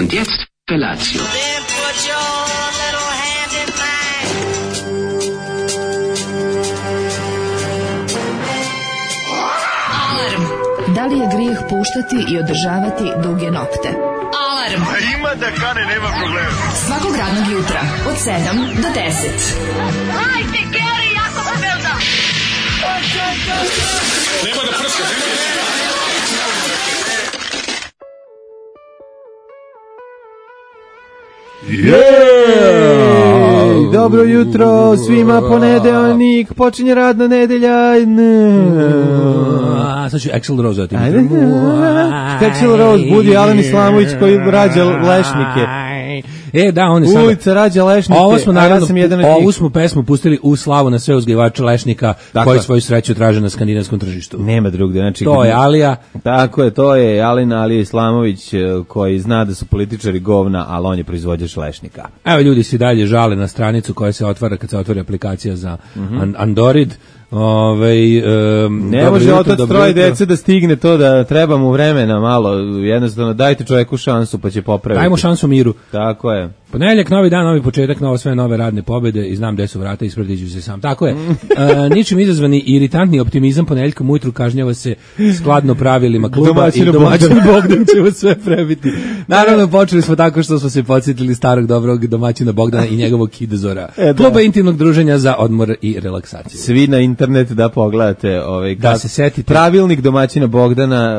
Und jetzt Felatio. Da li je grijeh puštati i održavati duge nokte? Alarm! Ima da kane, nema problema. Svakog radnog jutra, od 7 do 10. Hajde, Geri, jako se velda! Nema da prska, Jej! Dobro jutro svima, ponedeljnik, počinje radna nedelja. Sad ću Axl Rose zatim. Axl Rose budi Alen Islamović koji rađa lešnike. Da, on je sada. Ulica rađa lešnike. Ovo smo naravno, ovu smo pesmu pustili u slavu na sve uzgajivače lešnika koji svoju sreću traže na skandinavskom tržištu. Nema drugde, znači to je Alija. Tako je, to je Alija Islamović koji zna da su političari govna, ali on je proizvođač lešnika. Evo, ljudi se dalje žale na stranicu koja se otvara kad se otvori aplikacija za Android. Ne može otac troje dece da stigne to, da treba mu vremena malo, jednostavno dajte čovjeku šansu pa će popraviti. Dajmo šansu miru. Tako je. Ponedeljak, novi dan, novi početak, sve nove radne pobede i znam gde su vrata, isprediću se sam. Tako je. Ničim izazvani iritantni optimizam ponedeljkom ujutru kažnjava se skladno pravilima kluba i domaćin Bogdan će vas sve prebiti. Naravno, počeli smo tako što smo se podsjetili starog dobrog domaćina Bogdana i njegovog kidezora. Kluba intimnog druženja za odmor i relaksaciju. Svi na internet da pogledate da se setite. Pravilnik domaćina Bogdana,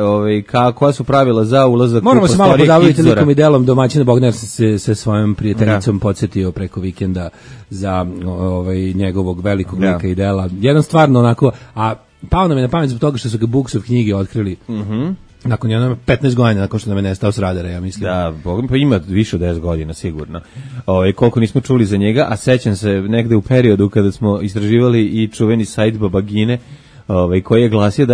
koja su pravila za ulazak u moramo se malo podavljati kidezora. likom i delom domaćina Bogdana se svojom prijateljicom podsjetio preko vikenda za njegovog velikog lika i dela. Jedan stvarno onako, a pao nam je na pamet zbog toga što su ga Buksov knjige otkrili. Nakon 15 godina, nakon što nam je nestao s radara, ja mislim. Da, pa ima više od 10 godina, sigurno. Koliko nismo čuli za njega, a sećam se negde u periodu kada smo istraživali i čuveni sajt Babagine, koji je glasio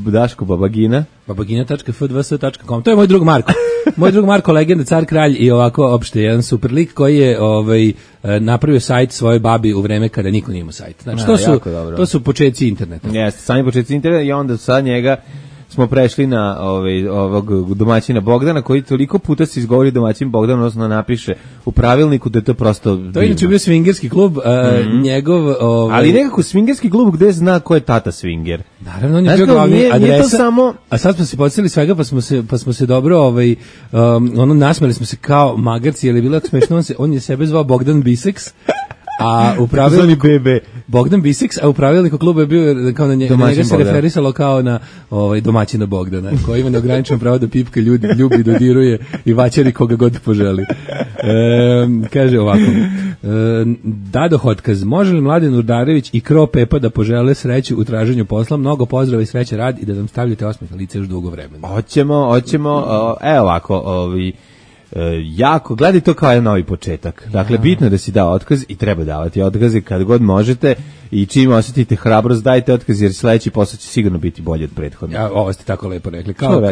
Daško Babagina. Babagina.fdvs.com. To je moj drug Marko. Moj drug Marko, legenda, car, kralj i ovako opšte jedan super lik koji je napravio sajt svojoj babi u vreme kada niko nije imao sajt. Znači, to su početci interneta. Jeste, sami početci interneta i onda sa njega smo prešli na ovog domaćina Bogdana, koji toliko puta se izgovori domaćin Bogdan, odnosno napiše u pravilniku da je to prosto divno. To je inače bio swingerski klub, njegov... Ali nekako swingerski klub gde zna ko je tata swinger. Naravno, on je bio glavni adresa, a sad smo se podsjetili svega, pa smo se dobro, nasmeli smo se kao magarci, jer je bilo smešno, on je sebe zvao Bogdan Bisex, a u pravilniku Bogdan Bisex, a u pravilniku kluba je bio kao na njega se referisalo kao na domaćina Bogdana, koji ima neograničeno pravo da pipka ljubi, dodiruje i vaćari koga god poželi. Kaže ovako, Dado Hotkaz, može li Mladen Urdarević i Kro Pepa da požele sreću u traženju posla? Mnogo pozdrava i sreće rad i da nam stavljate osmeh na lice još dugo vremena. Hoćemo, evo ovako, jako, gledaj to kao jedan novi početak. Dakle, bitno je da si dao otkaz i treba davati otkaze kad god možete i čim osjetite hrabrost, dajte otkaz jer sledeći posao će sigurno biti bolji od prethodnog. Ovo ste tako lepo rekli, kao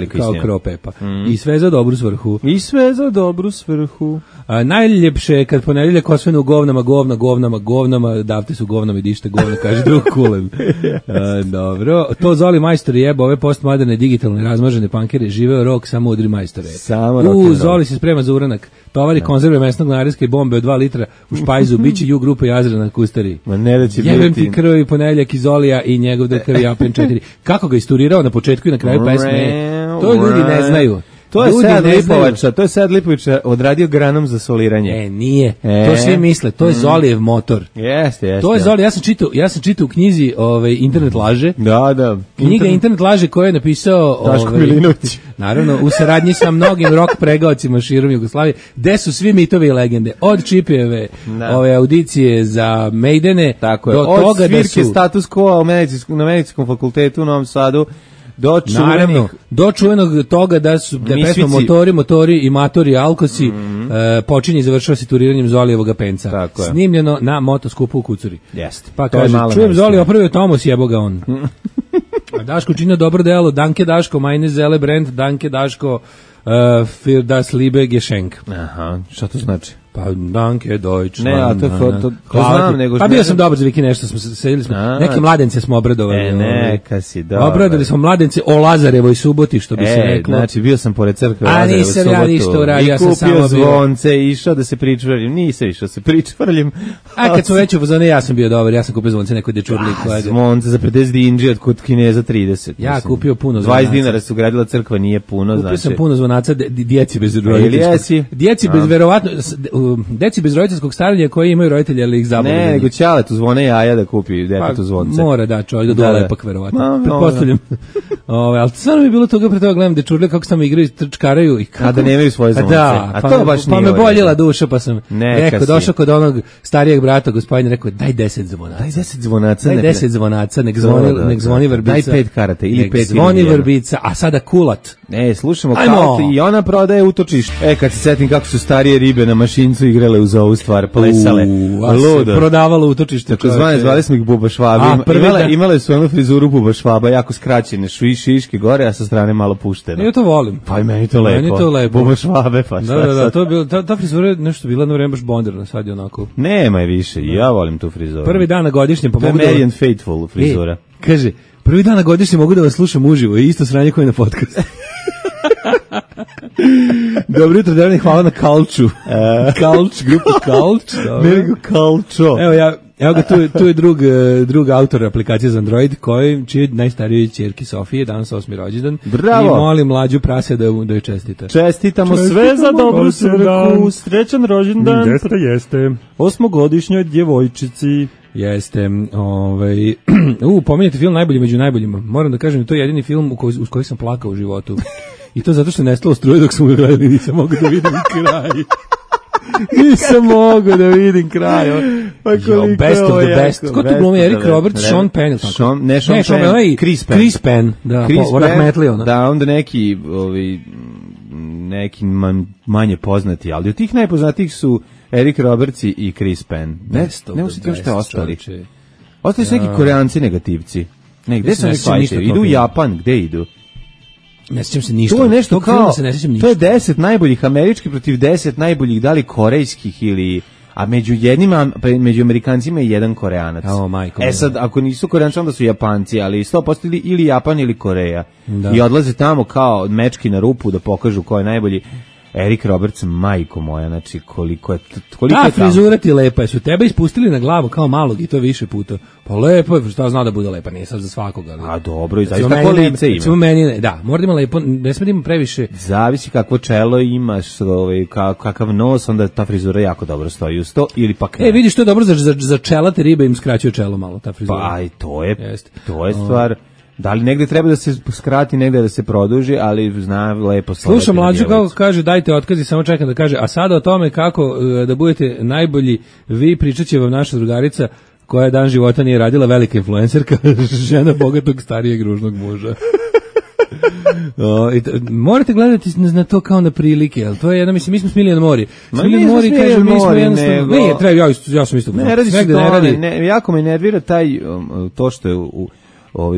Kro Pepa. I sve za dobru svrhu. Najljepše je kad ponedeljak osvane u govnama, davte su govnama i dište govna, kaže drug Kulen. Dobro, to Zoli majstori jeba, ove postmoderne, digitalne, razmažene pankere, živeo rok, samo udri majstore. Zoli se sprema za uranak, tovari konzerve mesnog nareska i bombe od 2 litra u špajzu, biće ju grupa Jazra na Kustari. Ma ne da će jebem ti krvi ponedeljak iz Olija i njegov doktor Japen 4. Kako ga isturirao na početku i na kraju pesme, to ljudi ne znaju. To je Sead Lipovića odradio granom za soliranje. Nije. To svi misle, to je Zolijev motor. Jeste. To je Zoli, ja sam čitao u knjizi Internet laže. Da. Knjiga Internet laže koju je napisao Daško Milinović. Naravno, u saradnji sa mnogim rock pregaocima širom Jugoslavije, gde su svi mitovi i legende, od Čipijeve, audicije za Maidene, tako je, do od toga da su... svirke status quo na medicinskom fakultetu u Novom Sadu, do čuvenog toga da je pesma motori i matori alkosi počinje i završava se turiranjem Zolijevog penca. Snimljeno na motoskupu u Kucuri. Jeste. Pa kaže, čujem Zoli opravio Tomos, jebo ga on. Daško činio dobro delo, danke Daško, meine Zelle Brand, danke Daško, für das liebe Geschenk. Aha, šta to znači? Pa Danke Deutschland. Ne, a to znam, nego... Pa bio sam dobar za Viki nešto, sedili smo, neke mladence smo obradovali. Neka si dobar. Obradili smo mladence o Lazarevoj suboti, što bi se reklo. Znači, bio sam pored crkve Lazarevoj subotu. A nisam ja ništa uradio, ja sam samo bio. I kupio zvonce, išao da se pričvrljim, nisam išao se pričvrljim. A kad smo već u fazone, ja sam bio dobar, ja sam kupio zvonce nekoj dečurli. Zvonce za 50 dinđi od kod Kineza 30. Ja kupio puno zvonaca. 20 dinara su gradila crkva, nije puno. Kupio sam puno zvonaca djeci bez roditeljskog. Djeci bez verovatno, djeci bez roditeljskog staranja koji imaju roditelji, ali ih zabavljaju. Ne, nego ćaletu zvone jaja da kupi detetu zvonce. Mora da čovjek da dole ipak verovatno. Pretpostavljam. Ali stvarno mi je bilo toga pre toga gledam dečurle kako se tamo igraju, trčkaraju i kako... A da nemaju svoje zvonce. Da, to baš pa me boljela duša, pa sam rekao, došao kod onog starijeg brata, gospodina, rekao, daj 10 zvonaca. Daj 10 zvonaca. Daj 10 zvonaca, nek zvoni vrbica. Daj 5 karata ili 5 zvoni vrbica, a sada kulat. Slušamo Kalt i ona prodaje utočište. Kad se setim kako su starije ribe na mašincu igrale uz ovu stvar, plesale. Ludo. Prodavalo utočište. Tako zvali smo ih buba švabi. Imale su onu frizuru buba švaba, jako skraćene, šiške gore, a sa strane malo puštene. Ja to volim. Pa i meni to lepo. Buba švabe, pa šta. Da, to je bilo, ta frizura je nešto bila na vreme baš bonderna, sad je onako. Nema je više, ja volim tu frizuru. Prvi dan na godišnjem, pa mogu da... Marian Faithful frizura. Kaže, prvi dan na godišnjem mogu da vas slušam uživo, i isto sranje koje na podcastu. Dobro jutro, Dejan, hvala na Kalču. Grupa Kalč. Nego Kalčo. Evo ga, tu je drug autor aplikacije za Android, čiji najstarijoj ćerki Sofije, danas 8. rođendan. Bravo. I molim mlađu prase da joj čestita. Čestitamo sve za dobru svrhu, srećan rođendan. Jeste. 8-godišnjoj djevojčici. Jeste, pominjate film Najbolji među najboljima. Moram da kažem, to je jedini film uz koji sam plakao u životu. I to zato što je nestalo struje dok smo ga gledali, nisam mogao da vidim kraj. Nisam mogao da vidim kraj. Best of the best. Ko tu glumi? Eric Roberts, Sean Penn. Ne, Sean Penn, Chris Penn. Da, onda neki manje poznati, ali od tih najpoznatijih su Eric Roberts i Chris Penn. Ne usjetio što je ostali. Ostali su neki Koreanci negativci. Gde su neki idu u Japan, gde idu? Ne sjećam se ništa. To je nešto kao, to je 10 najboljih američkih protiv 10 najboljih, da li korejskih ili... A među Amerikancima je jedan Koreanac. Sad, ako nisu Koreanci, onda su Japanci, ali 100% ili Japan ili Koreja. I odlaze tamo kao mečki na rupu da pokažu ko je najbolji. Eric Roberts, majko moja, znači koliko je frizura ti lepa, jesu tebe ispustili na glavu kao malog i to više puta. Pa lepo je, šta zna da bude lepa, nije sad za svakog. Ali... A dobro, i zaista ko lice ima. Da, mora da ima lepo, ne sme da ima previše. Zavisi kakvo čelo imaš, kakav nos, onda ta frizura jako dobro stoji uz to, ili pak ne. Vidiš, to je dobro za čelate ribe, im skraćuje čelo malo, ta frizura. Pa i to je stvar... Da li negde treba da se skrati, negde da se produži, ali zna lepo stvarati. Slušam mlađu kako kaže dajte otkazi, samo čekam da kaže, a sada o tome kako da budete najbolji vi, pričat će vam naša drugarica koja dan života nije radila, velika influencerka, žena bogatog starijeg ružnog muža. Morate gledati na to kao na prilike, ali to je jedna, mislim, mi smo Smiljan Mori. Smiljan Mori kaže, mi smo jednostavno... Ne, treba, ja sam isto... Ne radi se to, jako me nervira to što je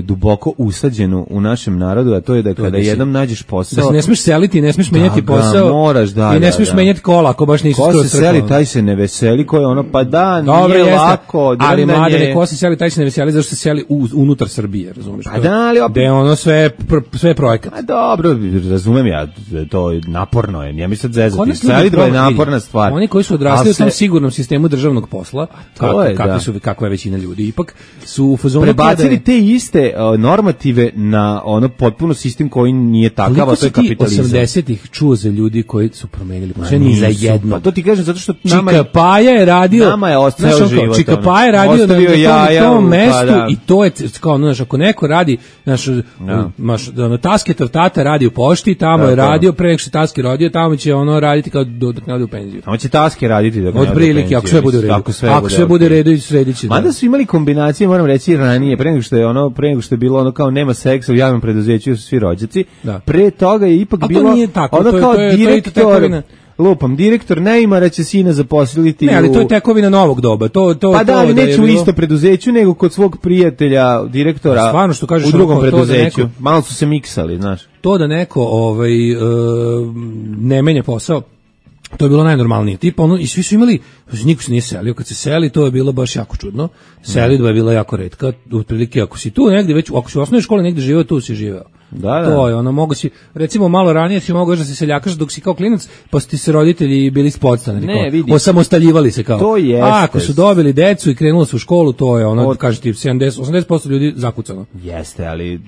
duboko usađeno u našem narodu, a to je da kada jednom nađeš posao... Da se ne smiješ seliti, ne smiješ menjati posao. Moraš, i ne smiješ menjati kola, ako baš nisi skoro crkao. Ko se seli, taj se ne veseli, ko je ono, pa da, nije lako. Ali mladene, ko se seli, taj se ne veseli, zašto se seli unutar Srbije, razumiješ? Pa da, ali opet... Gde je ono sve projekat. A dobro, razumem ja, to je naporno je, nije mi sad zezati. Selitba je naporna stvar. Oni koji su odrasli u tom sigurnom sistemu državnog posla, kakva je većina ljudi, ipak su u fazonu... Prebacili te iste normative na ono potpuno sistem koji nije takav, a to je kapitalizam. 80-ih čuo za ljudi koji su promenili sve ni za jedno. Pa to ti kažem zato što Čika Paja je radio, nama je ostao život. Čika Paja je radio na tom mestu i to je kao, znaš, ako neko radi, znaš, Tasketov tata radi u pošti, tamo je radio, pre nek što Taski rodio, tamo će ono raditi kao dok ne ode u penziju. Tamo će Taski raditi dok ne ode u penziju. Od prilike, ako sve bude u redu. Ako sve bude u redu i sredit će. Mada su imali kombinacije, moram reći, ranije, pre nego što je bilo ono kao nema seksa u javnom preduzeću, su svi rođaci. Pre toga je ipak bilo ono kao direktor, direktor Neymara će sina zaposliti. Ne, ali to je tekovina novog doba. Pa da, ali neće u isto preduzeću, nego kod svog prijatelja, direktora, stvarno, što kažeš, u drugom preduzeću. Malo su se miksali, znaš. To da neko ne menja posao, To je bilo najnormalnije. Tipa ono, i svi su imali, niko se nije selio. Kad se seli, to je bilo baš jako čudno. Selidba je bila jako retka. Otprilike, ako si tu negdje već, ako si u osnovnoj školi negdje živeo, tu si živeo. Da. To je ono, mogo si, recimo malo ranije si mogao da se seljakaš dok si kao klinac, pa su ti se roditelji bili podstanari. Ne, vidi. Osamostaljivali se kao. To jeste. A ako su dobili decu i krenuli su u školu, to je ono, kaže ti 70-80% ljudi zakucano. Jeste, ali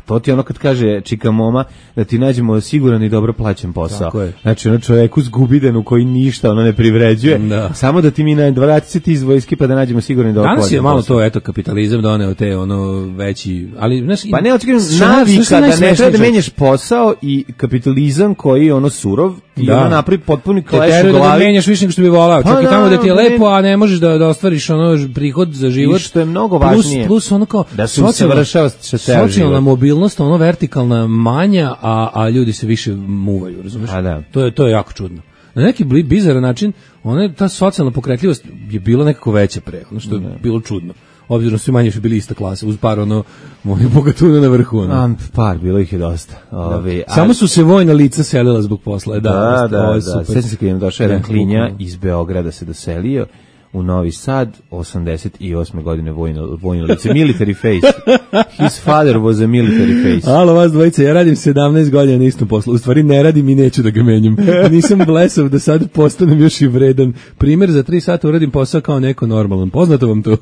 to ti ono kad kaže čika moma da ti nađemo siguran i dobro plaćen posao. Znači ono čovjeku zgubidenu koji ništa ono ne privređuje, samo da ti mi na 20 iz vojske pa da nađemo siguran i dobro plaćen posao. Danas je malo to, eto, kapitalizam doneo te ono veći, ali znaš, pa ne očekujem navika da ne treba da menjaš posao i kapitalizam koji je ono surov i ono napravi potpuni kleš u glavi. Da menjaš više nego što bi volao, čak i tamo da ti je lepo, a ne možeš da ostvariš ono prihod za život. I što je mnogo važnije. Plus ono kao da se usavršava socijalna mobilnost, ono vertikalna manja, a ljudi se više muvaju, razumeš? To je jako čudno. Na neki bizaran način, ta socijalna pokretljivost je bila nekako veća pre, ono što je bilo čudno. Obzirom svi manje su bili ista klasa, uz par mojih bogatuna na vrhu. Par, bilo ih je dosta. Samo su se vojna lica selila zbog posla. Da. Sveći se kad im došao jedan klinja iz Beograda se doselio u Novi Sad, 88. godine vojno lice, military face. His father was a military face. Alo, vas dvojice, ja radim 17 godina na istom poslu. U stvari ne radim i neću da ga menjam. Nisam blesav da sad postanem još i vredan. Primjer, za 3 sata uradim posao kao neko normalan. Poznato vam to?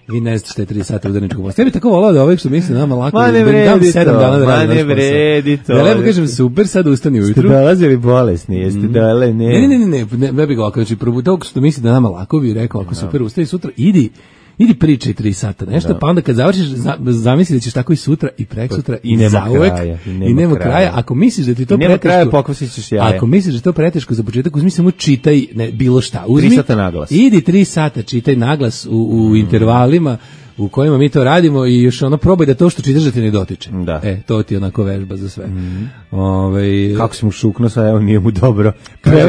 Vi ne znate šta je 3 sata udarničkog posla. Ja bih tako volao da ovih što misli nama lako. Ma ne vredi to. Ne vredi to. Da lepo kažem, super, sad ustani ujutru. Ste dolazili bolesni, jeste dole, ne. Ne bih ga ovako, znači, tog što misli da nama lako bi rekao, ako super, ustani sutra, idi pričaj 3 sata nešto, pa onda kad završiš, zamisli da ćeš tako i sutra i preksutra i zauvek i nema kraja. Ako misliš da ti to preteško, kraja, pokvasiš ćeš jaja. Ako misliš da to preteško za početak, uzmi samo čitaj bilo šta. 3 sata naglas. Idi 3 sata, čitaj naglas u intervalima u kojima mi to radimo i još probaj da to što čitaš da ti ne dotiče. Da. To ti je onako vežba za sve. Kako si mu šukno, sad evo nije mu dobro.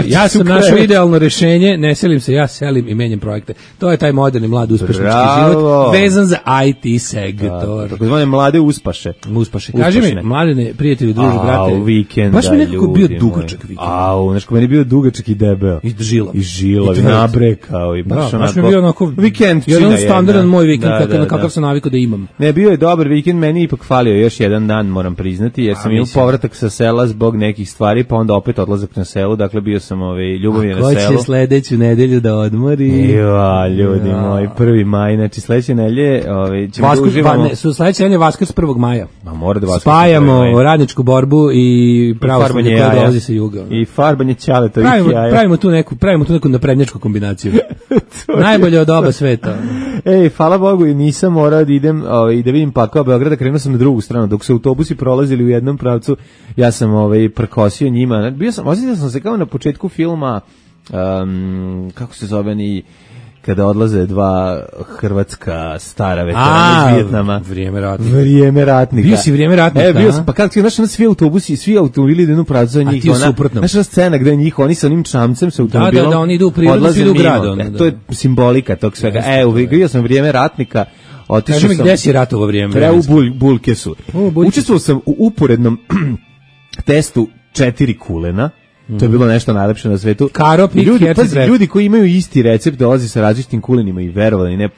Ja sam našao idealno rešenje, ne selim se, ja selim i menjam projekte. To je taj moderni, mlad, uspešnički život, vezan za IT sektor. Tako zvane mlade uspaše. Kaži mi, mladene, prijatelji, druži, brate. Vikenda, baš mi nekako bio dugačak vikend. Znaš ko meni bio dugačak i debeo. I žilav. I nabrekao. Baš mi bio onako vikend. Jedan standardan moj vikend, na kakav sam navikao da imam. Ne, bio je dobar vikend, meni ipak falio još jedan dan, moram priznati, jer sam imao povratak sa sela zbog nekih stvari, pa onda opet odlazak na selu, dakle bio sam ljubavio na selu. A ko će sledeću nedelju da odmori? Ljudi moji, 1. maj, znači sledeće nedelje ćemo da uživamo. Sledeće nedelje Vaskrs 1. maja. Mora da Vaskrs. Spajamo radničku borbu i pravoslavlje koje dolazi sa juga. I farbanje ćaletovih jaja. Pravimo tu neku naprednjačku kombinaciju. Najbolje od oba sveta. Hvala Bogu, nisam morao da idem i da vidim pakao Beograda, krenuo sam na drugu stranu, dok su autobusi prolazili u jednom pravcu, ja sam prkosio njima, osjetio sam se kao na početku filma, kako se zove kada odlaze 2 hrvatska stara veterana iz Vijetnama. Vrijeme ratnika. Bio si Vrijeme ratnika. Bio sam, pa kako ti, znaš, svi autobusi, svi automobili idu pravcu za njih. A ti u suprotnom. Znaš, scena gde njih, oni sa onim čamcem sa automobilom. Da, oni idu u prirodu, svi idu u gradu. To je simbolika tog svega. Bio sam Vrijeme ratnika. Kaži mi gde si ratovo vrijeme? U Bulkesu. Učestvovao sam u uporednom testu 4 kulena. To je bilo nešto najlepše na svetu. Ljudi koji imaju isti recept dolazi sa različitim kulenima i verovali ne,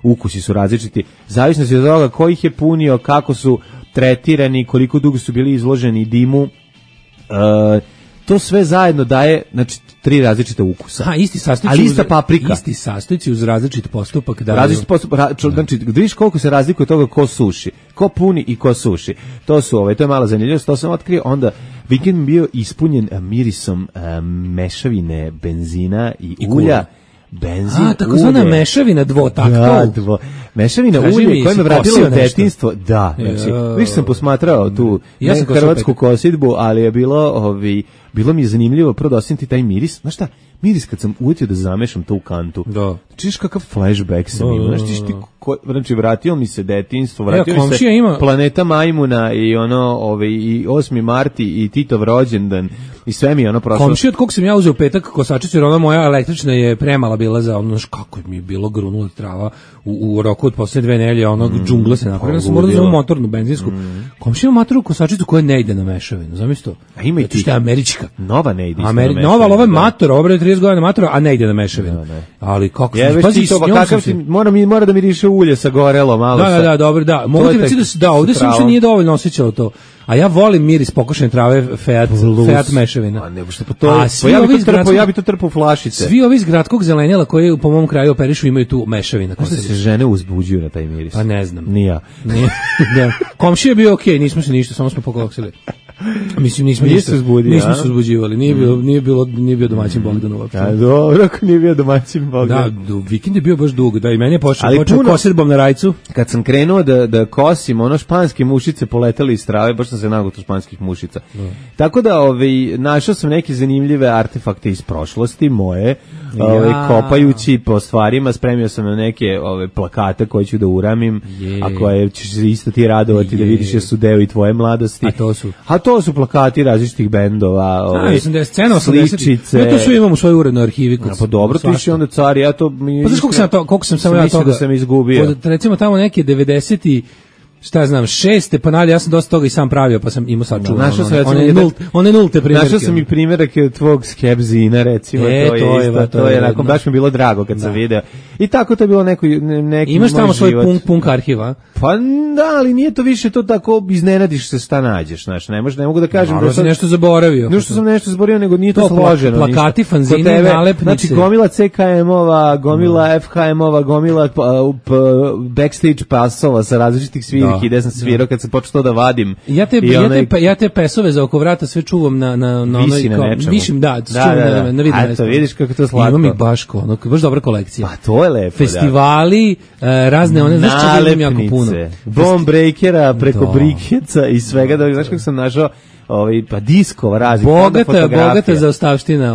ukusi su različiti. Zavisno se od toga ko ih je punio, kako su tretirani, koliko dugo su bili izloženi dimu. To sve zajedno daje, znači, 3 različite ukusa. Isti sastojci. Ali ista paprika. Isti sastojci uz različit postupak. Različit postupak, znači, vidiš koliko se razlikuje toga ko suši, ko puni i ko suši. To je malo zanimljivo, to sam otkrio, onda vikend bio ispunjen mirisom mešavine benzina i ulja. Benzin, takozvana mešavina dvotaktov. Mešavina ulje koja me vratila u detinjstvo. Da, znači, više sam posmatrao tu hrvatsku kosidbu, ali je bilo mi je zanimljivo prvo da osjetiti taj miris. Znaš šta, miris kad sam ujetio da zamešam to u kantu. Da. Čiš kakav flashback sam imao, znaš ti znači vratio mi se detinjstvo, vratio mi se Planeta majmuna i i 8. marti i Titov rođendan i sve mi je prošlo. Komšija od kog sam ja uzeo petak kosačicu, jer ona moja električna je premala bila za kako mi je bilo grunula trava u roku od posle 2 nedelje, džungla se napravila, sam morao da uzmem motornu benzinsku. Komšija ima motornu kosačicu koja ne ide na mešavinu, zamisli to. A ima i ti. Što je američka. Nova ne ide na mešavinu. Nova, ali ovo je mator, ovo je 30 godina matora, a ne ide na mešavinu. Ali kako sam... Mora da miriše ulje sa gorelo malo. Da, dobro, da. Mogu ti reći da ovde se uopšte nije dovoljno osjećalo to. A ja volim miris pokošene trave Fiat mešavina. A ne, što ja bi to trpao u flašice. Svi ovi iz gradskog zelenjela koji po mom kraju operišu imaju tu mešavina. Kako se žene uzbuđuju na taj miris? Pa ne znam. Ni ja. Komšija je bio okej, nismo se ništa, samo smo pokoksili. Mislim nismo se uzbuđivali, nije bio domaćin Bogdan uopšte. A dobro, ako nije bio domaćin Bogdan. Da, vikend je bio baš dug, da i meni je počeo kosidbom na rajcu. Kad sam krenuo da kosim, španske mušice poletale iz trave, baš sam se nagotao španskih mušica. Tako da našao sam neke zanimljive artefakte iz prošlosti moje, kopajući po stvarima, spremio sam na neke plakate koje ću da uramim, a koje ćeš se isto ti radovati da vidiš jer su deo i tvoje mladosti. A to su plakati različitih bendova, sličice. Ja to sve imam u svojoj urednoj arhivi. Pa dobro, ti si onda car, ja to... Pa znaš koliko sam samo ja toga... da sam izgubio. Recimo tamo neke 90-ti, šta znam, 6. pa nadalje, ja sam dosta toga i sam pravio, pa sam imao sad čuvan. One nulte primjerke. Našao sam i primjerke od tvog Skepzina, recimo, to je onako, baš mi bilo drago kad sam video. I tako to je bilo neki imaš tamo svoj punk arhiva? Pa da, ali nije to više to tako, iznenadiš se šta nađeš, znaš, ne mogu da kažem da sam nešto zaboravio. Ne što sam nešto zaboravio, nego nije to složeno. Plakati, fanzini, nalepnice. Znači, gomila CKM-ova, gomila FHM-ova, gomila backstage pasova sa različitih svirki, gde sam svirao kad sam počeo to da vadim. Ja te pesove za oko vrata sve čuvam na visi na nečemu. Višim, na vidim. Eto, vidiš kako to slatko. Imam ih baš dobra kolekcija. Pa to je lepo, festivali, razne one, znaš čega imam jako puno. Bomb breakera preko brikeca i svega, da znaš kako sam našao pa diskova raznih bogata zaostavština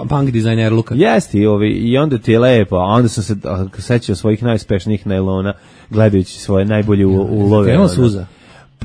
punk dizajner Luka. Jeste i onda ti je lepo, a onda sam se sećao svojih najuspešnijih nailona gledajući svoje najbolje ulove. Krenuo suza?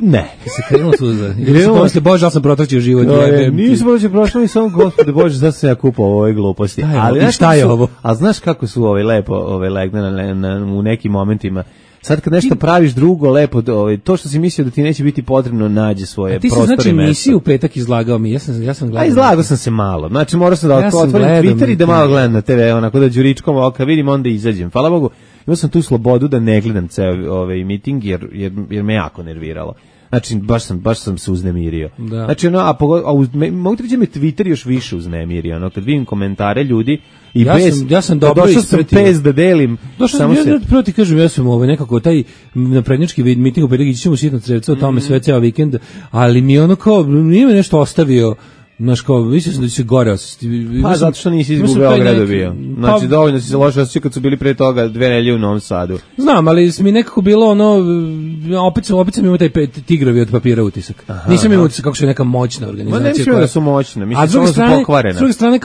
Ne. Se krenulo suza. Posle Bože, ja sam protračio život. Nisam prošlo i samo Gospode Bože, zašto sam ja kupao ove gluposti. Ali šta je ovo? A znaš kako su lepo legne u nekim momentima. Sad kad nešto praviš drugo lepo, to što si mislio da ti neće biti potrebno, nađe svoje prostore mesta. Ti si znači emisiju u petak izlagao mi, ja sam gledao. A izlagao sam se malo, znači morao sam da otvorim Twitter i da malo gledam na TV, onako da đuričkom oka vidim, onda izađem. Hvala Bogu, imao sam tu slobodu da ne gledam ceo miting jer me jako nerviralo. Znači, baš sam se uznemirio. Da. Znači, mogu ti reći me Twitter još više uznemirio, kad vidim komentare ljudi i ja sam dobro ispratio. Došao sam da delim. Prvo ti kažem, ja sam nekako taj naprednjački miting u petak, ićemo sitno crevca o tome sve ceo vikend, ali mi nije me nešto ostavio. Znaš, mislim da će se gore osjećati. Pa zato što nisi iz Beograda bio. Znači, dovoljno si se loše osjećao kad su bili pre toga 2 nedelje u Novom Sadu. Znam, ali mi nekako bilo opet sam imao taj tigrovi od papira utisak. Nisam imao utisak kako su neka moćna organizacija. Ma ne mislim da su moćne, mislim da su pokvarene. S druge strane,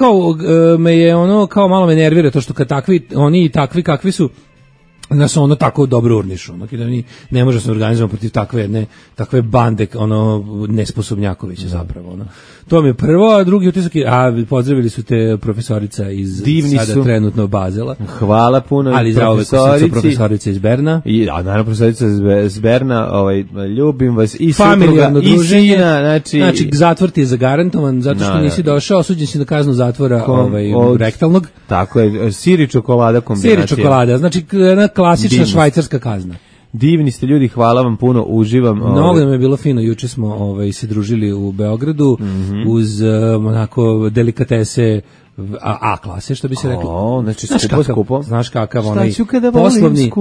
me je kao malo me nervira to što kad oni i takvi kakvi su, nas tako dobro urnišu, da mi ne može se organizovati protiv takve bande, nesposobnjakovića zapravo, To mi je prvo, a drugi utisak je, pozdravili su te profesorica iz sada trenutno Bazela. Hvala puno ali profesorica iz Berna. Naravno profesorica iz Berna, ljubim vas i familijarno druženje, znači zatvor ti je zagarantovan, zato što nisi došao, osuđen si na kaznu zatvora rektalnog. Tako je, sir i čokolada kombinacija. Sir i čokolada, znači jedna klasična švajcarska kazna. Divni ste ljudi, hvala vam puno, uživam. Mnogo nam je bilo fino, juče smo se družili u Beogradu uz onako delikatese A klase, što bi se reklo. Znači skupo. Znaš kakav onaj poslovni,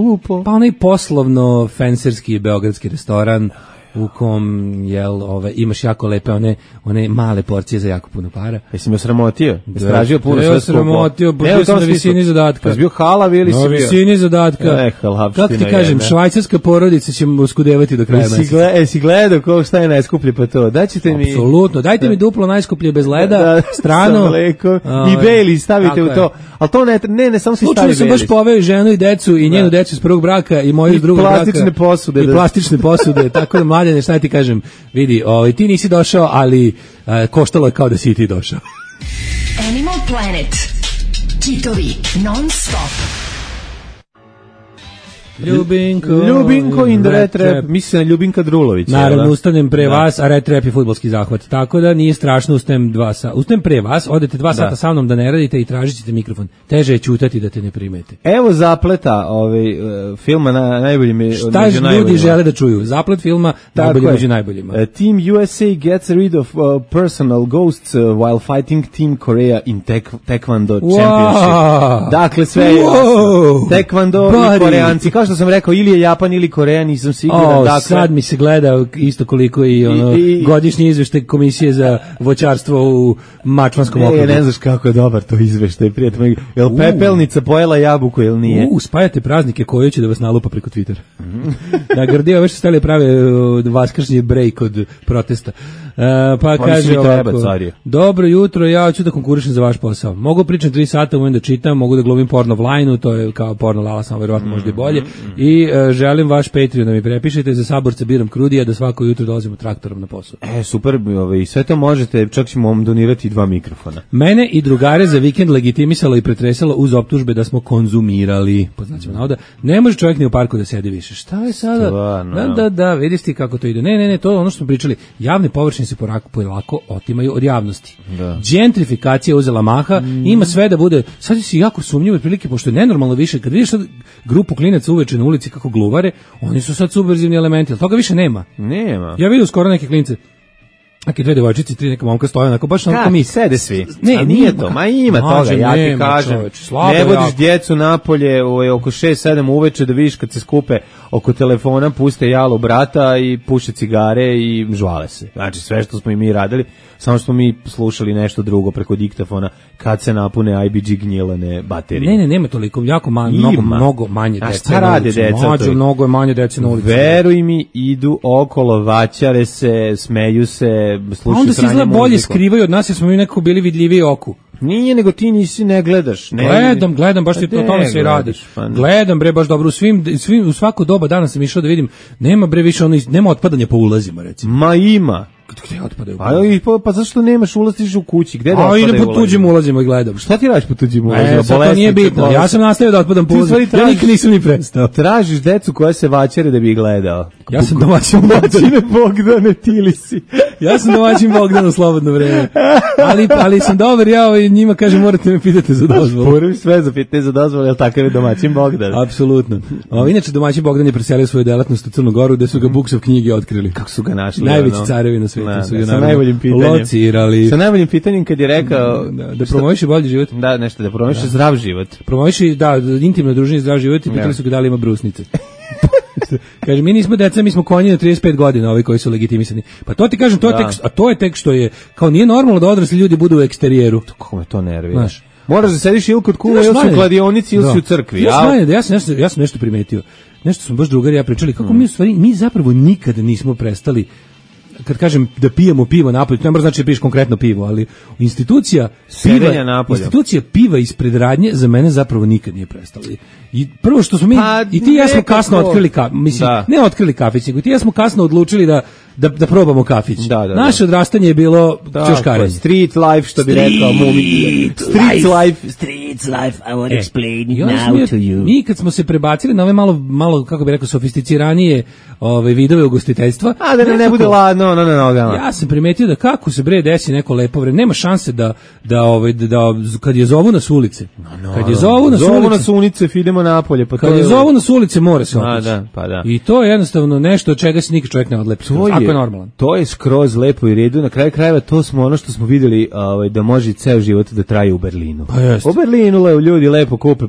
pa onaj poslovno fenserski beogradski restoran, u kom imaš jako lepe one male porcije za jako puno para. Jesi me sramotio? Stražio puno sve skupo. Sramotio, bio sam na visini zadatka. Pa bio halav ili si bio? Na visini zadatka. Kako ti kažem, švajcarska porodica će uskudevati do kraja meseca. Jesi gledao šta je najskuplje pa to? Daćete mi... Apsolutno, dajte mi duplo najskuplje bez leda, strano. I Bailey stavite u to. Ali to ne samo si stavi Bailey. Slučajno sam baš poveo ženu i decu i njenu decu iz prvog braka i moju iz drugog braka. I plastične posude. Tako da, Mladene, šta ti kažem, vidi, ti nisi došao, ali koštalo je kao da si ti došao. Animal Planet. Kitovi non stop. Ljubinko in the Red Trap. Mislim na Ljubinka Drulović. Naravno, ustanem pre vas, a Red Trap je fudbalski zahvat. Tako da nije strašno, ustanem 2 sata. Ustanem pre vas, odete 2 sata sa mnom da ne radite i tražit ćete mikrofon. Teže je ćutati da te ne primete. Evo zapleta filma najbolji među najboljima. Šta ljudi žele da čuju? Zaplet filma najbolji među najboljima. Team USA gets rid of personal ghosts while fighting Team Korea in Taekwondo Championship. Dakle, sve je Taekwondo i Koreanci. Kao što sam rekao, ili je Japan ili Koreja, nisam siguran. Dakle, sad mi se gleda isto koliko i godišnji izveštaj komisije za voćarstvo u Mačvanskom okrugu. Ne znaš kako je dobar to izveštaj, prijatelj. Jel pepelnica pojela jabuku ili nije? Spajate praznike koji će da vas nalupa preko Twittera. Na Grdija već stali prave vaskršnji break od protesta. Pa kaže ovako, dobro jutro, ja hoću da konkurišem za vaš posao. Mogu pričati 3 sata, umem da čitam, mogu da glumim porno Vline-u, to je kao porno Lala, samo verovatno možda i bolje. I želim vaš Patreon da mi prepišete, za saborca biram Krudija, da svako jutro dolazimo traktorom na posao. Super, sve to možete, čak ćemo vam donirati 2 mikrofona. Mene i drugare za vikend legitimisalo i pretresalo uz optužbe da smo konzumirali. Poznaćemo navoda. Ne može čovjek ni u parku da sedi više. Šta je sada? Da, vidiš ti kako to ide. Ne, to je ono što smo pričali. Javne površine se polako otimaju od javnosti. Gentrifikacija uzela maha, ima sve da bude, sad si jako sumnjivo otprilike, pošto je nenormalno više, kad vidiš sad grupu klinaca uveče na ulici kako gluvare, oni su sad subverzivni elementi, ali toga više nema. Ja vidim skoro neke klince, neke 2 devojčice, 3 neka momka stoje onako baš onako mi sede svi. Nije to, ima toga, ja ti kažem. Ne vodiš djecu napolje oko 6-7 uveče da vidiš kad se skupe oko telefona, puste jalo brata i puše cigare i žvale se. Znači sve što smo i mi radili, samo što smo mi slušali nešto drugo preko diktafona kad se napune IBG gnjilane baterije. Ne, nema toliko, jako mnogo manje dece. A šta rade deca? Mnogo je manje dece na ulici. Veruj mi, idu okolo, vaćare se, smeju se, slušaju sranje muziku. Onda se izgleda bolje skrivaju od nas jer smo mi nekako bili vidljiviji oku. Nije, nego ti ne gledaš. Gledam, baš ti to tome se radi. Gledam, bre, baš dobro. U svako doba dana sam išao da vidim, nema bre više nema otpadanja po ulazima, recimo. Ma ima. Gde otpadaju? Pa zašto nemaš ulaz u kući? Gde da otpadaju? Idem po tuđim ulazima i gledam. Šta ti radiš po tuđim ulazima? To nije bitno. Ja sam nastavio da otpadam po ulazima. Ja nikad nisam ni prestao. Tražiš decu koja se vaćare da bi ih gledao. Ja sam domaćin Bogdane, tili si. Ja sam domaćin Bogdan u slobodno vreme. Ali sam dobar, ja i njima kažem morate me pitati za dozvolu. Moram sve zapitati za dozvolu, jer takav je domaćin Bogdan. Apsolutno. Inače, domaćin Bogdan je preselio svoju delatnost u Crnu Goru, gde su ga Buksov knjige otkrili. Kako su ga našli? Najveći carevi na svijetu su ga sa najboljim pitanjem. Locirali. Sa najboljim pitanjem kad je rekao da promoviše bolji život. Da, nešto da promoviše zdrav život. Promoviše intimno druženje, zdrav život i pitali su ga da li ima brusnice. Kaže, mi nismo deca, mi smo konji na 35 godina, ovi koji su legitimisani. Pa to ti kažem, to je tek što je, kao nije normalno da odrasli ljudi budu u eksterijeru. Kako me to nervira. Moraš da sediš ili kod kule, ili su u kladionici, ili su u crkvi. Ja sam nešto primetio. Nešto smo baš drugari ja pričali, kako mi zapravo nikada nismo prestali, kad kažem da pijemo pivo napolje, to ne mora znači da piješ konkretno pivo, ali institucija piva ispred radnje za mene zapravo nikad nije prestala. I prvo što smo mi, i ti ja smo kasno otkrili ne otkrili kafić, nego ti ja smo kasno odlučili da probamo kafić. Naše odrastanje je bilo ćoškarenje. Street life, što bi rekao Mumi. Street life, I want to explain it now to you. Mi kad smo se prebacili na ove malo kako bi rekao, sofisticiranije vidove ugostiteljstva. A da ne bude ladno na nogama. Ja sam primetio da kako se bre desi neko lepo vreme, nema šanse da kad je zovu nas ulice. Kad je zovu nas ulice, idemo napolje. Kad je zovu nas ulice, mora se otići. Da. I to je jednostavno nešto od čega se nikad čovjek ne odlepi. Ako je normalan. To je skroz lepo i redu. Na kraju krajeva to smo ono što smo vidjeli da može ceo život da traje u Berlinu. Pa jest. U Berlinu krenula ljudi lepo kupe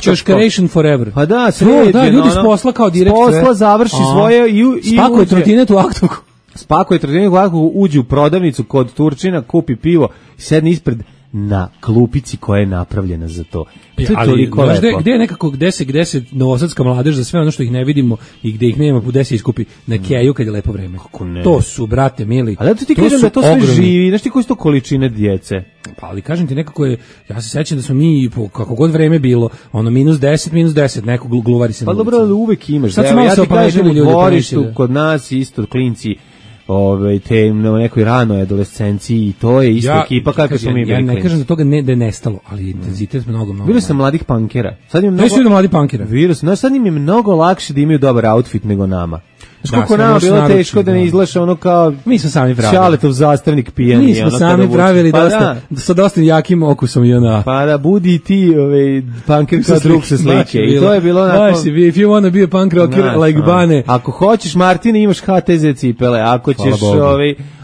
Čoškaration forever. Pa da, da, ljudi s posla kao direkt. Posla završi svoje i spakuje trotinet u aktovku. Spakuje trotinet u aktovku, uđe u prodavnicu kod Turčina, kupi pivo i sedne ispred na klupici koja je napravljena za to. To je toliko lepo. Gde je nekako, gde se novosadska mladež za sve ono što ih ne vidimo i gde ih nema, gde se iskupi na keju kad je lepo vreme. To su, brate mili. Ali da ti kažem da to sve živi, znaš ti koji su to količine djece? Pa ali kažem ti nekako je, ja se sećam da smo mi, kako god vreme bilo, ono -10, neko gluvari se na ulici. Pa dobro, uvek imaš. Sad ja ti kažem u dvorištu, kod nas isto klinci, te na nekoj ranoj adolescenciji i to je ista ekipa kako smo mi bili. Ja ne kažem da toga da je nestalo, ali intenzitet mnogo. Vidio sam mladih punkera. Sad im mladih punkera. Vidio sam, sad im je mnogo lakše da imaju dobar outfit nego nama. Znaš koliko nama bilo teško da ne izglaša ono kao mi smo sami pravili. Šaletov zastavnik pijani. Mi smo sami pravili sa dosta jakim okusom i ona. Pa da budi ti punker kao drug se slike. I to je bilo onako. If you wanna be a punk rocker like Bane. Ako hoćeš Martine imaš HTZ cipele,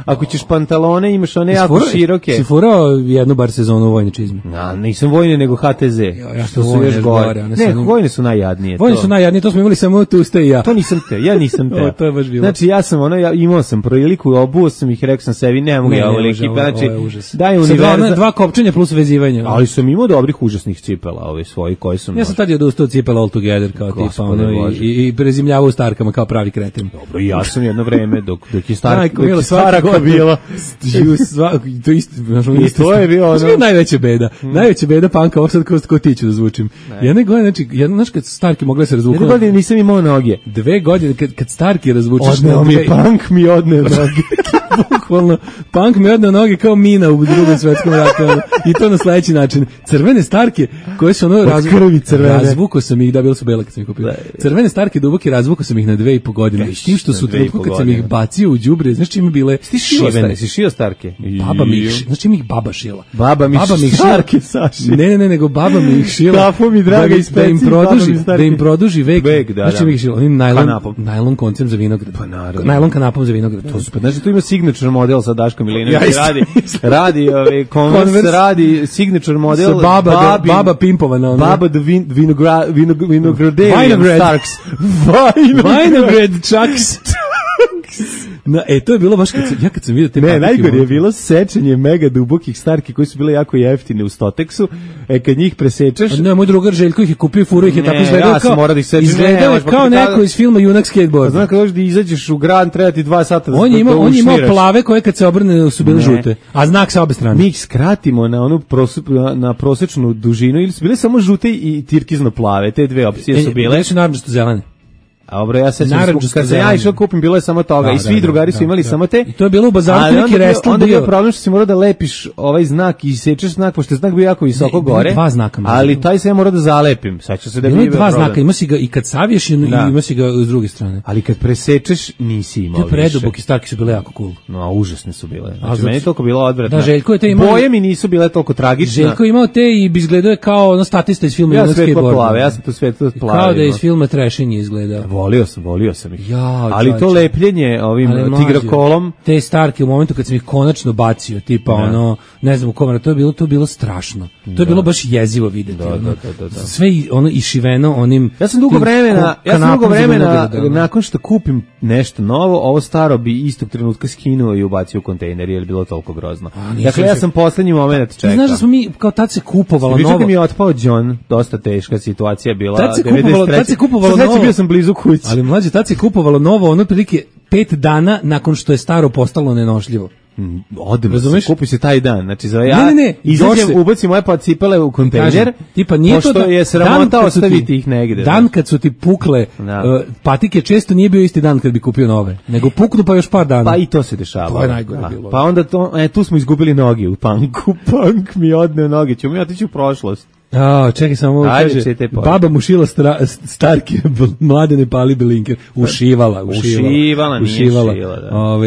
ako ćeš pantalone imaš one jako široke. Si furao jednu bar sezonu u vojne čizme? Nisam vojne nego HTZ. Što su još gore. Ne, vojne su najjadnije. Vojne su najjadnije, to smo imali samo tu ste i ja. To nisam te, ja nisam te. To je baš bilo. Znači ja sam imao sam priliku, obuo sam ih, rekao sam sebi, ne mogu ja ovo ekipa, znači daj univerza. Dva kopčenja plus vezivanje. Ali sam imao dobrih užasnih cipela, svoji koji su. Ja sam tad odustao cipela all together kao tipa i prezimljavao u starkama kao pravi kreten. Dobro, ja sam jedno vreme dok je starka bila. To je bilo ono. Najveća beda. Najveća beda panka, ovo sad ko ti ću da zvučim. Jedne godine, znači, znaš kad Starki mogla se razvukati. Jedne godine nisam imao noge. 2 godine, kad Starki razvučeš. Odneo mi punk mi odneo noge. Bukvalno, punk mi odneo noge kao mina u Drugom svetskom ratu. I to na sledeći način. Crvene Starke, koje su ono razvukao sam ih, da bilo su bela kad sam ih kupio. Crvene Starke duboke razvukao sam ih na 2,5 godine. S tim što su trenutku kad sam ih bacio u đubre, znaš čime bile šivene. Si šio Starke? Baba mi ih, znači mi ih baba šila. Baba mi Starke saši. Ne, nego baba mi ih šila. Kafu mi draga iz peci, da im produži vek. Znači mi ih šila, onim najlon koncem za vinograd. Pa naravno. Najlon kanapom za vinograd. To su, pa znači tu ima signature model sa Daškom Milinović. Radi Converse, radi signature model. Baba pimpovana. Baba the Vinogradarian Starks. Vinograd Chucks. To je bilo baš kad sam vidio te patike. Ne, najgore je bilo sečenje mega dubokih Starki koji su bile jako jeftine u Stoteksu. Kad njih presečeš... Ne, moj drugar Željko ih je kupio, furo ih je tako izgledao kao neko iz filma Junak skateboard. Znam kad da izađeš u grad, treba ti 2 sata da on je imao plave koje kad se obrne su bile žute, a znak sa obe strane. Mi ih skratimo na onu na prosečnu dužinu ili su bile samo žute i tirkizno plave, te dve opcije su bile. Ne su naranđasto zelene. A dobro, ja se kad sam ja išao kupim bilo je samo toga i svi drugari su imali samo te. I to je bilo u bazaru neki restel. Onda je problem što si morao da lepiš ovaj znak i sečeš znak pošto je znak bio jako visoko gore. 2 znaka. Ali taj se ja morao da zalepim. Seća se da bio 2 znaka, ima si ga i kad saviješ i ima si ga s druge strane. Ali kad presečeš nisi imao. Te preduboki Starki su bile jako cool. No, užasne su bile. Znači meni toliko bilo odvratno. Da, Željko je te imao. Boje mi nisu bile toliko tragične. Željko imao te i bi izgledao kao ono statista iz filma Junak skateboard. Ja sam tu svetlo plave. Kao da iz filma Trešenje izgledao. Volio sam ih. Ali to lepljenje ovim tigrokolom, te Starke u momentu kad sam ih konačno bacio, tipa ono, ne znam u kom, to je bilo strašno. To je bilo baš jezivo videti. Sve ono išiveno onim. Ja sam dugo vremena nakon što kupim nešto novo, ovo staro bi istog trenutka skinuo i ubacio u kontejner jer je bilo toliko grozno. Dakle, ja sam poslednji moment čekao. Znaš da smo mi kao tad se kupovalo novo. Vidio mi je otpao John, dosta teška situacija bila. Tad se kupovalo novo. Bio sam blizu kući. Ali mlađe, tad se kupovalo novo, ono prilike 5 dana nakon što je staro postalo nenošljivo. Kupi se taj dan, znači za izađem, ubacim moje cipele u kontejner, tipa nije to da je sramota ostaviti ih negde. Dan kad su ti pukle patike često nije bio isti dan kad bi kupio nove, nego puknu pa još par dana. Pa i to se dešava. To je najgore bilo. Pa onda tu smo izgubili noge u punku. Punk mi odneo noge, ćemo mi otići u prošlost. Čekaj samo kaže, baba mu šila Starke, Mladene Pali Belinker, ušivala.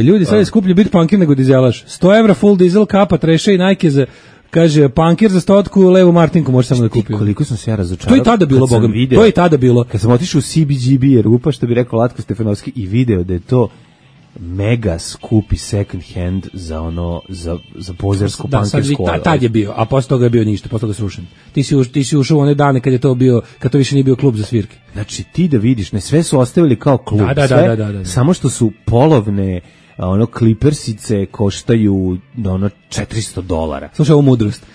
Ljudi, sad je skuplje biti punker nego dizelaš. 100 evra full dizel, kapa, treše i Nike za, kaže, punker za 100 levu Martinku može samo da kupi. Koliko sam se ja razočarao. To je tada bilo, Bogam, to je tada bilo. Kad sam otišao u CBGB Rupa, što bi rekao Latko Stefanovski, i video da je to mega skupi second hand za ono za pozersku pankersku. Da, tad je bio, a posle toga je bio ništa, posle toga srušen. Ti si ušao u one dane kad to više nije bio klub za svirke. Znači ti da vidiš, ne sve su ostavili kao klub, da. Samo što su polovne ono klipersice koštaju ono $400. Slušaj ovu mudrost.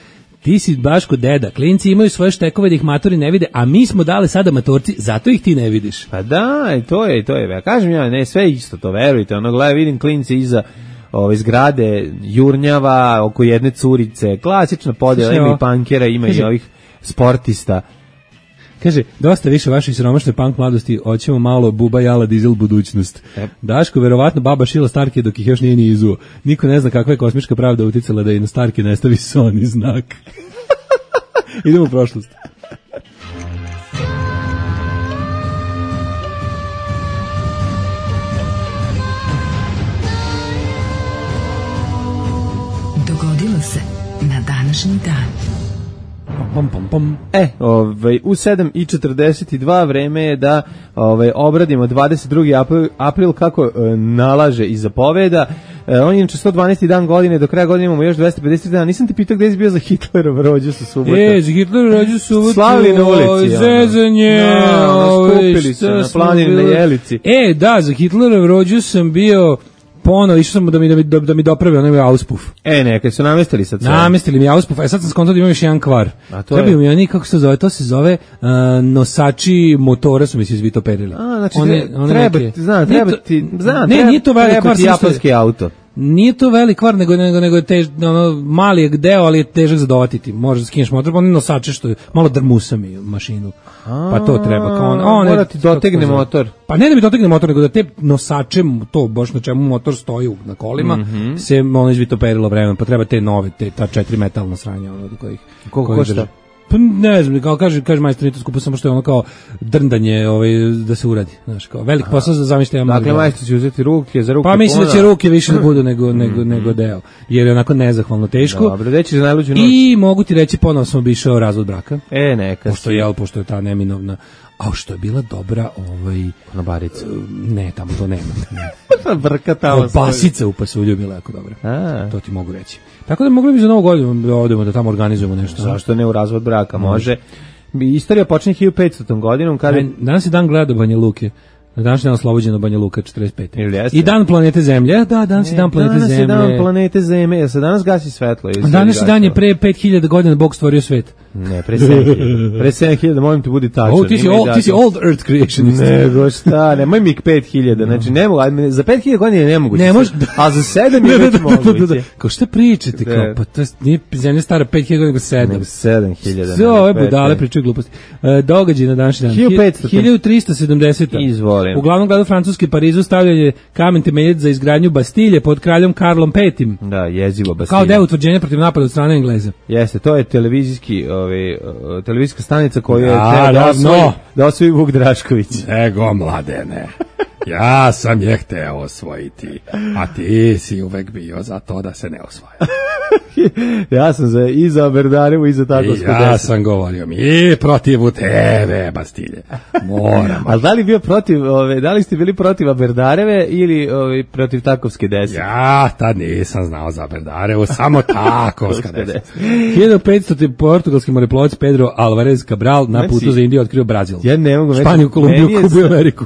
Ti si baš kod deda, klinci imaju svoje štekove da ih matori ne vide, a mi smo dali sada matorci, zato ih ti ne vidiš. Pa da, to je. Ja kažem ne, sve isto to, verujte. Ono, gledaj, vidim klinci iza ove zgrade, jurnjava, oko jedne curice, klasična podjela, ima i pankera, ima i ovih sportista. Kaže, dosta više vaše siromašne punk mladosti, hoćemo malo buba jala dizel budućnost. Daško, verovatno baba šila Starke dok ih još nije ni izuo. Niko ne zna kakva je kosmička pravda uticala da i na Starke ne stavi Sony znak. Idemo u prošlost. Dogodilo se na današnji dan. U 7:42 vreme je da obradimo 22. april kako nalaže i zapoveda. On je inače 112. dan godine, do kraja godine imamo još 250 dana. Nisam te pitao gde si bio za Hitlerov rođus u subotu. Za Hitlerov rođus u subotu. Slavili na ulici. Zezanje. Skupili se na planini na Jelici. Da, za Hitlerov rođus sam bio ponovo, išao sam da mi dopravi onaj auspuff. Neka su namestili sad sve. Namestili mi auspuff, sad sam skontao da imam još jedan kvar. Trebaju mi oni, kako se zove, to se zove nosači motora su mi se izvitoperili. Znači, treba ti japanski auto. Nije to velik kvar, nego je mali je deo, ali je težak za dovatiti. Možeš da skineš motor, oni nosače što je malo drmusa mi mašinu. Pa to treba. Mora ti dotegne motor. Pa ne da mi dotegne motor, nego da te nosače, to baš na čemu motor stoji na kolima, se ono izvitoperilo vremenom, pa treba te nove, ta 4 metalna sranja. Koliko košta? Pa ne znam, kao kaže majstor, nije to skupo, samo što je ono kao drndanje da se uradi, znaš, kao velik posao za zamišljati. Dakle, majstor će uzeti ruke, za ruke. Pa mislim da će ruke više da budu nego deo, jer je onako nezahvalno teško. Dobro, reći za najluđu noć. I mogu ti reći, ponovno sam obišao razvod braka. Neka. Pošto je ta neminovna. A što je bila dobra konobarica. Ne, tamo to nema. Brka tamo. Basica u Pasulju bila jako dobra. To ti mogu reći. Tako da mogli bi za Novu godinu da odemo da tamo organizujemo nešto. Zašto ne u razvod braka? Može. Istorija počinje 1500. godinom. Danas je dan gleda Banja Luke. Na današnji dan oslobođeno Banja Luka 45. I dan planete Zemlje. Da, danas je dan planete Zemlje. Danas je dan planete Zemlje. Jel se danas gasi svetlo? Današnji dan je pre 5000 godina Bog stvorio svet. Ne, pre 7000. Pre 7000, molim te budi tačan. Ti si old earth creationist. Nego šta, nemoj mi 5000. Znači, ne mogu, za 5000 godina je nemoguće. Ne može. A za 7 je već moguće. Kao šta pričate? Kao, pa to nije Zemlja stara 5000 godina, nego 7. Nego 7000. Sve ove budale pričaju gluposti. Događaj na današnji dan. 1370. Izvolim. U glavnom gradu Francuske Parizu stavljanje kamen temeljac za izgradnju Bastilje pod kraljom Karlom V. Da, jezivo Bastilje. Kao deo utvrđenja protiv napada od strane Engleza. Jeste, to je televizijska stanica koju je da osvoji Vuk Drašković. Ego, mladene. Ja sam je hteo osvojiti, a ti si uvek bio za to da se ne osvaja. Ja sam i za Berdarevu i za Takovsko 10. Ja sam govorio mi protiv tebe, Bastilje. Moram. Ali da li ste bili protiv Berdareve ili protiv Takovske 10? Ja tad nisam znao za Berdarevu, samo Takovska 10. 1500. portugalski moreplovac Pedro Alvarez Cabral na putu za Indiju otkrio Brazil. Ja ne mogu Španiju, Kolumbiju, Kubu i Ameriku.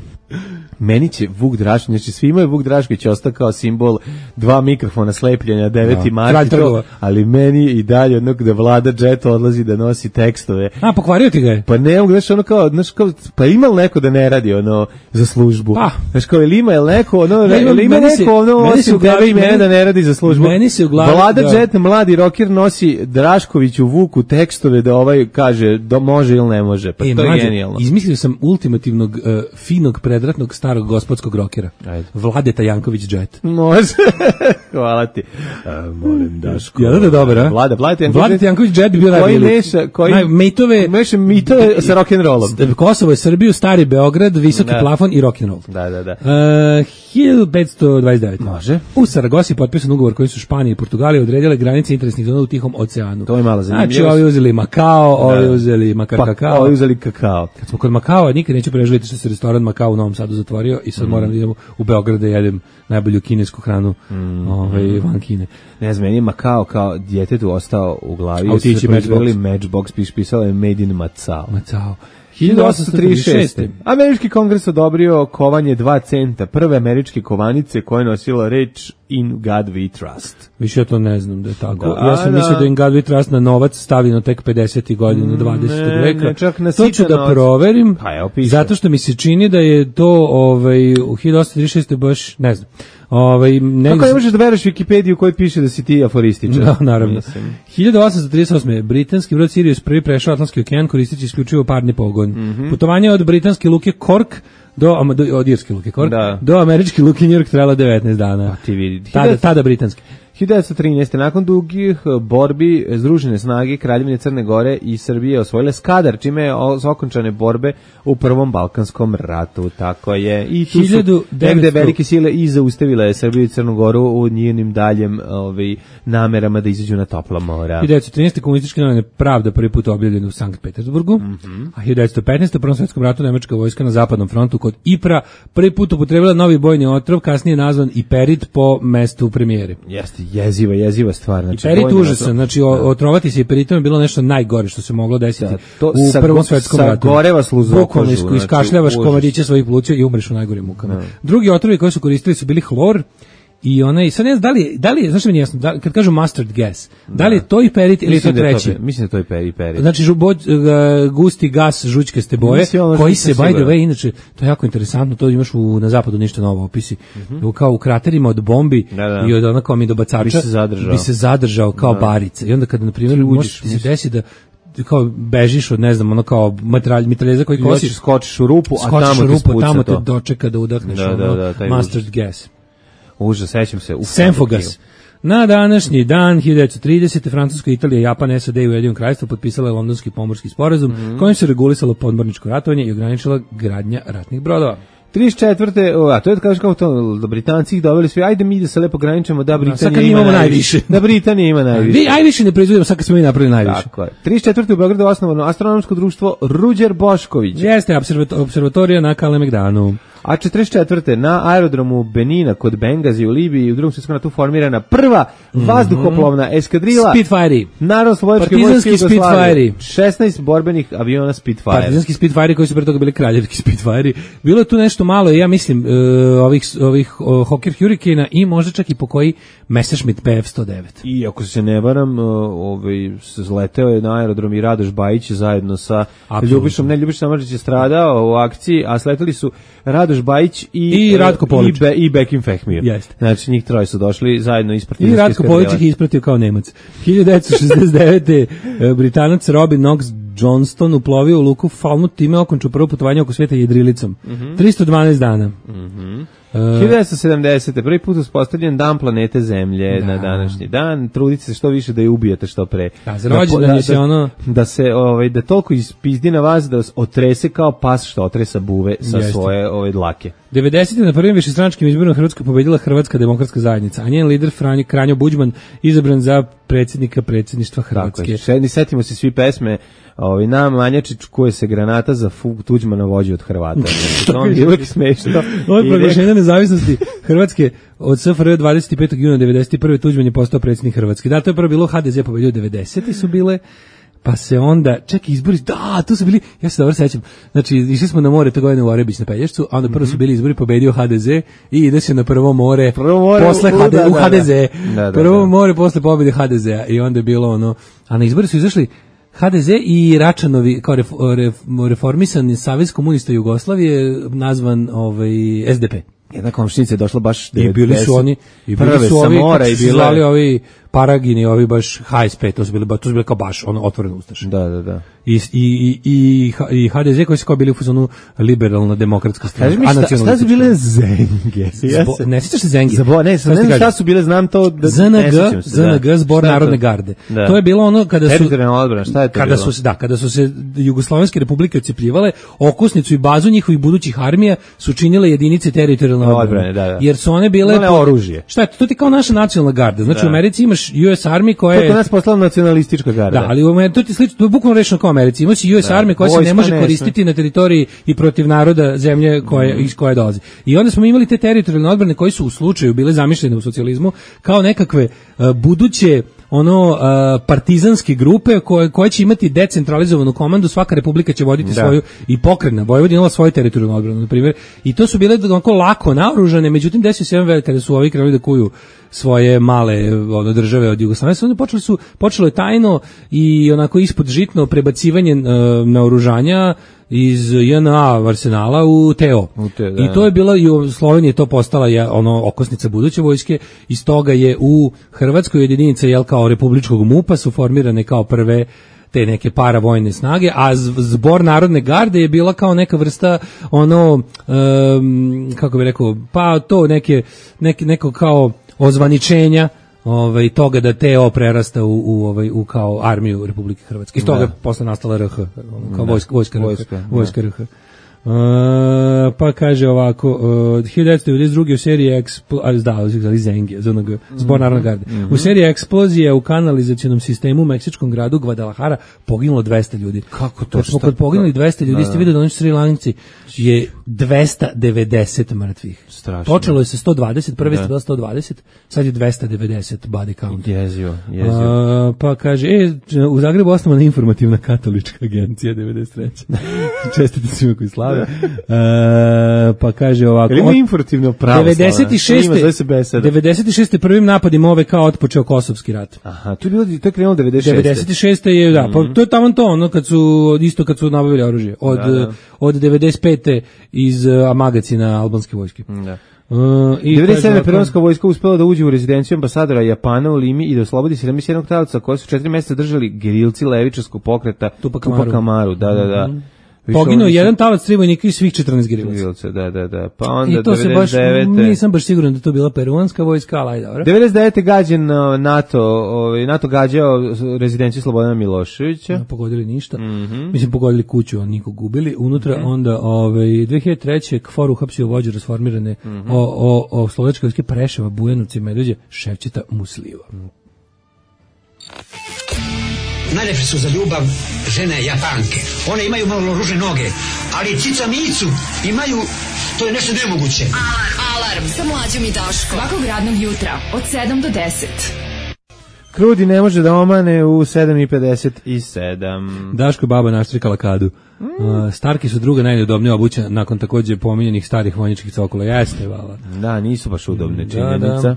Meni će Vuk Drašković, znači svima je Vuk Drašković ostao kao simbol 2 mikrofona slepljenja 9. marta, ali meni i dalje onog da Vlada Jet odlazi da nosi tekstove. A, pokvario ti ga je? Pa ne mogu, znaš kao, pa ima li neko da ne radi za službu? Znaš kao, ili ima neko osim tebe i mene da ne radi za službu? Meni se u glavi... Vlada Jet, mladi rocker, nosi Draškoviću Vuku tekstove da kaže da može ili ne može, pa to je genijalno. Izmislio sam ultimativnog, finog, predratnog starog gospodskog rokera. Vladeta Janković Jet. Može. Hvala ti. Molim Daško. Ja da je dobro, Vladeta Janković Jet bi bio najbolji. Meša mitove sa rock'n'rollom. Kosovo je Srbiju, Stari Beograd, Visoki plafon i rock'n'roll. Da. 1529. Može. U Saragosi potpisan ugovor koji su Španija i Portugalija odredile granice interesnih zona u Tihom oceanu. To je malo zanimljivo. Znači, ovi uzeli Makao, ovi uzeli Makar kakao. Ovi uzeli kakao. Kad smo kod Makao, nikad neću preželiti što se restoran Makao u Novom Sadu zatvorio. otvorio i sad moram da idem u Beograd da jedem najbolju kinesku hranu van Kine. Ne znam, meni je Makao kao djetetu ostao u glavi. Autići Matchbox, pisalo je Made in Macao. 1836. Američki kongres odobrio kovanje 2 centa, prve američke kovanice koje nosila reč In God We Trust. Više ja to ne znam da je tako. Ja sam mislio da In God We Trust na novac stavljeno tek 50. godina 20. veka. Ne, čak na to ću da proverim, zato što mi se čini da je to u 1836. baš, ne znam. Kako ne možeš da veruješ Wikipediju u kojoj piše da si ti aforističar? Da, naravno. 1838. britanski brod Sirius prvi prešao Atlantski okean koristeći isključivo parni pogon. Putovanje od britanske luke Cork od irske luke Cork do američke luke New York trajala 19 dana. Tada britanski. 1913. nakon dugih borbi Združene snage Kraljevine Crne Gore i Srbije osvojile Skadar, čime je okončane borbe u Prvom Balkanskom ratu. Tako je. I tu su negde velike sile i zaustavile Srbiju i Crnu Goru u njenim daljem namerama da izađu na topla mora. 1913. komunističke novine Pravda prvi put objavljene u Sankt Petersburgu, a 1915. u Prvom svetskom ratu nemačka vojska na zapadnom frontu kod Ipra prvi put upotrebila novi bojni otrov, kasnije nazvan Iperit po mestu premijere. Jeste. Jeziva stvar. Znači, Iperit užasan, znači otrovati se Iperitom je bilo nešto najgore što se moglo desiti u Prvom svetskom ratu. Sagoreva sluzu bukvalno iskašljavaš komadiće svojih pluća i umreš u najgorim mukama. Drugi otrovi koji su koristili su bili hlor i sad ne znam da li znaš mi nije jasno, kad kažu mustard gas, da li je to Iperit ili je to treći? Mislim da to je Iperit. Znači gusti gas žućkaste boje koji se by the way, inače to je jako interesantno, to imaš na zapadu ništa novo opisi. Kao u kraterima od bombi i od onako mi dobacača bi se zadržao kao barice. I onda kada na primjer može se desi da kao bežiš od, ne znam, ono kao mitraljeza koji kosiš, skočiš u rupu, a tamo te dočeka da udahneš mustard gas. Užas, sećam se. Senfogas. Na današnji dan, 1930. Francuska, Italija, Japan, SAD i Ujedinjeno Kraljevstvo potpisale Londonski pomorski sporazum kojim se regulisalo podmorničko ratovanje i ograničila gradnja ratnih brodova. 34. A to je da kažeš kao to, da Britanci ih doveli svi, ajde mi da se lepo graničemo, da Britanija ima najviše. Da Britanija ima najviše. Aj više ne proizvodimo, sad kad smo mi napravili najviše. Tako je. 34. u Beogradu osnovano astronomsko društvo Ruđer Bošković. Jeste, observatorija na Kalemegdanu. A 44. na aerodromu Benina kod Bengazi u Libiji u Drugom svjetskom ratu formirana prva vazduhoplovna eskadrila Spitfire. Narodnooslobodilačke vojske Jugoslavije. 16 borbenih aviona Spitfire. Partizanski Spitfire koji su pre toga bili kraljevski Spitfire. Bilo je tu nešto malo, ja mislim, ovih Hawker Hurricane i možda čak i po koji Messerschmitt PF-109. I ako se ne varam, zleteo je na aerodrom i Radoš Bajić zajedno sa Ljubišom Samardžić je stradao u akciji, a sleteli su Radoš Bajić i Ratko Polić i Bekim Fehmir. Znači njih troje su došli zajedno iz partizanske i Ratko Polić ih ispratio kao Nemac. 1969. Britanac Robin Knox Johnston uplovio u luku Falmouth, time okončao prvo putovanje oko sveta jedrilicom. 312 dana. 1970. prvi put uspostavljen dan planete Zemlje na današnji dan. Trudite se što više da je ubijete što pre. Da toliko ispizdi na vas da otrese kao pas što otresa buve sa svoje dlake. 90. na prvim višestranačkim izborima Hrvatska pobedila Hrvatska demokratska zajednica, a njen lider Kranjo Buđman izabran za predsjedništva Hrvatske. Setimo se svi pesme na Manjačić koje se granata za Tuđmana vođi od Hrvata. To je uvijek smešno. Od proglašenja nezavisnosti Hrvatske od SFRJ 25. juna 91. Tuđman je postao predsjednik Hrvatske. Da, to je prvo bilo HDZ pobedio 90. su bile, pa se onda, čekaj, izbori, da, tu su bili, ja se dobro sećam, znači, išli smo na more te godine u Orebić na Pelješcu, a onda prvo su bili izbori, pobedio HDZ i ide se na prvo more posle HDZ. Prvo more posle pobjede HDZ-a i onda je bilo ono, a na izbori su izašli HDZ i Račanovi kao reformisani Savez komunista Jugoslavije nazvan SDP. Jedna komšinica je došla baš i bili su oni prve sa mora i bili ovi Paragini, ovi baš HSP, to su bili kao baš ono otvoreno ustaše. Da. I HDZ koji su kao bili u fazonu liberalna demokratska strana. Kaži mi šta su bile Zenge? Ne sjećaš se Zengi? Ne znam šta su bile, znam to da ZNG, Zbor Narodne garde. To je bilo ono kada su odbrana, šta je to bilo? Kada su se Jugoslovenske republike otcepljivale, okosnicu i bazu njihovih budućih armija su činile jedinice teritorijalne odbrane. Jer su one bile oružje. Šta je to? To ti kao naša nacionalna garda. Znači u Americi imaš US Army koja je... To je nas poslala nacionalistička garda. Da, ali to ti slično, to je bukvalno rečeno kao Americi. Ima si US Army koja se ne može koristiti na teritoriji i protiv naroda zemlje iz koje dolazi. I onda smo imali te teritorijalne odbrane koji su u slučaju bile zamišljene u socijalizmu kao nekakve buduće partizanske grupe koje će imati decentralizovanu komandu, svaka republika će voditi svoju i pokretna Vojvodina imala svoju teritorijalnu odbranu, na primjer. I to su bile onako lako naoružane, međutim desio se jedan velik kada su ovi krenuli da kuju svoje male države od Jugoslavije, onda počelo je tajno i onako ispod žitno prebacivanje naoružanja iz JNA arsenala u TO. I to je bilo i u Sloveniji to postala okosnica buduće vojske. Iz toga je u Hrvatskoj jedinica kao republičkog MUP-a su formirane kao prve te neke paravojne snage, a zbor Narodne garde je bila kao neka vrsta kako bi rekao, pa to neko kao ozvaničenja toga da TO prerasta u kao armiju Republike Hrvatske. Iz toga je posle nastala RH, kao vojska RH. Pa kaže ovako, 1992. u seriji Zbor Narodne garde. U seriji eksplozija u kanalizacionom sistemu u meksičkom gradu Guadalajara poginulo 200 ljudi. Kako to? Kad poginuli 200 ljudi, ste videli da oni Sri Lanci je 290 mrtvih. Strašno. Počelo je sa 120, prvi ste bila 120, sad je 290 body count. Jezivo. Pa kaže, u Zagrebu osnovana informativna katolička agencija 93. Čestite svima koji slave. Pa kaže ovako, ima informativno pravo 96. prvim napadima OVK otpočeo Kosovski rat. Aha, to je krenulo 96. 96. je, da, pa to je tamo to, kad su nabavili oružje. Od 95. iz magacina albanske vojske. Da. 97. peruanska vojska uspela da uđe u rezidenciju ambasadora Japana u Limi i da oslobodi 71 talaca koje su 4 mjeseca držali gerilci levičarskog pokreta Tupac Amaru. Da. Poginuo jedan talac, 3 vojnika i svih 14 gerilaca. Da. Pa onda i to 99. se baš, nisam baš siguran da to bila peruanska vojska, ali dobro. 99. gađen NATO gađao rezidenciju Slobodana Miloševića. Pogodili ništa. Mislim, pogodili kuću, nikog gubili. Unutra onda 2003. KFOR uhapsio vođu rasformirane o slovačke vojske Preševa, Bujanovca i Medveđe, Ševčeta Musliva. Najlepše su za ljubav žene Japanke. One imaju malo ružne noge, ali cica micu imaju, to je nešto nemoguće. Alarm sa Mlađom i Daškom. Svakog radnog jutra od 7 do 10. Krudi ne može da omane u 7:57. Daško baba naštrikala kadu. Starki su druga najneudobnija obuća nakon također pominjenih starih vojničkih cokola. Jeste, vala. Da, nisu baš udobne, činjenica.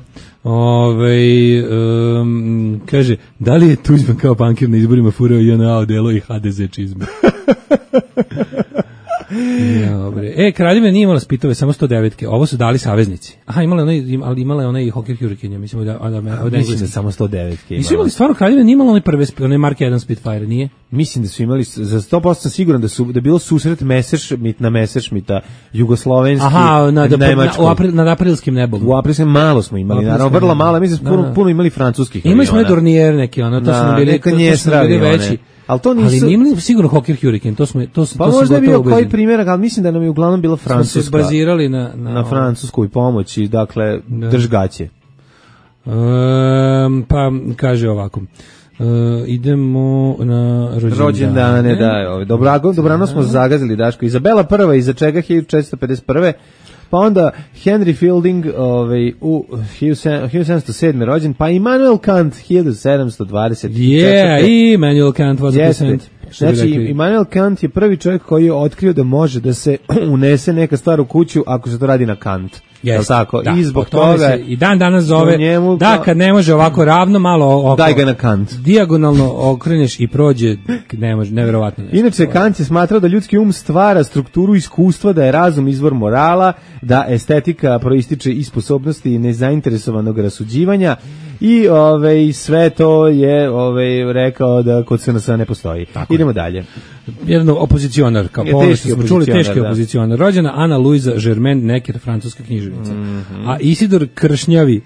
Kaže, da li je Tuđman kao bankir na izborima furao JNA odelo i HDZ čizme? Dobre. Kraljevina nije imala spitove, samo 109-ke. Ovo su dali saveznici. Aha, imala je onaj Hawker Hurricane, mislim da samo 109-ke. Nisu imali stvarno, Kraljevina nije imala onaj Mark 1 Spitfire, nije? Mislim da su imali, za 100% sam siguran da je bilo susret Messerschmitta jugoslovenski, nemačkog. Nad aprilskim nebom. U aprilskim malo smo imali, naravno, vrlo malo, mislim da puno imali francuskih aviona. Imali smo Dornier neki, to su bili veći. Ali to nisu... Ali nije sigurno Hawker Hurricane, pa možda je bio koji primjerak, ali mislim da nam je uglavnom bila francuska. Smo se bazirali na francusku i pomoći, dakle, držgaće. Pa, kaže ovako, idemo na rođendane. Dobrano smo zagazili, Daško. Izabela prva, iza čega 1451. Pa onda Henry Fielding u 1707. rođen, pa Immanuel Kant 1724. I Immanuel Kant was a percent. Znači, Immanuel Kant je prvi čovjek koji je otkrio da može da se unese neka stvar u kuću ako se to radi na Kant. Yes, tako? Da, i zbog toga i dan danas zove njemu, kad ne može ovako ravno, malo daj ga na Kant. Dijagonalno okreneš i prođe, ne može, neverovatno. Inače, Kant je smatrao da ljudski um stvara strukturu iskustva, da je razum izvor morala, da estetika proističe iz sposobnosti nezainteresovanog rasuđivanja i sve to je rekao da kod SNS-a ne postoji. Tako. Idemo dalje. Jedan opozicionar, kao smo čuli, teški opozicionar. Rođena Ana Luisa Germain Necker, francuska književnica. A Isidor Kršnjavi.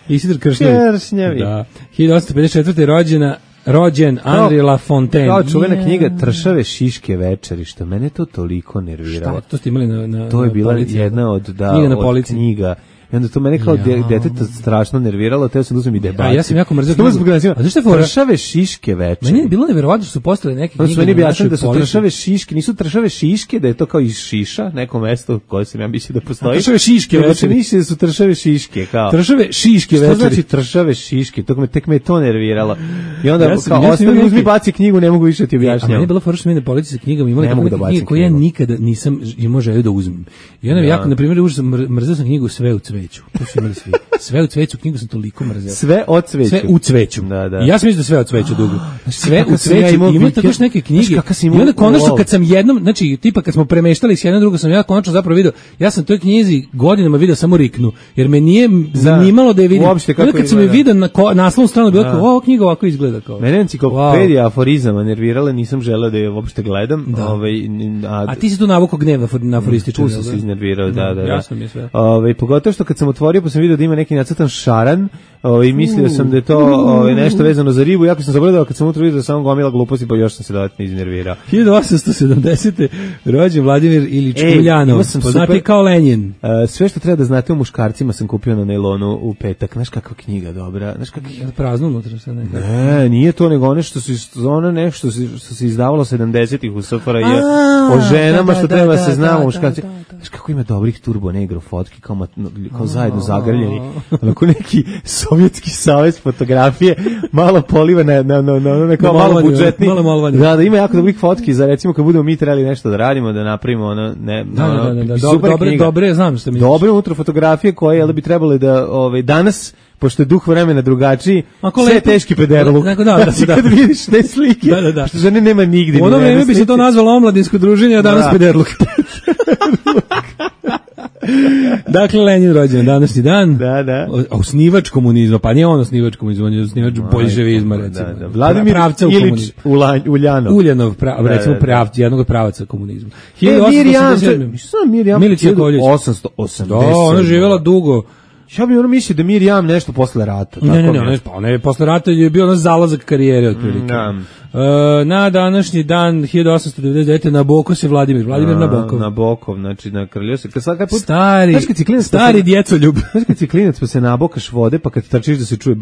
Isidor Kršnjavi. Da. 1854. rođen Henri Lafontaine. Kao čuvena knjiga Tršave šiške večeri, što mene to toliko nerviralo. Šta? To ste imali na to je bila jedna od knjiga I onda to mene kao deteta strašno nerviralo, teo sam da uzmem i debacim. Ja sam jako mrzeo knjigu. A zašto je fora? Tršave šiške večeri. Meni je bilo neverovatno što su postale neke knjige. Meni bi jasno da su tršave šiške, nisu tršave šiške, da je to kao iz Šiša, neko mesto koje sam ja mislio da postoji. Tršave šiške večeri. Mislio da su tršave šiške, kao. Tršave šiške večeri. Što znači tršave šiške? Tek me to nerviralo. I onda kao ostavi, uzmi baci knjigu, ne mogu više ti objašnjati. A meni je bilo fora što mi na polici sa knjigama imali knjige koje ja nikada nisam imao želju da uzmem. I onda jako, na primjer, mrzeo sam knjigu Sve u cveću. To su imali svi. Sve u cveću, knjigu sam toliko mrzeo. Sve o cveću. Sve u cveću. Da. Ja sam mislio da Sve o cveću dugo. Sve u cveću. Ima tako još neke knjige. I onda konačno kad sam jednom, znači tipa kad smo premeštali s jednom drugo sam ja konačno zapravo video. Ja sam toj knjizi godinama video samo Riknu, jer me nije zanimalo da je vidim. Onda kad sam je video na naslovnu stranu bilo kao, ovo knjiga ovako izgleda kao. Mene enciklopedija aforizama nervirala, nisam želeo da je uopšte gledam. A ti si tu navukao gnev na aforističar. Tu sam se iznervirao, da. Jasno mi je sve. Pogotovo što kad sam otvorio pa sam video da ima neki nacrtan šaran, i mislio sam da je to nešto vezano za ribu, jako sam zabledao kad sam unutra vidio da samo gomila gluposti, pa još sam se dodatno iznervirao. 1870. rođen Vladimir Ilić Uljanov, poznati kao Lenjin. Sve što treba da znate o muškarcima sam kupio na nailonu u petak. Znaš kakva knjiga dobra? Znaš prazno unutra sad nekako. Ne, nije to nego nešto što se izdavalo 70-ih u SFRJ o ženama što treba se znamo muškarci. Znaš kako ima dobrih turbo negro fotki kao zajedno zagrljeni. Onako neki sovjetski savez fotografije, malo poliva na kao malo budžetni. Da, ima jako dobrih fotki za recimo kad budemo mi trebali nešto da radimo, da napravimo dobre, znam što mi. Dobre unutra fotografije koje bi trebali da danas, pošto je duh vremena drugačiji, sve teški pederluk. Znači kad vidiš te slike, što žene nema nigdje. U ono vreme bi se to nazvalo omladinsko druženje, a danas pederluk. Dakle, Lenin rođen današnji dan. Da. Osnivač komunizma, pa nije on osnivač komunizma, on je osnivač boljševizma, recimo. Vladimir Ilić Uljanov, recimo jednog od pravaca komunizma. Mirjam Milić Jakovljević. 880. Da, ona je živjela dugo. Ja bih mislio da Mirjam nešto posle rata. Ne, ona je posle rata je bio zalazak karijere otprilike. Na današnji dan 1899. Nabokov se Vladimir Nabokov. Nabokov, znači na kraljevstvu. Stari djecoljub. Znaš kad si klinac pa se nabokaš vode, pa kad trčiš da se čuje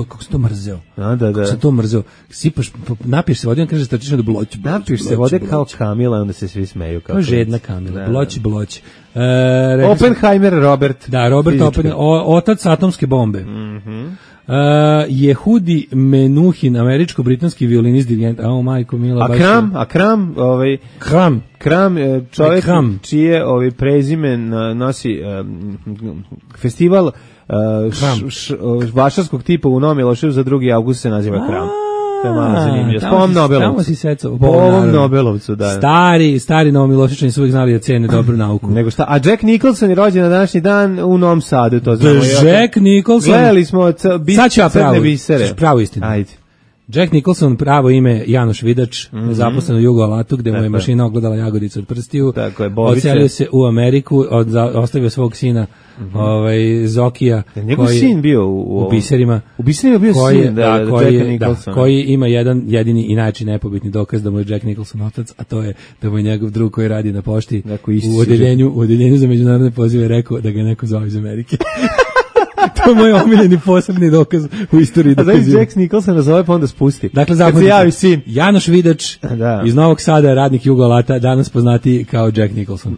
kako se to mrzeo. Da. Kako se to mrzeo. Sipaš, napiješ se vode, on kaže trčiš na bloć. Napiješ se vode kao Kamila, onda se svi smeju. Kao žedna Kamila, bloć. Oppenheimer Robert. Da, Robert Oppenheimer, otac atomske bombe. Jehudi Menuhin, američko-britanski violinist, dirigent, majko mila. Kram, čovjek čije prezime nosi festival vašarskog tipa u Novom Miloševu za 2. avgust se naziva Kram. Po ovom Nobelovcu, da. Stari Novomiloševićani su uvijek znali da cene dobru nauku. Nego šta? A Jack Nicholson je rođen na današnji dan u Novom Sadu, to znamo. Jack Nicholson. Gledali smo crne bisere. Pravo istinu. Ajde. Jack Nicholson, pravo ime Janoš Vidač, zaposlen u Jugoalatu, gde mu je mašina ogledala jagodicu od prstiju. Odselio se u Ameriku, ostavio svog sina Zokija. Njegov sin bio u biserima. U biserima bio sin, Jacka Nicholsona. Koji ima jedan jedini i najčešći nepobitni dokaz da mu je Jack Nicholson otac, a to je da mu je njegov drug koji radi na pošti u odeljenju za međunarodne pozive rekao da ga neko zove iz Amerike. To je moj omiljeni posebni dokaz u istoriji. A znači Jack Nicholson nazove pa onda spusti. Dakle, kad se javi sin. Janoš Vidač iz Novog Sada, radnik Jugoalata, danas poznati kao Jack Nicholson.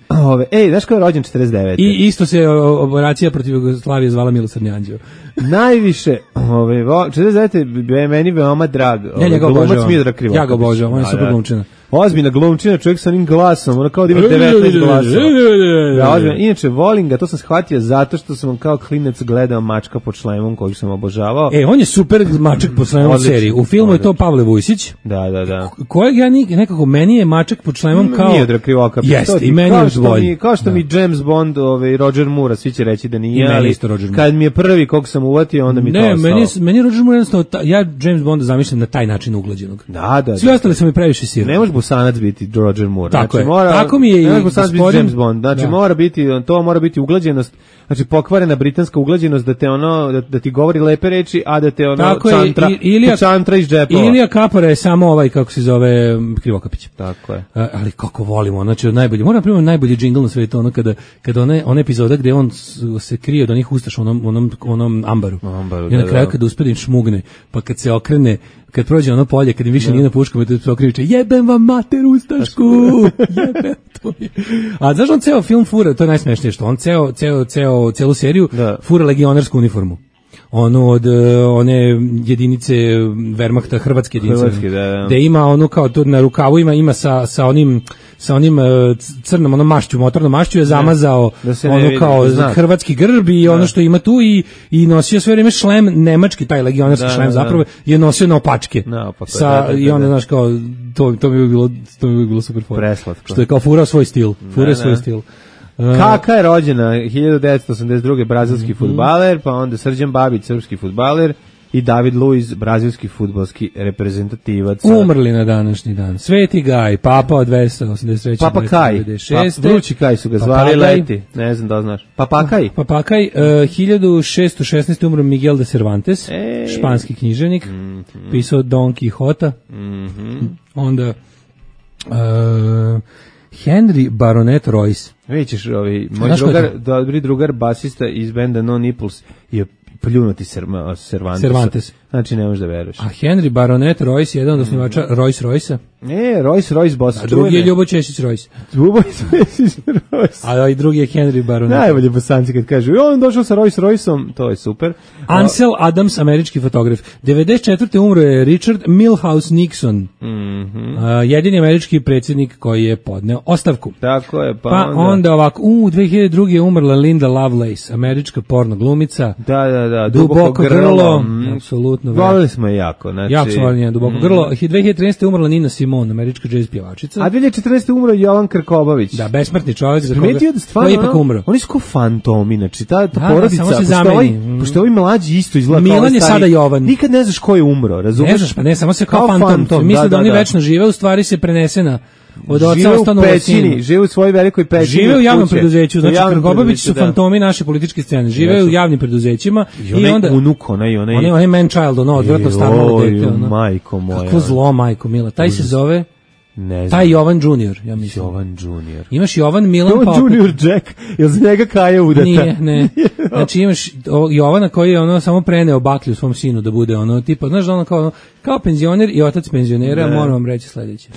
Znaš ko je rođen 49. I isto se operacija protiv Jugoslavije zvala Milosrdni anđeo. Najviše, 49. je meni veoma drag. Glumac Miodrag Krivokatić. Ja ga obožavam, on je super glumčina. Ozbiljna glumčina, čovjek sa onim glasom, ono kao da ima 19 glasova. Inače, volim ga, to sam shvatio zato što sam kao klinac gledao Mačka pod šlemom, kojeg sam obožavao. On je super Mačak pod šlemom u seriji. U filmu je to Pavle Vujsić. Da. Kojeg ja nekako, meni je Mačak pod šlemom kao... Miodrag Krivokatić. Jeste, i meni je bolji. Kao što mi James Bond, Roger Moore, svi će reći da nije, ali kad mi je prvi kog sam uvati, onda mi to ostalo. Ne, meni je Roger Moore jednostavno, ja James Bonda zamišljam na taj način uglađenog. Da. Svi ostali su mi previše sirni. Ne može Bosanac biti Roger Moore. Tako znači, je. Tako mi je ne može i Bosanac biti James Bond. Znači, mora biti uglađenost, znači pokvarena britanska uglađenost da te da ti govori lepe reči, a da te čantra iz džepova. Ilija Kapara je samo ovaj, kako se zove, Krivokapić. Tako je. Ali kako volimo, znači od najbolje. Moram primjer najbolji džingl na svetu, kada ona epizoda gde on se krije od onih ustaša onom ambaru. I na kraju kada uspe da im šmugne, pa kad se okrene, kad prođe ono polje, kad im više nije na puškom, i se okreće, jebem vam mater ustašku, jebem to je. A znaš on ceo film fura, to je najsmešnije što on celu seriju fura legionarsku uniformu. Ono od one jedinice Wehrmachta, hrvatske jedinice, gde ima ono kao tu na rukavu ima sa onim crnom onom mašću, motornom mašću je zamazao ono kao hrvatski grb i ono što ima tu i nosio sve vreme šlem, nemački taj legionarski šlem zapravo je nosio na opačke. I onda znaš kao to mi bi bilo super fora. Što je kao furao svoj stil. Kaka je rođena 1982. brazilski fudbaler, pa onda Srđan Babić, srpski fudbaler, i David Luiz, brazilski fudbalski reprezentativac. Umrli na današnji dan. Sveti Gaj, Papa od 283. Papa Kaj, vrući Kaj su ga zvali leti, ne znam da znaš. Papakaj. 1616. umro Miguel de Cervantes, španski književnik, pisao Don Quixota. Onda Henry Baronet Royce. Vidiš, moj dobri drugar basista iz benda No Nipples je pljunuti Cervantes. Znači ne možeš da veruješ. A Henry Baronet Royce je jedan od osnivača Rolls-Royce-a. Royce boss. A drugi je Ljubo Ćesić Royce. A i drugi je Henry Baronet. Najbolje bosanci kad kažu, on došao sa Rolls-Royceom, to je super. Ansel Adams, američki fotograf. 94. umro je Richard Milhouse Nixon. Jedini američki predsjednik koji je podneo ostavku. Tako je, pa onda ovako, 2002. je umrla Linda Lovelace, američka porno glumica. Da, Duboko grlo. Apsolutno. Volili smo je jako. Jako smo volili Duboko grlo. 2013. umrla Nina Simone, američka jazz pjevačica. A 2014. umro Jovan Krkobabić. Da, besmrtni čovjek za koga je ipak umro. Oni su kao fantomi, znači ta porodica, pošto ovi mlađi isto izgleda kao Milan je sada Jovan. Nikad ne znaš ko je umro, razumiješ? Ne znaš, pa ne, samo se kao fantom. Misle da oni večno žive, u stvari se prenesena od oca ostanu u pećini. Žive u svojoj velikoj pećini. Žive u javnom preduzeću, znači Krkobabić su fantomi naše političke scene. Žive u javnim preduzećima i onda unuk, onaj man child, odvratno staro dete. Majko moja. Kako zlo, majko mila. Taj se zove Ne znam. Taj Jovan Junior, ja mislim. Jovan Junior. Imaš Jovan Milan Jovan Papić. Junior Jack, jel za njega Kaja udata? Nije, ne. Znači imaš Jovana koji je ono samo preneo baklju svom sinu da bude ono tipa, znaš da ono kao penzioner i otac penzionera, moram vam reći sledeće.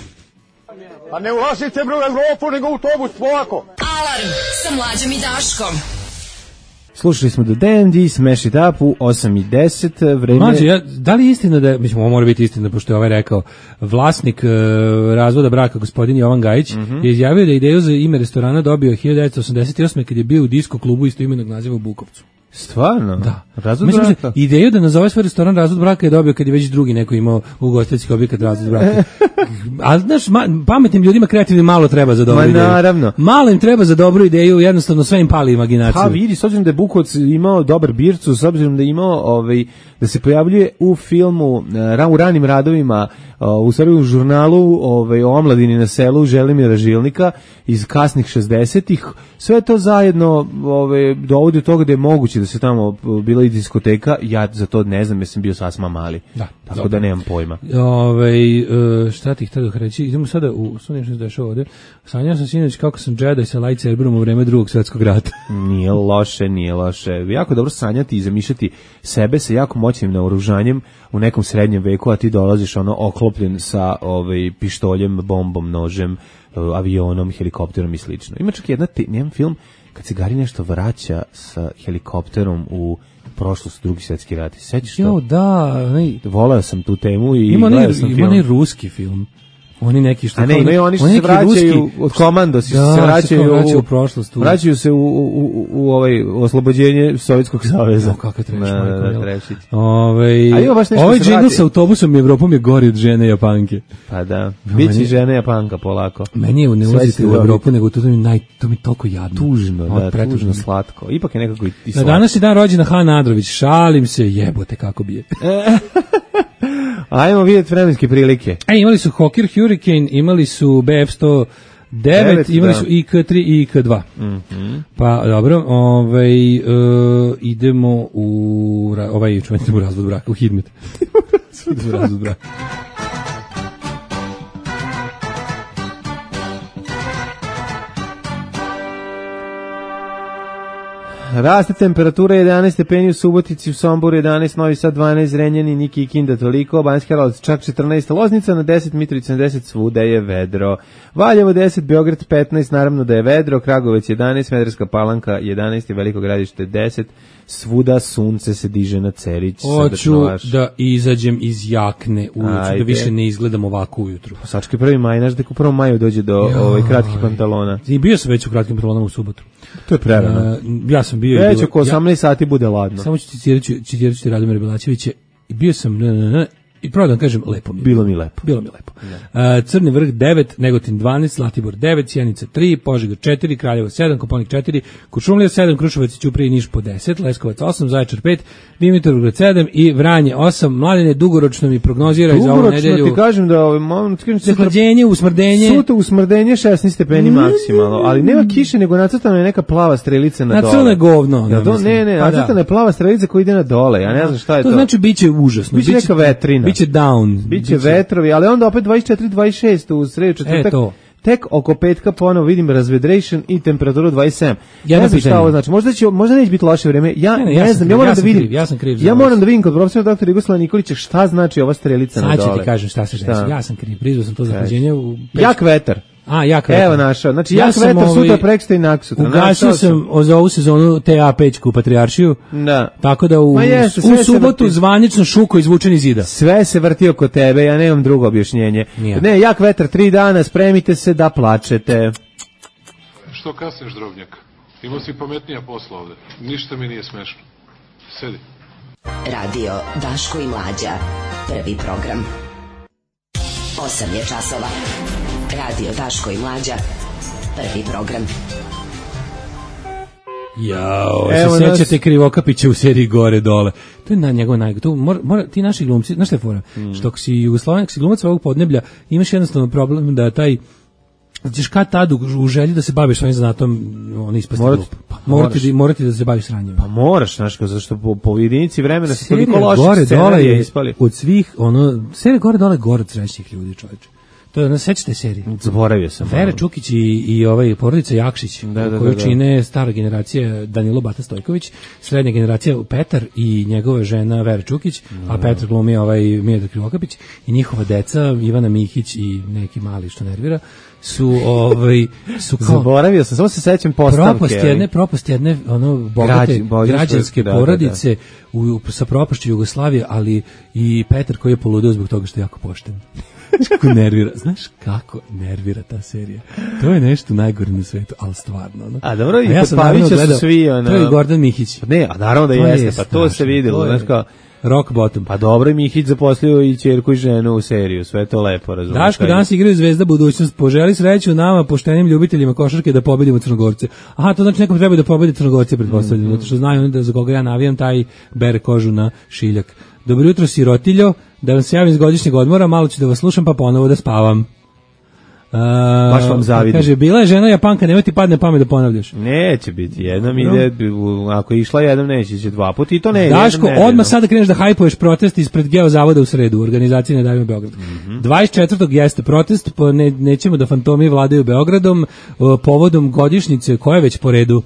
A ne ulazite bre u Evropu, nego u autobus, polako. Alarm sa Mlađom i Daškom. Slušali smo do D&D, Smash It Up u 8:10 vreme. Mlađe, da li je istina da, mislim, ovo mora biti istina, pošto je ovaj rekao, vlasnik razvoda braka, gospodin Jovan Gajić, je izjavio da ideju za ime restorana dobio 1988. kad je bio u disko klubu istoimenog naziva u Bukovcu. Stvarno? Da. Razvod braka? Ideju da nazove svoj restoran Razvod braka je dobio kad je već drugi neko imao ugostiteljski objekat Razvod braka. A znaš, pametnim ljudima kreativnim malo treba za dobru ideju. Naravno. Malo im treba za dobru ideju, jednostavno sve im pali imaginaciju. Pa vidi, s obzirom da je Bukovac imao dobar bircu, s obzirom da je imao da se pojavljuje u filmu, u ranim radovima, u stvari u žurnalu o omladini na selu Želimira Žilnika iz kasnih 60-ih, sve to zajedno dovodi do toga da je moguće da se tamo bila i diskoteka. Ja za to ne znam, jer sam bio sasma mali. Da, tako da nemam pojma. Šta ti htio reći? Idemo sada u što se dešava ovde. Sanjao sam sinoć kako sam Jedi sa lightsaberom u vreme Drugog svjetskog rata. Nije loše. Jako dobro sanjati i zamišljati sebe sa jako moćnim naoružanjem u nekom srednjem veku, a ti dolaziš oklopljen sa pištoljem, bombom, nožem, avionom, helikopterom i slično. Ima čak jedan film kad se Gari nešto vraća sa helikopterom u prošlost, Drugi svjetski rat. Sećaš to? Jo, da. Voleo sam tu temu i ima ruski film. Oni neki što... A ne, imaju oni što se vraćaju od Komandos, se vraćaju u prošlost. Vraćaju se u oslobođenje Sovjetskog saveza. Kako treći, Ovaj džingl sa autobusom i Evropom je gori od žene Japanke. Pa da, biće žene Japanka polako. Meni je ne ulazite u Evropu, nego to mi toliko jadno. Tužno, tužno slatko. Ipak je nekako i slatko. Danas je dan rođena Hana Adrović, šalim se, jebote kako bije. Ajmo vidjeti vremenske prilike. Imali su Hawker Hurricane, imali su BF109, imali su IK3 i IK2. Pa dobro, idemo u razvod braka, u Hidmet. U razvod braka. Raste temperatura 11 stepeni u Subotici, u Somboru 11, Novi Sad 12, Zrenjanin i Kikinda toliko, Banjski Karlovac čak 14, Loznica na 10, Mitrovica na 10, svuda je vedro. Valjevo 10, Beograd 15, naravno da je vedro, Kragovec 11, Smederevska Palanka 11 i Veliko Gradište 10, svuda sunce se diže na Cerić. Hoću da izađem iz jakne ujutru, da više ne izgledam ovako ujutru. Sački 1. maj, znaš da u 1. maju dođe do kratkih pantalona. I bio sam već u kratkim pantalonama u subotu. To je prerano. Ja sam bio... Već oko 18 sati bude ladno. Samo ću citirati Radomira Belačevića. I bio sam... I pravo da vam kažem, lepo mi je. Bilo mi lepo. Crni vrh 9, Negotin 12, Zlatibor 9, Sjenica 3, Požega 4, Kraljevo 7, Kopaonik 4, Kuršumlija 7, Kruševac, Ćuprija i Niš po 10, Leskovac 8, Zaječar 5, Dimitrovgrad 7 i Vranje 8. Mladene, dugoročno mi prognozira za ovu nedelju. Dugoročno ti kažem da zahlađenje, usmrdenje. Sutra usmrdenje 16 stepeni maksimalno, ali nema kiše, nego nacrtana je neka plava strelica na dole. Nacrtana je govno. Nacrtana je plava strelica koja ide na dole, ja ne znam šta je to. To znači biće užasno. Biće neka vetrina. Biće down. Biće vetrovi, ali onda opet 24-26 u sredu četvrtak. Tek oko petka ponovo vidim razvedration i temperaturu 27. Ja ne znam šta ovo znači. Možda neće biti loše vreme. Ja ne znam, ja moram da vidim. Ja moram da vidim kod profesora doktora Jugoslava Nikolića šta znači ova strelica na dole. Sad ću ti kažem šta se desi. Ja sam kriv, prizvao sam to zahlađenje u... Jak vetar. Jak vetar. Evo našao. Znači jak vetar sutra preksutra i naksutra. Ugasio sam za ovu sezonu TA pećku Patrijaršiju. Da. Tako da u subotu zvanično šuko izvučen iz zida. Sve se vrti oko tebe, ja nemam drugo objašnjenje. Ne, jak vetar 3 dana, spremite se da plačete. Što kasniš, drobnjak? Imao si pametnija posla ovde. Ništa mi nije smešno. Sedi. Radio Daško i Mlađa. Prvi program. 8 je časova. Radio Daško i Mlađa. Prvi program. Jao, se sećate Krivokapića u seriji Gore dole. To je na njegov ti naši glumci, znaš šta je fora? Što si Jugosloven, ako si glumac ovog podneblja, imaš jednostavno problem da taj ćeš kad tad u želji da se baviš svojim zanatom, on ispasti glup. Morati da se baviš sranjem. Pa moraš, znaš, zašto po jedinici vremena se toliko loših Gore dole je ispali. Od svih, serija Gore dole je gore od srećnih ljudi, čovječe. To je, sećate serije? Zaboravio sam. Vera Čukić i porodica Jakšić, koju čine stara generacija Danilo Bata Stojković, srednja generacija Petar i njegova žena Vera Čukić, a Petar glumi Miodrag Krivokapić i njihova deca, Ivana Mihić i neki mali što nervira, su kao... Zaboravio sam, samo se sećam postavke. Propast jedne bogate građanske porodice sa propašću Jugoslavije, ali i Petar koji je poludeo zbog toga što je jako pošten. Znaš kako nervira ta serija. To je nešto najgore na svetu, ali stvarno. A dobro, i kod Pavića su svi... To je Gordan Mihić. Ne, a naravno da jeste, pa to se vidjelo. Znaš kao... Rock bottom. Pa dobro, Mihić zaposlio i ćerku i ženu u seriju, sve to lepo, razumiješ. Daško, danas igraju Zvezda budućnost, poželi sreću nama, poštenim ljubiteljima košarke da pobedimo Crnogorce. Aha, to znači nekom treba da pobedi Crnogorce, pretpostavljam, zato što znaju da za koga ja navijam, taj bere kožu na šiljak. Dobro jutro, sirotiljo, da vam se javim iz godišnjeg odmora, malo ću da vas slušam, pa ponovo da spavam. Baš vam zavidim. Kaže, bila je žena Japanka, nemoj ti padne pamet da ponavljaš. Neće biti, jednom ide, ako je išla jednom neće, će 2 puta i to ne. Daško, odmah sada kreneš da hajpuješ protest ispred Geozavoda u sredu, organizacije Ne davimo Beograd. 24. jeste protest, nećemo da fantomi vladaju Beogradom, povodom godišnjice, koja je već po redu.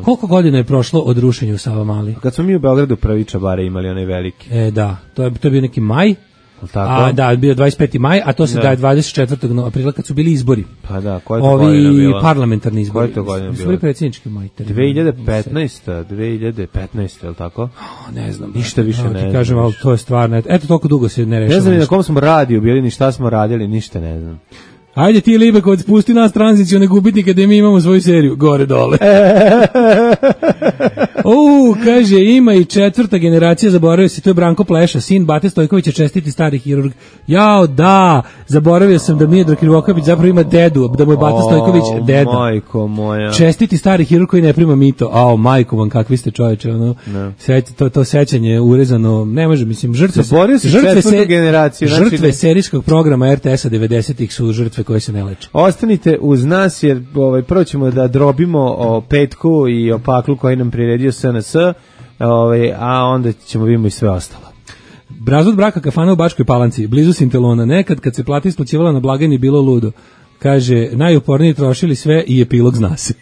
Koliko godina je prošlo od rušenja u Savamali? Kad smo mi u Beogradu prvi čabare imali, onaj veliki. Da, to je bio neki maj. Tako? Da, bio 25. maj, a to se daje 24. aprila kad su bili izbori. Pa da, koja je to godina bila? Ovi parlamentarni izbori. Koja je to godina bila? Izbori predsjednički majte. 2015, je li tako? Ne znam. Ništa više ne znam. Kažem, ali to je stvarno, eto toliko dugo se ne rešava. Ne znam ni na kom smo radiju bili, ni šta smo radili, ništa ne znam. Ajde ti Libekovac, pusti nas tranziciju, ne gubitnike da mi imamo svoju seriju. Gore dole. Kaže, ima i 4. generacija, zaboravio se, to je Branko Pleša, sin Bate Stojkovića, čestiti stari hirurg. Jao, da, zaboravio sam da Miodrag Krivokapić zapravo ima dedu, da mu je Bata Stojković deda. Majko moja. Čestiti stari hirurg koji ne prima mito. Majko vam, kakvi ste čoveče, ono. To sećanje urezano, ne može, mislim, žrtve serijskog programa RTS-a 90-ih su žrtve koje se ne leče. Ostanite uz nas jer prvo ćemo da drobimo o petku i o paklu koji nam priredio SNS, a onda ćemo vidimo i sve ostalo. Brazut braka kafana u Bačkoj Palanci, blizu Sintelona. Nekad kad se plata isplaćivala na blagajni bilo ludo. Kaže, najuporniji trošili sve i epilog zna se.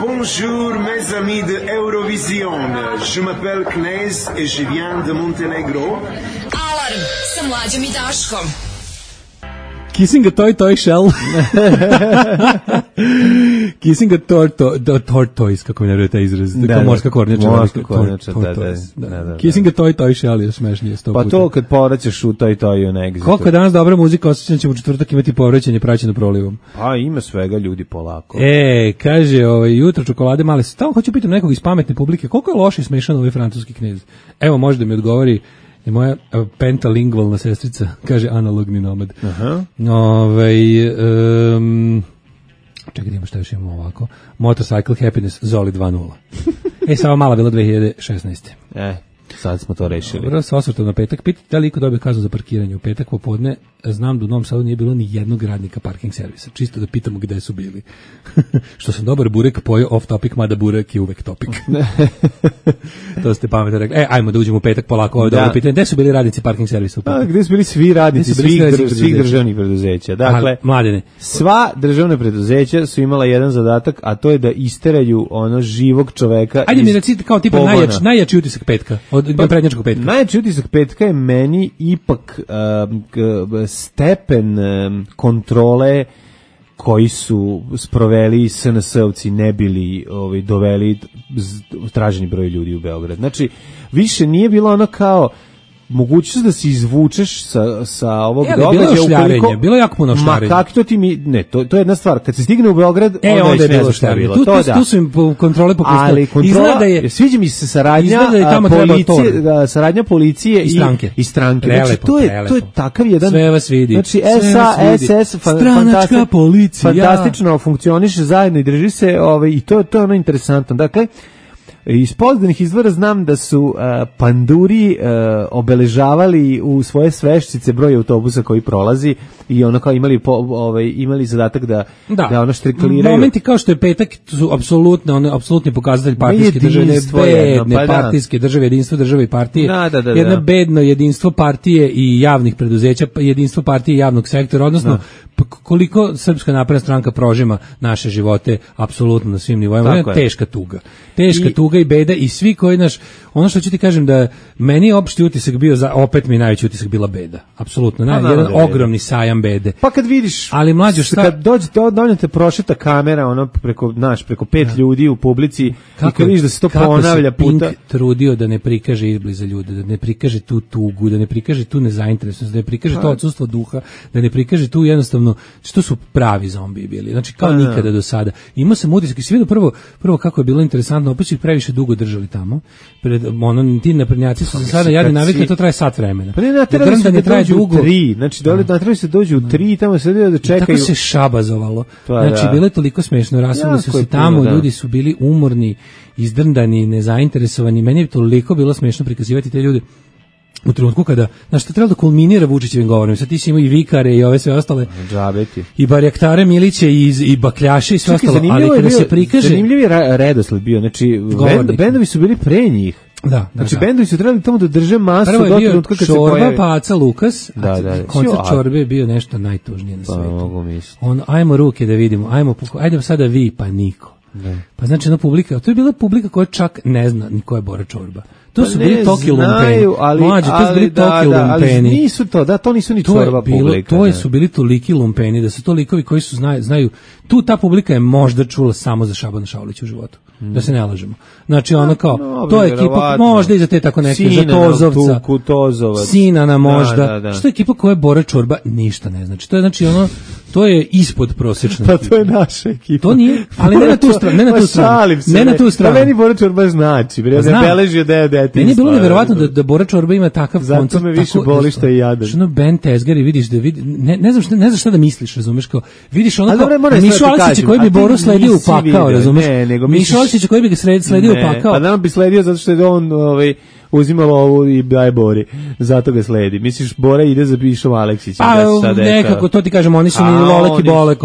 Bonjour mes amis de Eurovision. Je m'appelle Knez et je viens de Montenegro. Alarm sa Mlađom i Daškom. Kissing a toy shell. Kissing a tortoise, kako mi ne vrede taj izraz. Kao morska kornjača. Morska kornjača, da. Kissing a toy shell je smešnije 100 puta. Pa to kad povraćaš u toju na Exitu. Koliko je danas dobra muzika, osjećam ćemo u četvrtak imati povraćanje praćeno prolivom. Pa ima svega, ljudi, polako. Kaže, jutro čokolade male. Tamo hoću pitati nekog iz pametne publike, koliko je loš i smešan ovaj francuski knez? Evo, može da mi odgovori i moja pentalingvalna sestrica, kaže analogni nomad. Čekaj, imamo šta još imamo ovako. Motorcycle Happiness, Zoli 2.0. Samo mala bila 2016. Sad smo to rešili. Dobro, sa osvrtom na petak. Pitajte da li iko dobio kaznu za parkiranje u petak popodne. Znam da u Novom Sadu nije bilo ni jednog radnika parking servisa. Čisto da pitamo gde su bili. Što sam dobar burek pojeo off topic, mada burek je uvek topic. To ste pametno rekli. Ajmo da uđemo u petak polako. Ovo je dobro pitanje. Gde su bili radnici parking servisa u petak? Gde su bili svi radnici svih državnih preduzeća? Dakle, Mladene, sva državna preduzeća su imala jedan zadatak, a to je da isteraju ono živog čoveka. Ajde mi recite kao tipa najjači utisak petka. Prednjačkog petka. Najjači utisak petka je meni ipak stepen kontrole koji su sproveli SNS-ovci ne bili doveli traženi broj ljudi u Beograd. Znači, više nije bilo ono kao mogućnost da se izvučeš sa ovog događaja. Bilo jako puno šljarenja. Ma kako to ti ne, to je jedna stvar. Kad se stigne u Beograd, onda je bilo šta bilo. Tu su im kontrole popustile. Ali kontrola, sviđa mi se saradnja policije i stranke. Znači, to je takav jedan... Sve vas vidi. Znači, SS, stranačka policija. Fantastično funkcioniše zajedno i drži se i to je ono interesantno. Dakle, iz poznanih izvora znam da su panduri obeležavali u svoje sveščice broj autobusa koji prolazi i ono kao imali zadatak da ono štrikliraju. Momenti kao što je petak su apsolutni pokazatelj partijske države, bedne partijske države, jedinstvo države i partije. Jedno bedno jedinstvo partije i javnih preduzeća, jedinstvo partije i javnog sektora, odnosno koliko Srpska napredna stranka prožima naše živote apsolutno na svim nivoima. Teška tuga i beda i svi koji ono što ću ti kažem da meni je opšti utisak bio opet mi najveći utisak bila beda. Apsolutno. Jedan ogromni sajam bede. Pa kad vidiš, ali mlađo kad dođete prošeta kamera preko 5 ljudi u publici i kad vidiš da se to ponavlja puta. Pink trudio da ne prikaže izbliza ljude, da ne prikaže tu tugu, da ne prikaže tu nezainteresovanost, da ne prikaže to odsustvo duha, da ne prikaže tu jednostavno što su pravi zombiji bili. Znači kao nikada do sada. Imao sam utisak i sve prvo kako je bilo interesantno, opet su ih previše dugo držali tamo. Ti naprednjaci su se sada jadni navikli, to traje sat vremena. Pa ne traje dugo. 3, znači natrali se dođu u 3, tamo se da čekaju. Tako se šabazovalo. Znači bilo je toliko smešno, rasuli su se tamo, ljudi su bili umorni, izdrndani, nezainteresovani. Meni je toliko bilo smešno prikazivati te ljude u trenutku kada, znaš, to trebalo da kulminira Vučićevim govorom. Sad ti si imao i vikare i ove sve ostale. Džabeti. I barjaktare Miliće i bakljaše i sve ostalo. Ali kada se prikaže... Zanimljiv je redosled bio. Znači, bendovi su bili pre njih. Znači, bendovi su trebali tamo da drže masu do trenutka kad se pojavi. Čorba, Paca, Lukas. Koncert Čorbe je bio nešto najtužnije na svetu. Ajmo ruke da vidimo. Ajde sada vi, pa niko. Pa znači, publika, to je bila publika koja čak ne zna ni ko je Bora Čorba. To su bili toki lumpeni. Mlađe, to su bili toki lumpeni. Nisu to nisu ni Čorba publika. To su bili toliki lumpeni, da su to likovi koji su znaju, ta publika je možda čula samo za Šabana Šaulića u životu. Da se ne lažemo. Znači, ono kao, to je ekipa, možda i za te tako neke, za Tozovca, Sinana možda, što je ekipa koja je Bora Čorba, ništa ne znači. To je, znači, ono, to je ispod prosječna. Pa to je naša ekipa. To nije, ali ne na tu stranu, ne na tu stranu. Pa meni Bora Čorba znači, ne beležio da je detinjstvo. Meni je bilo neverovatno da Bora Čorba ima takav koncert. Zato me više boli što je jadan. Što ono Ben Tezgar i vidiš ne znaš šta da misliš, razumeš, kao, vidiš ono kao, Mišo Aleksića koji bi Boru sledio u pakao, razumeš, Mišo Aleksića koji bi ga sledio u pakao. A nam bi sledio zato što je on uzimalo ovu i daje Bori. Zato ga sledi. Misliš, Bora ide za Mišom Aleksićem. Pa, nekako, to ti kažemo, oni su ni Lolek i Bolek.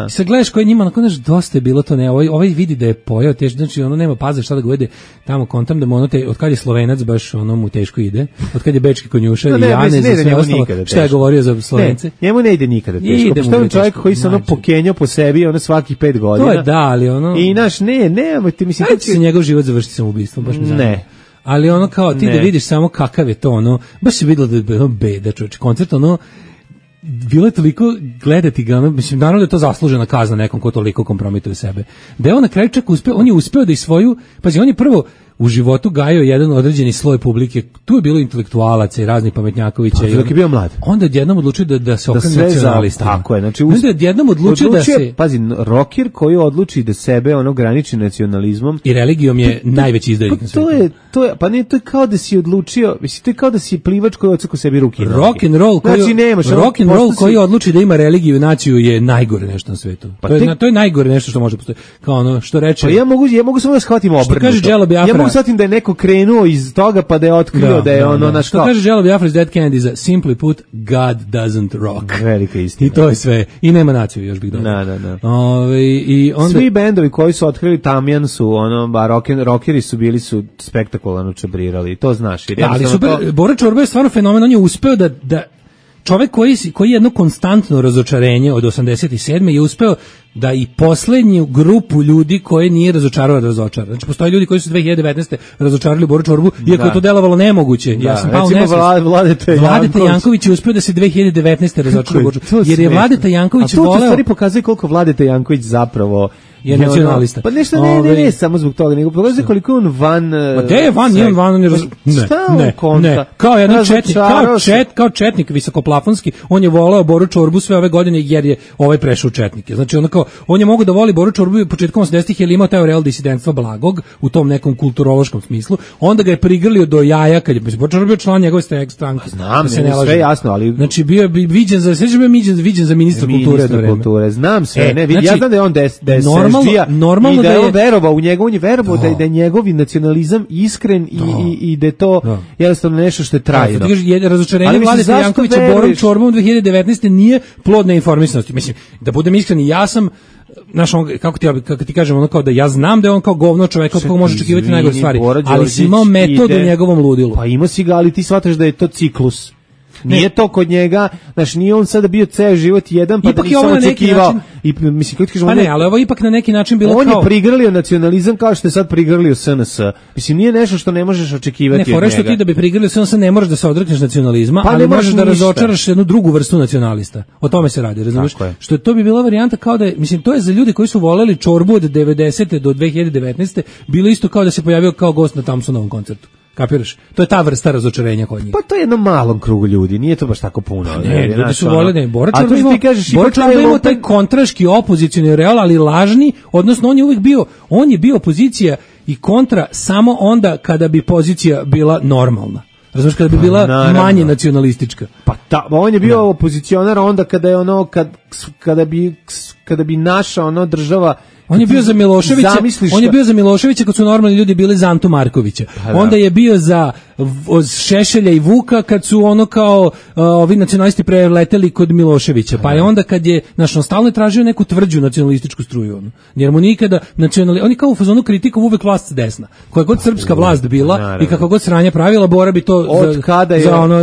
I sad gledaš koji njima, znaš, dosta je bilo to, ne, ovaj vidi da je pojao teško, znači ono nema paze šta da ga uvede tamo kontam, da mu ono, od kad je Slovenac, baš ono mu teško ide, od kad je Bečki konjuša i Janez i sve ostalo, šta je govorio za Slovence. Njemu ne ide nikada teško, pošto je čovjek koji se ono pokenjao po sebi, ono svakih 5 godina. To je da, ali ono... I naš, ti mislim... Ajde se njegov život završiti samoubistvom, baš mi zanima. Ne. Ali ono kao ti da vidiš samo kakav je to, ono, baš se vidjelo da je ono beda, čovječ, koncert, ono, bilo je toliko gledati ga, ono, mislim, naravno da je to zaslužena kazna nekom ko toliko kompromituje sebe. Da je on na kraju čak uspeo, on je uspeo da i svoju, pazi, on je prvo u životu gajio jedan određeni sloj publike, tu je bilo intelektualaca i raznih pametnjakovića. Pa, dok je bio mlad. Onda odjednom odlučio da se okrene nacionalistama. Tako je, znači... Onda odjednom odlučio da se... Pazi, rocker koji odluči da sebe ono graniči nacionalizmom... I religijom je najveći izdajnik na svijetu. To je kao da si odlučio, mislim, to je kao da si plivač koji odseku sebi ruke i noge. Rock and roll koji odluči da ima religiju i naciju je najgore nešto na svijetu. To je najgore nešto što može postojati. Kao ono što reče... Pa ja mogu samo da shvatim obrnuto. Što kaže Jello Biafra, shvatim da je neko krenuo iz toga pa da je otkrio da je ono naš kao. Što kaže Jello Biafra iz Dead Kennedys, simply put, God doesn't rock. Velika istina. I to je sve. I nema naciju, još bih dodao. Da. I onda... Svi bendovi koji su otkrili Tamjan su, rockeri su bili su spektakularno čabrirali. To znaš. Ali super, Bora Čorba je stvarno fenomen, on je uspeo da čovek koji je jedno konstantno razočarenje od 87. je uspeo da i poslednju grupu ljudi koje nije razočarao da razočara. Znači, postoje ljudi koji su 2019. razočarali Boru Čorbu, iako je to delovalo nemoguće. Ja sam pao nesvest. Vladeta Janković je uspeo da se 2019. razočara Boru Čorbu. Jer je Vladeta Janković voleo... A to u stvari pokazuje koliko Vladeta Janković zapravo... je nacionalista. Pa nešto ne samo zbog toga, nego pokazuje koliko je on van... Ma gde je van, nije on van, on je... Ne, kao jedan četnik, kao četnik visokoplafonski, on je voleo Boru Čorbu sve ove godine jer je ovaj prešao četnike. Znači, on je mogao da voli Boru Čorbu početkom 80-ih jer imao taj real disidentstva blagog u tom nekom kulturološkom smislu. Onda ga je prigrlio do jaja kad je Boru Čorbu bio član njegove stranke. Znam, sve jasno, ali... Znači, bio je viđen za ministra kulture. Znam sve, ja znam da je on normalno i da je on verovao u njega, on je verovao da je njegov nacionalizam iskren i da je to jednostavno nešto što je trajno. Razočarenje Vladeta Jankovića Borom Čorbom 2019. nije plod neinformisanosti. Mislim, da budem iskren, ja sam kako ti kažem, ono kao da ja znam da je on kao govno čovjek od kog može očekivati najgore stvari, ali si imao metod u njegovom ludilu. Pa imao si ga, ali ti shvataš da je to ciklus. Nije to kod njega, znaš, nije on sada bio ceo život jedan, pa ipak da nisam očekivao. Pa ne, ali ovo ipak na neki način bilo on kao... On je prigrlio nacionalizam kao što je sad prigrlio SNS. Mislim, nije nešto što ne možeš očekivati od njega. Ne, fore što ti da bi prigrlio SNS ne možeš da se odrekneš nacionalizma, pa ali možeš da razočaraš jednu drugu vrstu nacionalista. O tome se radi, razumiješ? Što to bi bila varijanta kao da je, mislim, to je za ljude koji su voleli Čorbu od 90. do 2019. bilo isto kao da se pojavio kao gost na Thompsonovom koncertu. Kapiraš? To je ta vrsta razočarenja kod njih. Pa to je jednom malom krugu ljudi, nije to baš tako puno. Ne, ljudi su voljeni. Bora Čorba imao taj kontraški opozicioni real, ali lažni, odnosno on je bio opozicija i kontra samo onda kada bi pozicija bila normalna. Razumiješ, kada bi bila manje nacionalistička. Pa on je bio opozicionar onda kada je kada bi naša država. On je bio za Miloševića kad su normalni ljudi bili za Antu Markovića. Onda je bio za Šešelja i Vuka kad su ono kao ovi nacionalisti preleteli kod Miloševića, pa je onda kad je stalno tražio neku tvrđu nacionalističku struju, jer mu nikada oni kao u fazonu kritikom uvek vlast s desna, koja god srpska vlast bila i kakva god sranja pravila, Bora bi to za ono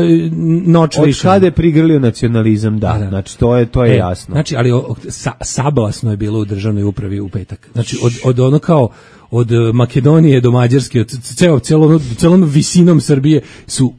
noć više. Od kada je prigrlio nacionalizam, znači to je jasno. Znači, ali sablasno je bilo u državnoj upravi u petak. Znači, od ono kao od Makedonije do Mađarske, od celom visinom Srbije su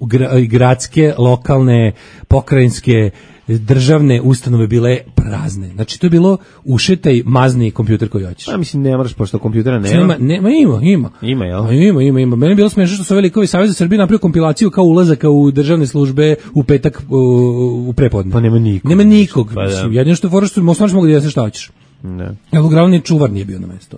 gradske, lokalne, pokrajinske, državne ustanove bile prazne. Znači, to je bilo ušetaj, mazni kompjuter koji hoćeš. Ja mislim, ne moraš, pošto kompjutera nema. Ima. Ima, jel? Ima. Meni je bilo smešno što su ovi likovi Savez za Srbiju napravio kompilaciju kao ulazaka u državne službe u petak u prepodne. Pa nema nikog. Nema nikog. Jedino što je fora što mogu da jeste šta hoćeš. Ne. Evo, glavni čuvar nije bio na mesto.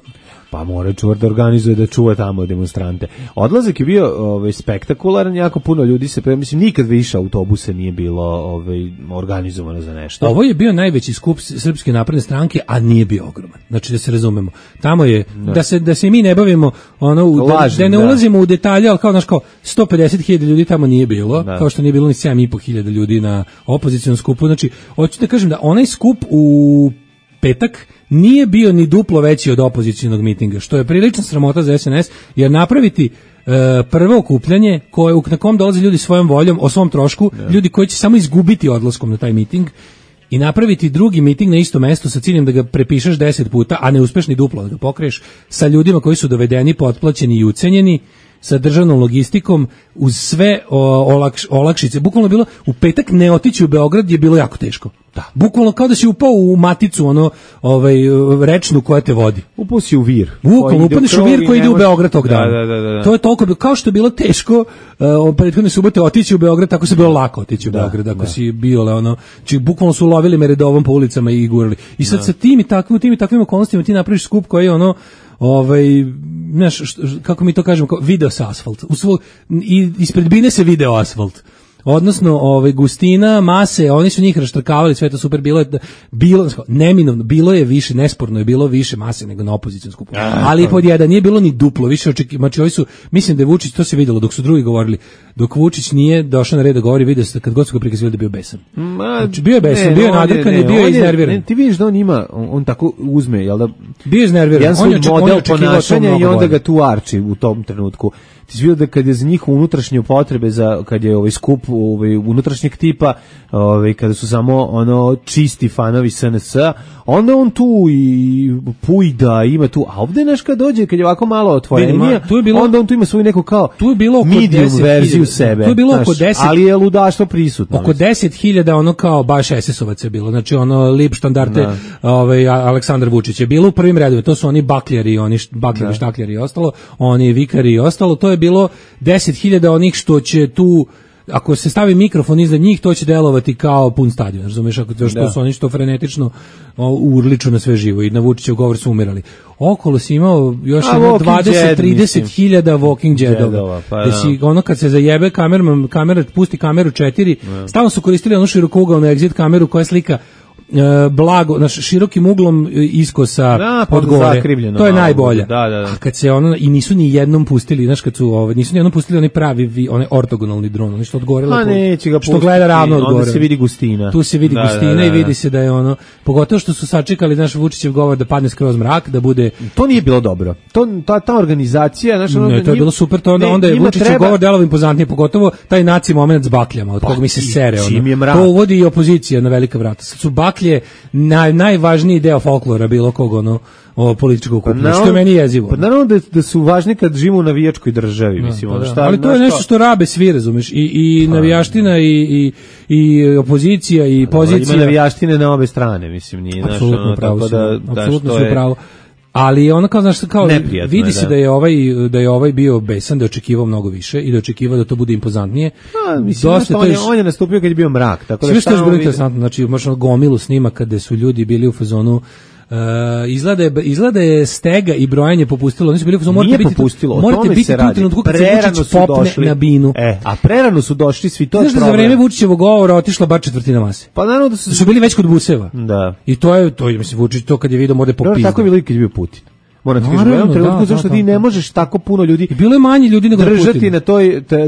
Pa mora čuvar da organizuje, da čuva tamo demonstrante. Odlazak je bio spektakularan, jako puno ljudi mislim, nikad više autobusa nije bilo organizovano za nešto. Ovo je bio najveći skup Srpske napredne stranke, a nije bio ogroman. Znači, da se razumemo. Tamo je, da se mi ne bavimo, da ne ulazimo u detalje, ali kao 150.000 ljudi tamo nije bilo, kao što nije bilo ni 7.500 ljudi na opozicionom skupu. Znači, hoću da kažem da onaj skup u petak nije bio ni duplo veći od opozicionog mitinga, što je prilična sramota za SNS, jer napraviti prvo okupljanje na kom dolaze ljudi svojom voljom, o svom trošku, ljudi koji će samo izgubiti odlaskom na taj miting, i napraviti drugi miting na isto mesto sa ciljem da ga prepišeš 10 puta, a ne uspeš ni duplo da ga pokriješ, sa ljudima koji su dovedeni, potplaćeni i ucenjeni, sa državnom logistikom, uz sve olakšice. Bukvalno bilo, u petak ne otići u Beograd je bilo jako teško. Da. Bukvalno kao da si upao u maticu, rečnu koja te vodi. Upao si u vir. Bukvalno, upadneš u vir koji ide u Beograd tog dana. Da. To je toliko, kao što je bilo teško prethodne subote otići u Beograd, tako se bilo lako otići u Beograd, ako si bio, či bukvalno su lovili me redovom po ulicama i gurali. I sad sa tim i takvim okolnostima ti napraviš skup koji je znaš, kako mi to kažemo, video sa asfalt. I ispred bine se video asfalt. Odnosno, gustina, mase, oni su njih raštrkavali, sve to super, neminovno, bilo je više, nesporno je bilo više mase nego na opozicijskom skupu. Ali pod jedan, nije bilo ni duplo, više znači ovi su, mislim da je Vučić, to se vidjelo dok su drugi govorili, dok Vučić nije došao na red da govori, vidio se kad god su ga prikazivali da bio besan. Znači, bio je besan, bio je nadrkan i bio je iznerviran. Ti vidiš da on ima, on tako uzme, jel da? Bio je iznerviran. Jedan svoj model ponašanja i onda ga tu arči u tom trenutku. Ti si vidio da kad je za njih unutrašnje potrebe, kad je skup unutrašnjeg tipa, kada su samo čisti fanovi SNS-a, onda on tu i pujda, ima tu, a ovdje kad dođe, kad je ovako malo otvorenije, onda on tu ima svoju neku kao medium verziju sebe. Tu je bilo oko 10, ali je ludaštvo prisutno. Oko 10.000 kao baš SS-ovac je bilo, znači lip štandarte Aleksandar Vučić je bilo u prvim redovima, to su oni bakljari, štakljari i ostalo, oni vikari i ostalo, to je bilo 10.000 onih što će tu, ako se stavi mikrofon iza njih, to će delovati kao pun stadion, razumiješ, što su oni što frenetično urliču na sve živo i na Vučićev govor su umirali. Okolo si imao još 20-30.000 walking jedova. Pa, kad se zajebe kamera pusti kameru 4, stalno su koristili onu širokougalnu exit kameru koja slika blago, širokim uglom iskosa od gore. To je najbolje. A kad se i nisu ni jednom pustili, znaš, kad su nisu ni jednom pustili onaj pravi, onaj ortogonalni dron, oni što od gore što gleda ravno od gore. Onda se vidi gustina. Tu se vidi gustina i vidi se da je pogotovo što su sačekali naš Vučićev govor da padne skroz mrak, da bude. To nije bilo dobro. Ta organizacija, znaš, to je bilo super, to onda je Vučićev govor delovao impozantnije, pogotovo taj naci moment s bakljama, od kog mi se sere. To uvodi i opozicija na velika vrata. Su baklje najvažniji deo folklora bilo kog političkog okupljanja, što je meni jezivo. Pa naravno da su važni kad živimo u navijačkoj državi, mislim. Ali to je nešto što rabe svi, razumeš, i navijaština i opozicija i pozicija. Ima navijaštine na obe strane, mislim, nije. Apsolutno pravo, apsolutno su pravo. Ali vidi se da je ovaj bio besan, da je očekivao mnogo više i da je očekivao da to bude impozantnije. On je nastupio kad je bio mrak, tako da sve što je bilo interesantno, znači možda gomilu snima kada su ljudi bili u fazonu. Izgleda je stega i brojanje popustilo. Oni su bili morate biti tu u trenutku kad se Vučić popne na binu. A prerano su došli svi, to je problem. Za vreme Vučićevog govora otišla bar četvrtina mase. Pa naravno da su bili već kod buseva. Da. I to je mislim Vučić to kad je video mora popizdati. Tako je bilo i kad je bio Putin. Moram ti kažem, u jednom trenutku zašto ti ne možeš tako puno ljudi. Bilo je manje ljudi nego držati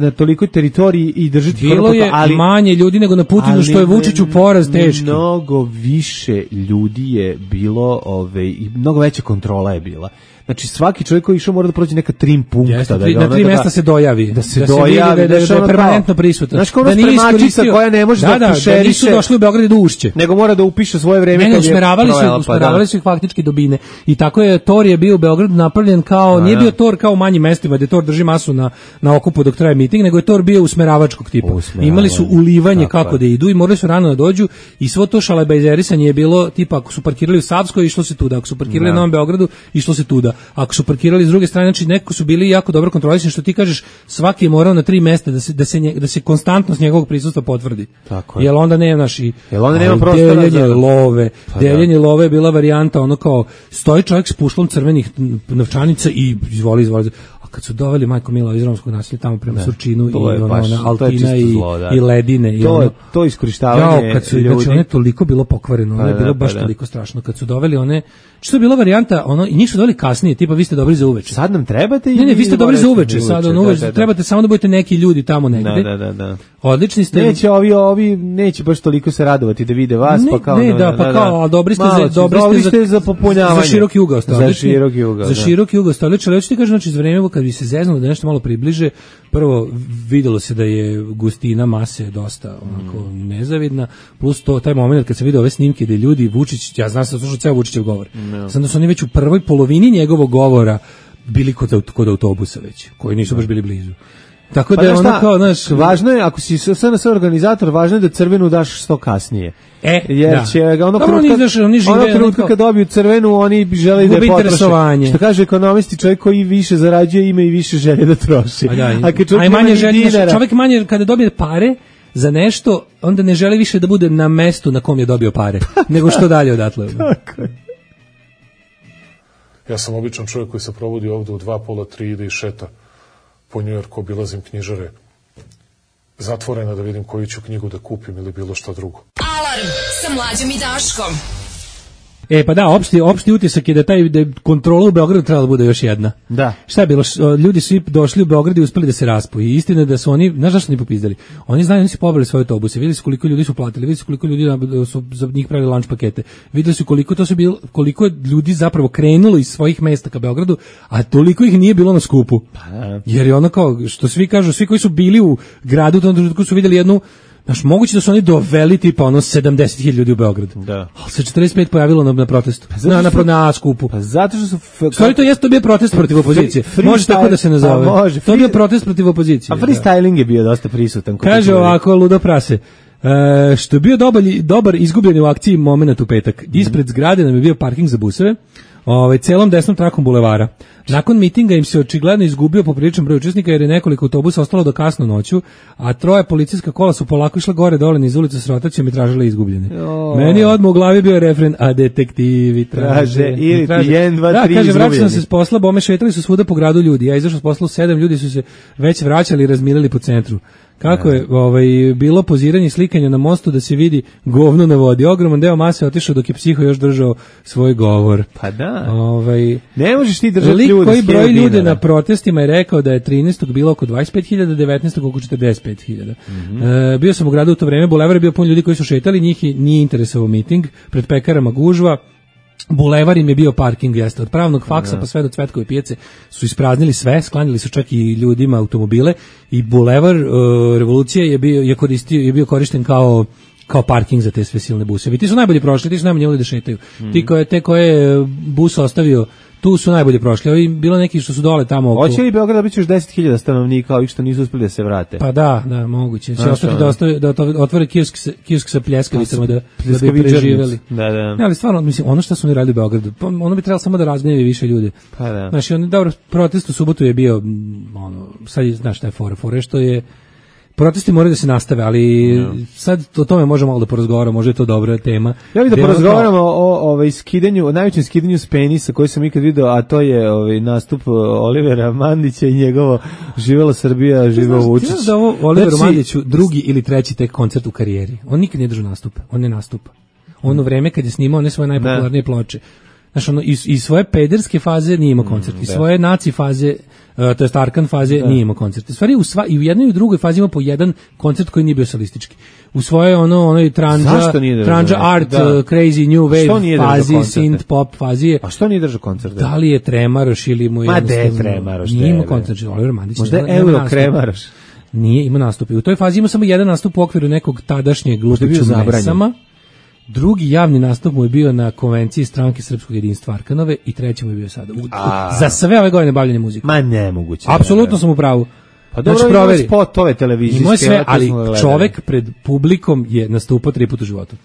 na tolikoj teritoriji i držati bilo je manje ljudi nego na Putinu, što je Vučiću poraz teški. Mnogo više ljudi je bilo, i mnogo veća kontrola je bila. Znači svaki čovjek koji išao mora da prođe neka trim punkta. Jeste, na 3 mesta se dojavi. Da se dojavi, da je permanentno prisutan. Znači kao spremačica koja ne može da pušeriše. Da nisu došli u Beograd do Ušće. Nego mora da upiše svoje vreme. Ne, usmeravali su ih faktički do Bine. I tako je Tor je bio u Beogradu napravljen kao, nije bio Tor kao u manjim mestima gde Tor drži masu na okupu dok traje miting, nego je Tor bio usmeravačkog tipa. Imali su ulivanje kako da idu i morali su rano da dođu i svo to šalabajzerisanje je bilo tipa ako su parkirali u Savskoj išlo se tuda, ako su parkirali na Novom Beogradu išlo se tuda. Ako su parkirali s druge strane, znači neko su bili jako dobro kontrolisani, što ti kažeš, svaki je morao na 3 mesta da se konstantnost njegovog prisustva potvrdi. Tako je. Jel onda nemaš nema prostora deljenje love. Deljenje love je bila varijanta ono kao stoji čovjek s pušlom crvenih novčanica i izvoli. A kad su doveli majko Mila iz romskog naselja tamo prema Surčinu i ona Altina i Ledine i to iskorištavanje ljudi. Znači ono je toliko bilo pokvareno, ono je bilo baš toliko strašno kad su doveli one, što je bila varijanta, ono i njih su doveli kasnije, tipa vi ste dobri za uveče. Sad nam trebate Ne, vi ste dobri za uveče, sad uveče trebate samo da budete neki ljudi tamo negde. Da. Odlični ste. Neće ovi neće baš toliko se radovati da vide vas, pa kao a dobri ste za popunjavanje. Za široki ugao Za široki ugao stoličar, hoćete ti kažem, znači za vreme kad bi se zeznalo da nešto malo približe, prvo videlo se da je gustina mase dosta onako nezavidna, plus to taj moment kad se vide ove snimke gde ljudi Vučić, ja znam se slušao ceo Vučićev govor. Sad da su oni već u prvoj polovini njegovog govora bili kod autobusa već, koji nisu baš bili blizu. Tako da je ono kao, znaš, važno je, ako si SNS organizator, važno je da crvenu daš što kasnije. Jer će ga ono trenutka kad dobiju crvenu, oni žele da je potroše. Što kaže ekonomisti, čovjek koji više zarađuje ima i više želje da troši. A manje želje, čovjek manje kada dobije pare za nešto, onda ne želi više da bude na mestu na kom je dobio pare, nego što dalje odatle. Tako je. Ja sam običan čovjek koji se provodi ovdje u 2, pola, 3 ide i šeta po Njujorku, obilazim knjižare zatvorena da vidim koju ću knjigu da kupim ili bilo šta drugo. Alarm sa Mlađom i Daškom. Pa da, opšti utisak je da kontrola u Beogradu trebala da bude još jedna. Da. Šta je bilo? Ljudi su došli u Beograd i uspeli da se raspoju. I istina je da su oni, znaš zašto su oni popizdali? Oni znaju, oni su pobili svoje autobuse, videli su koliko ljudi su platili, videli su koliko ljudi su za njih pravili lunch pakete, videli su koliko ljudi zapravo krenulo iz svojih mesta ka Beogradu, a toliko ih nije bilo na skupu. Jer je ono kao, što svi kažu, svi koji su bili u gradu, u tom trenutku su vidjeli jednu. Znaš, moguće da su oni doveli tipa 70.000 ljudi u Beograd. Da. Ali se 45 pojavilo na protestu. Na skupu. Pa zato što su... Stvari to bio protest protiv opozicije. Može tako da se nazove. To je bio protest protiv opozicije. A freestyling je bio dosta prisutan. Kaže ovako, ludo prase. Što je bio dobar izgubljeni u akciji moment u petak. Ispred zgrade nam je bio parking za buseve. Celom desnom trakom bulevara. Nakon mitinga im se očigledno izgubio popriličan broj učesnika jer je nekoliko autobusa ostalo do kasno noću, a 3 policijska kola su polako išla gore dole niz ulicu s rotacijom i tražile izgubljene. Meni je odmah u glavi bio refren, a detektivi traže. Ili 1, 2, 3 izgubljeni. Kaže, vraćao sam se s posla, bome šetali su svuda po gradu ljudi. Ja izašao s posla u 7, ljudi su se već vraćali i razmirili po centru. Kako je bilo poziranje i slikanje na mostu da se vidi govno na vodi. Ogroman deo mase otišao dok je psiho još držao svoj govor. Pa da. Ne možeš ti držati ljude. Koji broj ljude na protestima je rekao da je 13. bilo oko 25.000, 19. oko 45.000. Bio sam u gradu u to vreme, bulevar je bio pun ljudi koji su šetali, njih nije interesovao miting, pred pekarama gužva. Bulevar im je bio parking, jeste, od pravnog faksa pa sve do Cvetkove pijace su ispraznili sve, sklanjali su čak i ljudima automobile i bulevar Revolucije je bio korišten kao parking za te sve silne buseve. Ti su najbolje prošli, ti su najbolje mogli da šetaju. Te koje bus ostavio, tu su najbolje prošli. Ovi bilo neki što su dole tamo oko. Hoće li Beograd biti još 10.000 stanovnika, ovih što nisu uspeli da se vrate? Pa da, moguće. Će ostati da otvore kiosk sa pljeskavicama da bi preživeli. Da. Ali stvarno, mislim, ono što su oni radili u Beogradu, ono bi trebalo samo da razgnjevi više ljudi. Pa da. Znači, dobro, protest u subotu je bio, sad znaš šta je fora što je. Protesti moraju da se nastave, ali sad o tome možemo malo da porazgovaramo, možda je to dobra tema. Ja bih da porazgovaramo o najvećem skidanju s penisa koji sam ikad video, a to je nastup Olivera Mandića i njegovo Živela Srbija, živeo Vučić. Znaš da ovo Oliveru Mandiću drugi ili treći tek koncert u karijeri. On nikad nije držao nastup, on ne nastupa. Ono vreme kad je snimao one svoje najpopularnije ploče. Znaš, ono, iz svoje pederske faze nije imao koncert, iz svoje naci faze, to jest Arkan faze, nije imao koncert. U stvari, i u jednoj i u drugoj fazi ima po jedan koncert koji nije bio solistički. U svoje onoj Tranja Art, Crazy New Wave fazi, synth pop fazi. A što nije držao koncert? Da li je Tremaroš ili mu je... Ma de Tremaroš? Nije imao koncert, Oliver Mandić. Možda je Euro Kremaroš? Nije imao nastup. U toj fazi ima samo jedan nastup u okviru nekog tadašnjeg Lupiću Mesama. Drugi javni nastup mu je bio na konvenciji Stranke srpskog jedinstva Arkanove i treći mu je bio sada. Za sve ove godine bavljenja muzikom. Ma nemoguće. Apsolutno sam u pravu. Pa dobro, znači, ima spotove televizijske. Ima sve, ali čovek pred publikom je nastupao 3 puta u životu.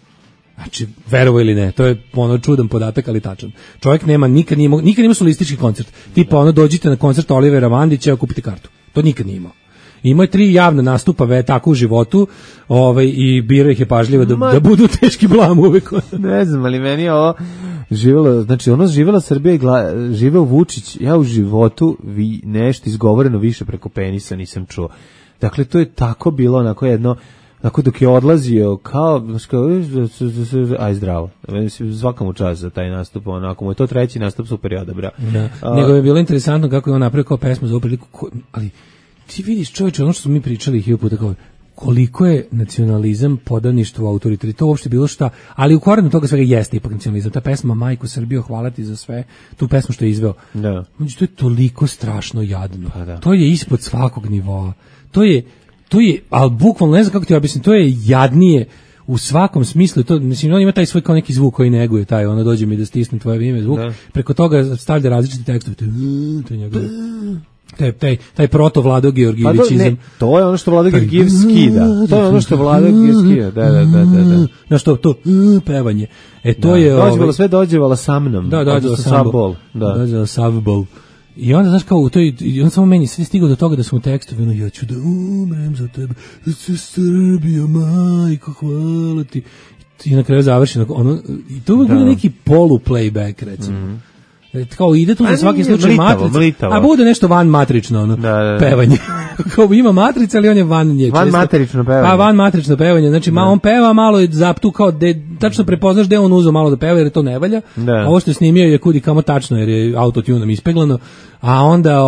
Znači, verovo ili ne, to je ono čudan podatak, ali tačan. Čovjek nema, nikad nije solistički koncert. Tipa ono, dođite na koncert Olivera Mandića, kupite kartu. To nikad nije imao. Imao je 3 javna nastupa tako u životu, i birao ih je pažljivo da budu teški blam uvek. Ne znam, ali meni je ovo živjela, znači ono živjela Srbija i živeo Vučić, ja u životu nešto izgovoreno više preko penisa nisam čuo. Dakle, to je tako bilo onako jedno, tako dok je odlazio aj zdravo, svaka mu čast za taj nastup, onako mu je to treći nastup, super je odabra. Nego je bilo interesantno kako je on napravio kao pesmu za ovu priliku, ali ti vidiš, čovječe, ono što smo mi pričali 1000 puta, kao koliko je nacionalizam, podaništvo, autoritet, to uopšte bilo šta, ali u korenu toga svega jeste ipak nacionalizam. Ta pesma Majko Srbijo, hvala ti za sve, tu pesmu što je izveo. Da. Znači, to je toliko strašno jadno. To je ispod svakog nivoa. To je, ali bukvalno, ne znam kako ti objasnim, to je jadnije u svakom smislu. To, mislim, on ima taj svoj kao neki zvuk koji neguje, taj, ono, dođe mi da stisnem tvoje ime, zvuk, preko toga stavlja različite tekstove. To je njegove... Taj proto Vlado Georgijevićizam. To je ono što Vlado Georgijev skida. To je ono što Vlado Georgijev skida. Da. Na što to pevanje. To je sve dođevala sa mnom. Dođevala Savbol. Dođevala Savbol. I onda znaš kao i on samo meni sve stigao do toga da smo u tekstu, ja ću da umrem za tebe. Srbija, majko, hvala ti. I na kraju završi i to bude neki polu playback, recimo. Kao ide tu za svaki slučaj matrica, a bude nešto van matrično pevanje. Kao ima matrica, ali on je van nje. Van matrično pevanje. Pa van matrično pevanje, znači on peva malo je zaptu kao tačno prepoznaš da je on uzeo malo da peva jer to ne valja. A ovo što je snimio je kudi kamo tačno jer je autotunom ispeglano, a onda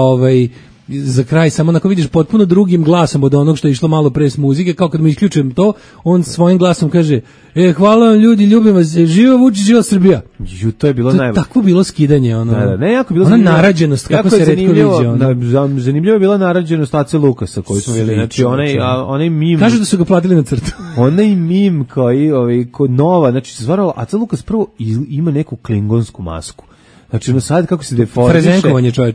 za kraj samo onako vidiš potpuno drugim glasom od onog što je išlo malo pre s muzike, kao kad mu isključujem to, on svojim glasom kaže hvala vam ljudi, ljubim vas, živo Vučić, živo Srbija. To je bilo najbolje. Takvo bilo skidanje, jako bilo ona narađenost, kako se retko vidi. Zanimljivo je bila narađenost Ace Lukasa koju smo vidjeli, znači onaj mim. Kažu da su ga platili na crtu. Onaj mim koji kod nova, znači stvarno Ace Lukas prvo ima neku klingonsku masku. Znači, sad kako se deformiše,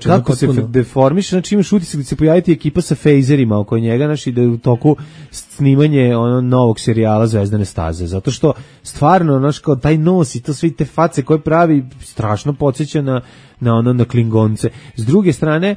kako se deformiše, znači imaš utisak da se pojaviti ekipa sa fejzerima oko njega, znači da je u toku snimanje novog serijala Zvezdane staze, zato što stvarno, znači, kao taj nos i to sve te face koje pravi strašno podsjeća na Klingonce. S druge strane,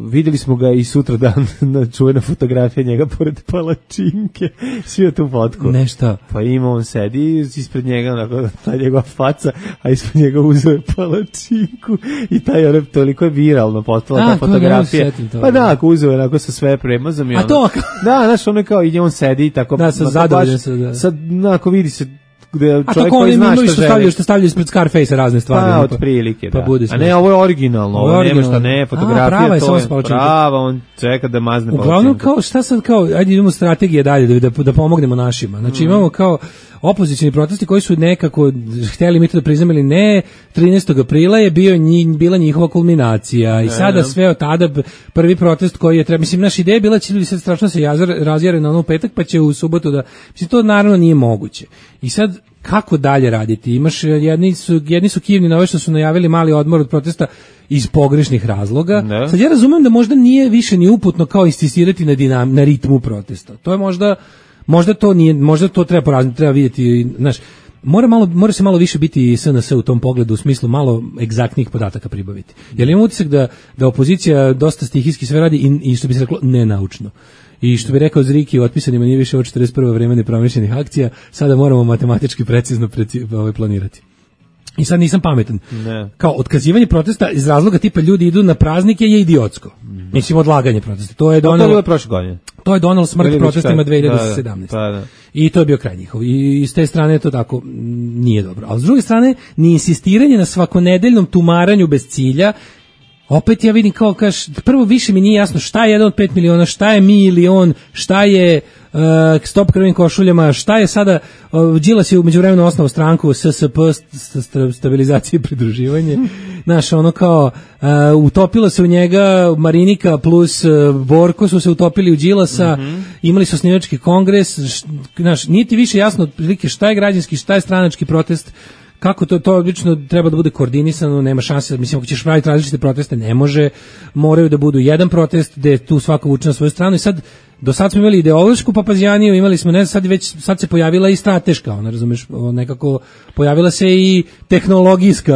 videli smo ga i sutra dan na čuvena fotografija njega pored palačinke, svi tu fotku. Nešta. Pa ima on sedi ispred njega, ta njegova faca, a ispred njega uzeo palačinku i taj toliko je viralno postala ta fotografija. Pa da, ako uzeo je onako sa sve premazom. A to? Da, znaš, ono kao i on sedi i tako. Da, sa zadovoljen se, da. Sad, ako vidi se gde čovjek koji zna šta želi. Što stavljaju ispred Scarface razne stvari. Pa, od prilike, da. A ne, ovo je originalno, ovo nema šta, ne, fotografija, to je prava, on čeka da mazne palačinku. Uglavnom, kao, šta sad, kao, ajde idemo strategije dalje, da pomognemo našima. Znači, imamo kao opozicioni protesti koji su nekako htjeli mi to da priznam ili ne, 13. aprila je bila njihova kulminacija i sada sve od tada prvi protest koji je mislim, naša ideja je bila će ljudi sad strašno se razjare na onu petak pa će u subotu da, mislim, to naravno nije moguće. I sad, kako dalje raditi? Imaš, jedni su kivni na ove što su najavili mali odmor od protesta iz pogrešnih razloga. Sad ja razumem da možda nije više ni uputno kao insistirati na ritmu protesta. To je možda to nije, možda to treba poraziti, treba vidjeti, znaš, mora se malo više biti SNS u tom pogledu, u smislu malo egzaktnih podataka pribaviti. Jer imam utisak da opozicija dosta stihijski sve radi i što bi se reklo nenaučno. I što bi rekao Zriki, u otpisanima nije više od 41. vreme nepromišljenih akcija, sada moramo matematički precizno planirati. I sad nisam pametan. Ne. Kao otkazivanje protesta iz razloga tipa ljudi idu na praznike je idiotsko. Mislim odlaganje protesta. To je donelo prošle godine. To je donelo smrt protestima 2017. Da. I to je bio kraj njihov. I s te strane to tako nije dobro. Ali s druge strane, ni insistiranje na svakonedeljnom tumaranju bez cilja. Opet ja vidim kao prvo više mi nije jasno šta je 1 od 5 miliona, šta je milion, šta je stop krvnim košuljama, šta je sada, Đilas je u međuvremenu osnovao stranku SSP, stabilizacije i pridruživanje, znaš, ono kao, utopilo se u njega Marinika plus Borko su se utopili u Đilasa, imali su osnivački kongres, znaš, nije ti više jasno otprilike šta je građanski, šta je stranački protest, kako to obično treba da bude koordinisano, nema šanse, mislim, ako ćeš praviti različite proteste, ne može, moraju da budu jedan protest gde tu svako vuče na svoju stranu i sad, do sad smo imali ideološku papazijaniju, imali smo, ne, sad se pojavila i strateška, ona, razumeš, nekako pojavila se i tehnologijska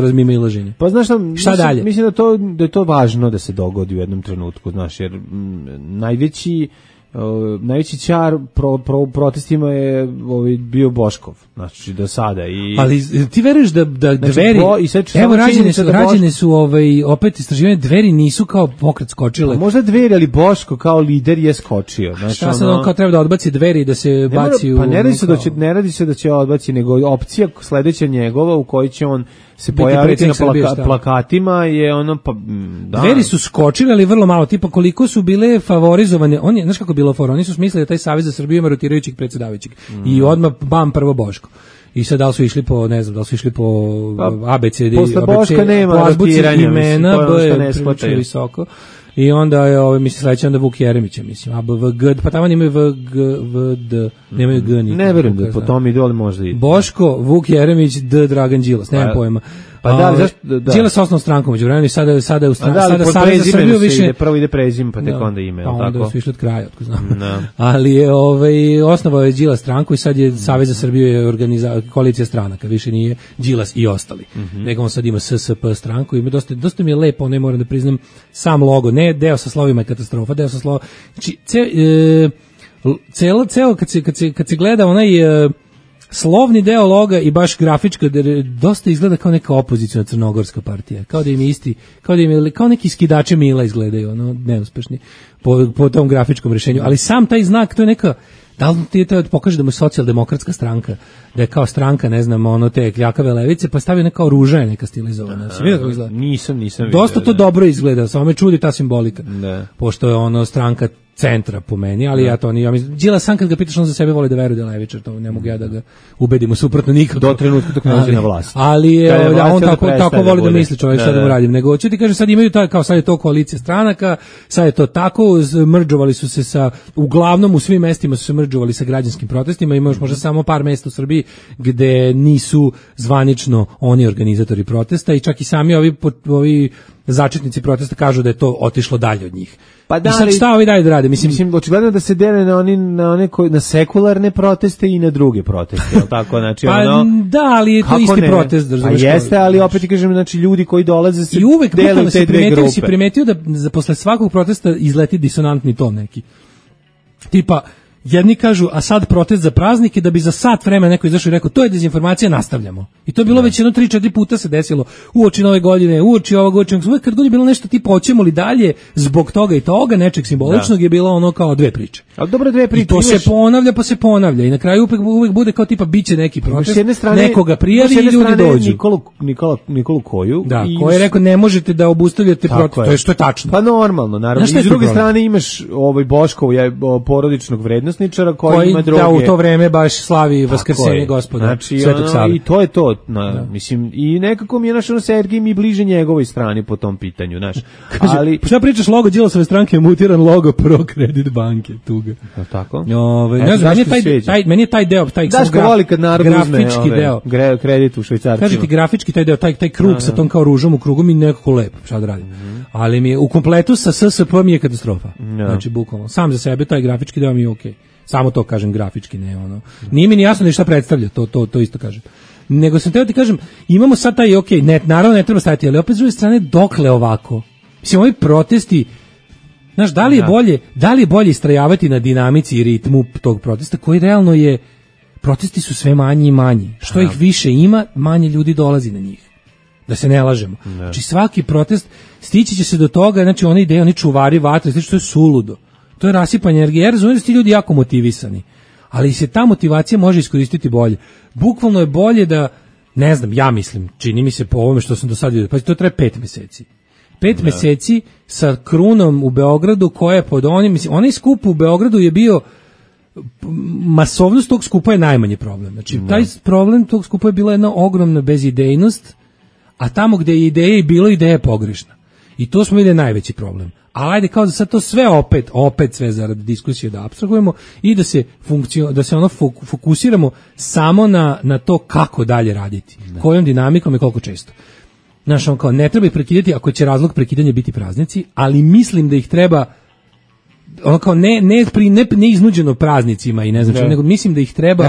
razmimoilaženje. Pa znaš šta dalje? Mislim da je to važno da se dogodi u jednom trenutku, znaš, jer najveći čar protestima je bio Boškov, znači do sada. Ali ti veruješ da Dveri, evo rađene su opet istraživanje, Dveri nisu kao pokret skočile. Možda Dveri, ali Boško kao lider je skočio. Znači, šta sad on kao treba da odbaci Dveri i da se baci u... Pa ne radi se da će odbaci, nego opcija sledeća njegova u kojoj će on se pojaviti na plakatima je ono, pa da. Dveri su skočili, ali vrlo malo, tipa koliko su bile favorizovane, znaš kako bilo for, oni su smislili da taj Savez za Srbiju ima rotirajućeg predsjedavajućeg i odmah bam prvo Boško. I sad da li su išli po, ne znam, ABCD, posle Boška nema rotiranja, imena, B je prilično visoko. I onda je, mislim, sledeće onda Vuk Jeremića, mislim, ABVG, pa tamo nemaju VD, nemaju G nikako. Ne verujem da po tom ide, ali možda ide. Boško, Vuk Jeremić, D. Dragan Đilas, nemam pojma. Pa da, zašto? Đilas osnovnom strankom, među vremenu, sada u Savez za Srbiju više... Prvo ide prezime, pa tek onda ime, pa onda su išli od kraja, otko znam. No. Ali je, osnovao je Đilas stranku i sad je Savez za Srbiju je koalicija stranaka, više nije Đilas i ostali. Nego on sad ima SSP stranku i dosta mi je lepo, ne moram da priznam, sam logo, ne deo sa slovima je katastrofa, deo sa slovima... Znači, ceo, kad se gleda onaj... slovni deo loga i baš grafička dosta izgleda kao neka opozicijna crnogorska partija, kao da im je isti, kao neki skidači Mila izgledaju, ono, neuspešni po tom grafičkom rješenju, ali sam taj znak, to je neka, da li ti to pokaže da mu je socijaldemokratska stranka, da je kao stranka, ne znam, ono te kljakave levice, pa stavio neka ruža je neka stilizovana. Nisam vidio. Dosta to dobro izgleda, samo me čudi ta simbolika. Pošto je ono stranka centra po meni, ali ja to nije. Đilas sam kad ga pitaš, on za sebe voli da veruje da je levičar, to ne mogu ja da ga ubedim u suprotno nikako. Do trenutka dok nađe na vlast. Ali on tako voli da misli čovjek, šta da mu radim. Nego ću ti kažem, sad imaju kao sad je to koalicija stranaka, sad je to tako, mrdžovali su se uglavnom u svim mestima su se mrdžovali sa građanskim protestima, ima još možda samo par mesta u Srbiji gde nisu zvanično oni organizatori protesta i čak i sami ovi začetnici protesta kažu da je to otišlo dalje od njih. Pa da, i sad šta ovi dalje da rade? Mislim, očigledno da se dele na sekularne proteste i na druge proteste, je li tako? Znači, pa da, ali je to isti protest. Pa jeste, ali opet ti kažem, znači, ljudi koji dolaze se dele u te dve grupe. Si primetio da posle svakog protesta izleti disonantni ton neki. Tipa, jedni kažu, a sad protest za praznike, da bi za sat vremena neko izašao i rekao, to je dezinformacija, nastavljamo. I to je bilo već 3-4 puta se desilo, uoči Nove godine, uoči ovog, uvek kad god je bilo nešto tipa, hoćemo li dalje, zbog toga i toga, nečeg simboličnog je bilo ono kao dve priče. Ali dobro, dve priče. I to se ponavlja, pa se ponavlja. I na kraju uvek bude kao tipa, biće neki protest, nekoga prijavi i ljudi dođu. Nikolu Koju. Da, koji je rekao, ne možete da obustavljate protest, to je što je tačno. Pa normalno, naravno. I s druge strane imaš Boškov porodičnog vrednosničara koji ima droge. Da, u to vreme baš slavi Vaskrsenje Gospoda, znači, Svetog Save. I to je to, mislim, i nekako mi je Sergij mi bliže njegovoj strani po tom pitanju, znaš. Ali šta pričaš, logo Đilasove stranke je mutiran logo Pro Credit banke, tuga. Tako? Ne znam, meni je taj deo, taj grafički deo. Kredit u švajcarcima. Kažete grafički taj deo, taj krug sa tom kao ružom u krugu mi nekako lepo, šta da radim. Ali mi je u kompletu sa SSP mi je katastrofa. Znači, bukvalno, sam za sebe taj grafički deo mi je okej. Samo to kažem grafički, ne ono. Nije mi ni jasno ni šta predstavlja, to isto kažem. Nego sam teo ti kažem, imamo sad taj naravno ne treba staviti, ali opet s druge strane dokle ovako? Mislim, ovi protesti, znaš, da li je bolje istrajavati na dinamici i ritmu tog protesta koji realno je protesti su sve manji i manji. Što ih više ima, manje ljudi dolazi na njih. Da se ne lažemo. Znači svaki protest stići će se do toga, znači one ideje, oni čuvari vatre, znači to je suludo. To je rasipanje energije. Ja razumijem da su ti ljudi jako motivisani, ali se ta motivacija može iskoristiti bolje. Bukvalno je bolje da, ne znam, ja mislim, čini mi se po ovome što sam do sad vidio, pa to traje 5 meseci. 5 meseci sa krunom u Beogradu koja je pod onim, mislim, onaj skup u Beogradu je bio, masovnost tog skupa je najmanji problem. Znači, taj problem tog skupa je bila jedna ogromna bezidejnost, a tamo gde je ideja i bilo, ideja je pogrešna. I to smo vidjeli najveći problem. Ali ajde kao da sad to sve opet sve zarad diskusije da apstrahujemo i da se fokusiramo samo na to kako dalje raditi. Kojom dinamikom i koliko često. Znaš, on kao, ne treba ih prekidati ako će razlog prekidanja biti praznici, ali mislim da ih treba ono kao ne iznuđeno praznicima i ne znam, nego mislim da ih treba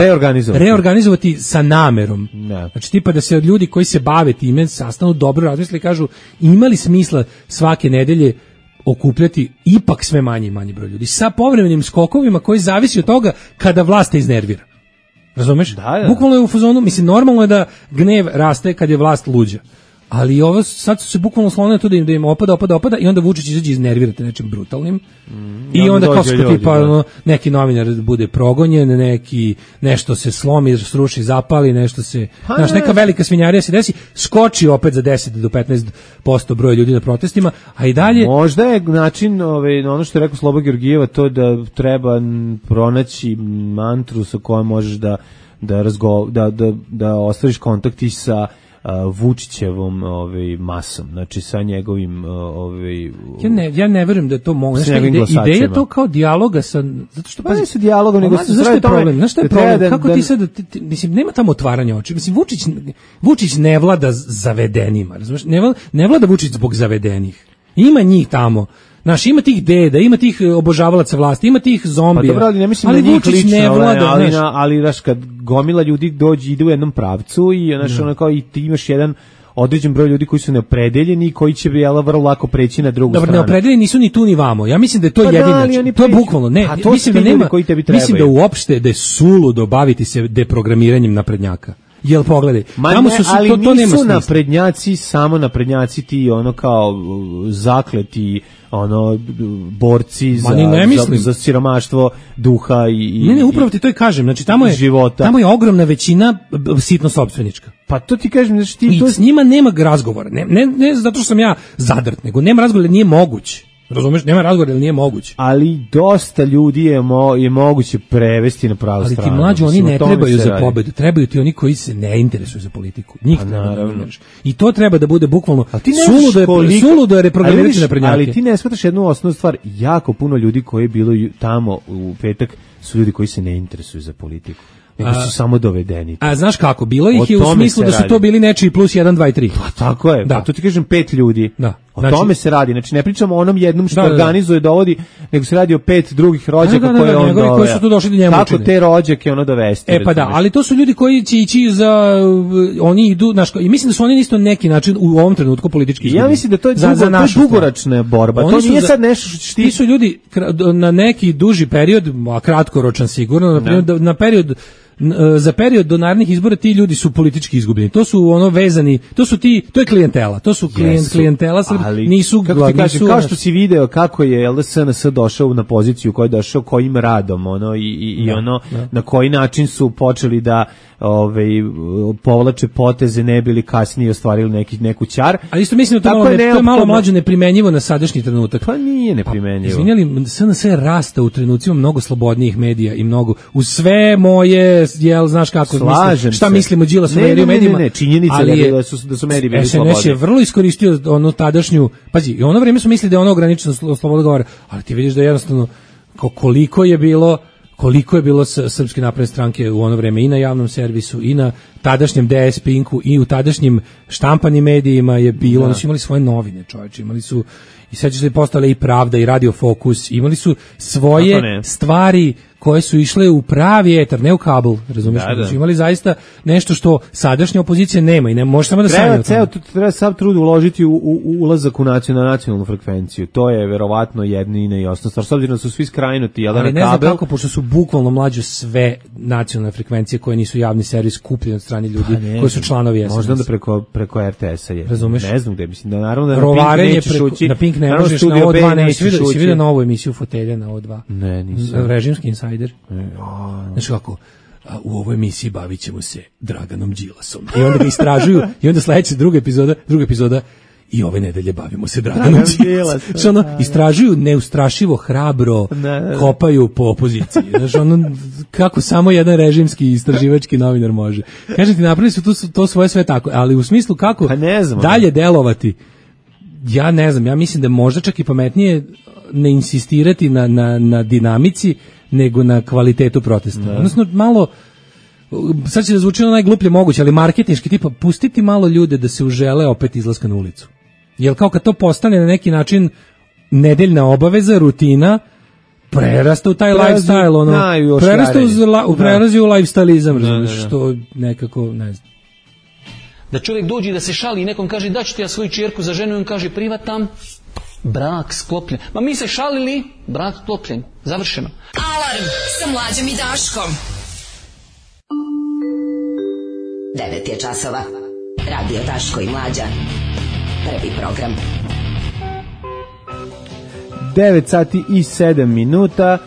reorganizovati sa namerom. Znači tipa da se od ljudi koji se bave time sastanu, dobro razmisle i kažu ima li smisla svake nedelje okupljati ipak sve manje i manje broj ljudi sa povremenim skokovima koji zavisi od toga kada vlast te iznervira. Razumeš? Bukvalno je u fazonu, mislim, normalno je da gnev raste kad je vlast luđa. Ali ovo sad su se bukvalno slonili to da im opada i onda Vučić izađe iznervirate nečim brutalnim. I onda kao što tipa neki novinar bude progonjen, nešto se slomi, sruši, zapali, nešto se, neka velika svinjarija se desi, skoči opet za 10 do 15% broja ljudi na protestima, a i dalje. Možda je način, ono što je rekao Slobo Georgijeva, to da treba pronaći mantru sa kojom možeš da ostvariš kontakt i sa Vučićevom masom, znači sa njegovim ja ne verujem da je to moguće. Ideja to kao dijaloga sa, zato što pazi sa dijalogom, nego zašto je problem? Znaš šta je problem? Kako ti sad, mislim, nema tamo otvaranja očiju. Mislim, Vučić ne vlada zavedenima, razumiješ? Ne vlada Vučić zbog zavedenih. Ima njih tamo. Znaš, ima tih deda, ima tih obožavalaca vlasti, ima tih zombija. Pa dobro, ali ne mislim da njih lično, ali znaš, kad gomila ljudi ide u jednom pravcu i znaš, ono kao i ti imaš jedan određen broj ljudi koji su neopredeljeni i koji će vrlo lako preći na drugu stranu. Dobro, neopredeljeni nisu ni tu ni vamo. Ja mislim da je to jedino. To je bukvalno, mislim da nema, mislim da uopšte da je suludo baviti se deprogramiranjem naprednjaka. Jel pogledaj, tamo su ali to nisu naprednjaci, samo naprednjaci ti ono kao zakleti ono borci za siromaštvo duha i ne, upravo ti to i kažem, znači tamo je ogromna većina sitno sopstvenička. Pa to ti kažem, znači ti to s njima nema razgovora. Ne zato što sam ja zadrt, nego nema razgovora, nije moguće. Razumeš, nema razgovora, jer nije moguće. Ali dosta ljudi je moguće prevesti na pravu stranu. Ali ti mlađi, oni ne trebaju za pobedu, trebaju ti oni koji se ne interesuju za politiku. Njih naravno. I to treba da bude bukvalno suludo je reprogramirati naprednjake. Ali ti ne shvataš jednu osnovnu stvar, jako puno ljudi koji je bilo tamo u petak su ljudi koji se ne interesuju za politiku. Nego su samo dovedeni. A znaš kako, bilo ih je u smislu da su to bili nečiji plus 1, 2 i 3. Pa tako je, da. Pa to ti kažem 5 ljudi. Da. O tome se radi, znači ne pričamo o onom jednom što organizuje, dovodi, nego se radi o 5 drugih rođaka koje on doveo. Koji su tu došli do njemu. Kako te rođake ono dovesti. Pa da, ali to su ljudi koji će ići oni idu, znaš, i mislim da su oni isto neki način u ovom trenutku politički izgubljeni. Ja mislim da to je dugoročna borba, to nije sad nešto što ti su ljudi na neki duži period, a kratkoročan sigurno, na period za period do narednih izbora ti ljudi su politički izgubljeni. To su ono vezani, to je klijentela. To su klijentela, nisu kao što si video kako je SNS došao na poziciju koju je došao, kojim radom na koji način su počeli da povlače poteze, ne bili kasnije ostvarili neku ćar. Ali isto mislim da to je malo mlađe neprimenjivo na sadašnji trenutak. Pa nije neprimenjivo. Izvinjali, SNS rasta u trenucima mnogo slobodnijih medija i mnogo uz sve moje, znaš kako mislim, šta mislimo Đilas u medijima. Ne, činjenica je da su mediji bili slobodni. SNS je vrlo iskoristio onu tadašnju, pazi, i ono vreme su mislili da je ono ograničeno sloboda govora, ali ti vidiš da jednostavno koliko je bilo Srpske napredne stranke u ono vreme i na javnom servisu i na tadašnjem DS Pinku i u tadašnjim štampanim medijima je bilo, oni su imali svoje novine, čovječe, imali su i sad će se postale i Pravda i Radio Fokus, imali su svoje stvari koje su išle u pravi etar, ne u kabel, razumiješ? Da, da. Znači, imali zaista nešto što sadašnja opozicija nema i ne može samo da sanja. Treba sav trud uložiti u ulazak u nacionalnu frekvenciju. To je verovatno jedina i osnovna stvar. S obzirom da su svi skrajnuti, ali ne znam kako, pošto su bukvalno mlađe sve nacionalne frekvencije koje nisu javni servis kupljeni od strane ljudi koji su članovi SNS. Možda da preko RTS-a je. Razumeš? Ne znam gde, mislim da naravno da rovarenje na Pink ne možeš, na O2 nećeš ući. Si vidio novu emisiju Fotelja na O2? Ne, nisam. Režimski insajder. Znaš kako, u ovoj emisiji bavit ćemo se Draganom Đilasom. I onda ga istražuju, i onda sledeća druga epizoda, i ove nedelje bavimo se Draganom Đilasom. Što ono, istražuju neustrašivo, hrabro, kopaju po opoziciji. Znaš, ono, kako samo jedan režimski istraživački novinar može. Kažem ti, napravili su to svoje sve tako, ali u smislu kako dalje delovati, ja ne znam, ja mislim da možda čak i pametnije ne insistirati na dinamici, nego na kvalitetu protesta. Odnosno, malo, sad će da zvuči najgluplje moguće, ali marketinški, tipa, pustiti malo ljude da se užele opet izlaska na ulicu. Jer kao kad to postane na neki način nedeljna obaveza, rutina, prerasta u taj lifestyle, ono, prerazi u lifestyleizam, razumiješ, što nekako, ne znam. Da čovjek dođe da se šali i nekom kaže da ću ti ja svoju čerku za ženu i on kaže privatam, brak sklopljen. Ma mi se šalili, brak sklopljen. Završeno. Alarm sa Mlađom i Daškom. 9 je časova. Radio Daško i Mlađa. Prvi program. 9 sati i 7 minuta.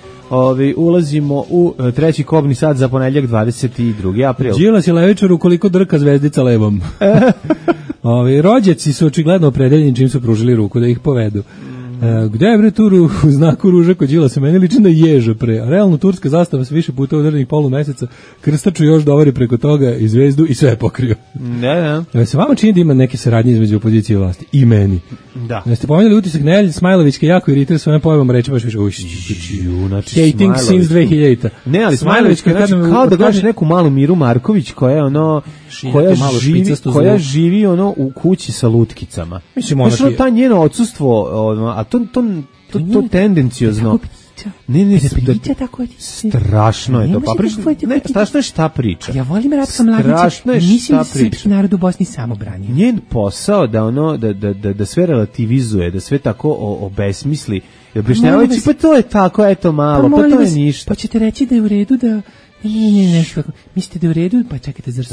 Ulazimo u treći kobni sat za ponedjeljak 22. april. Đilas je levičar ukoliko drka zvezdica levom. Rođaci su očigledno opredeljeni čim su pružili ruku da ih povedu. Gde je bre tu u znaku ruža kod Đilasa? Meni liči na ježa pre. A realno turska zastava se više puta udarnih polumeseca, krstaču još dovari preko toga i zvezdu i sve je pokrio. Da. Se vama čini da ima neke saradnje između opozicije i vlasti? I meni. Da. Jeste pomenuli utisak Nelje Smajlovićke jako iritira svojom pojavom reći baš više hating since 2000. Ne, ali Smajlovićka kao da gledaš neku malu Miru Marković koja je ono koja živi ono u kući sa lutkicama. Mislim ona ta njeno odsustvo, a to tendenciozno. Ne, strašno je to. Strašno je šta priča. Ja volim Ratka Mladića. Mislim da se srpski narod u Bosni samo branio. Njen posao da sve relativizuje, da sve tako obesmisli. Objašnjavajući, pa to je tako, eto malo, pa to je ništa. Pa ćete reći da je u redu da... Ne, mislite da je u redu? Pa čekajte, zar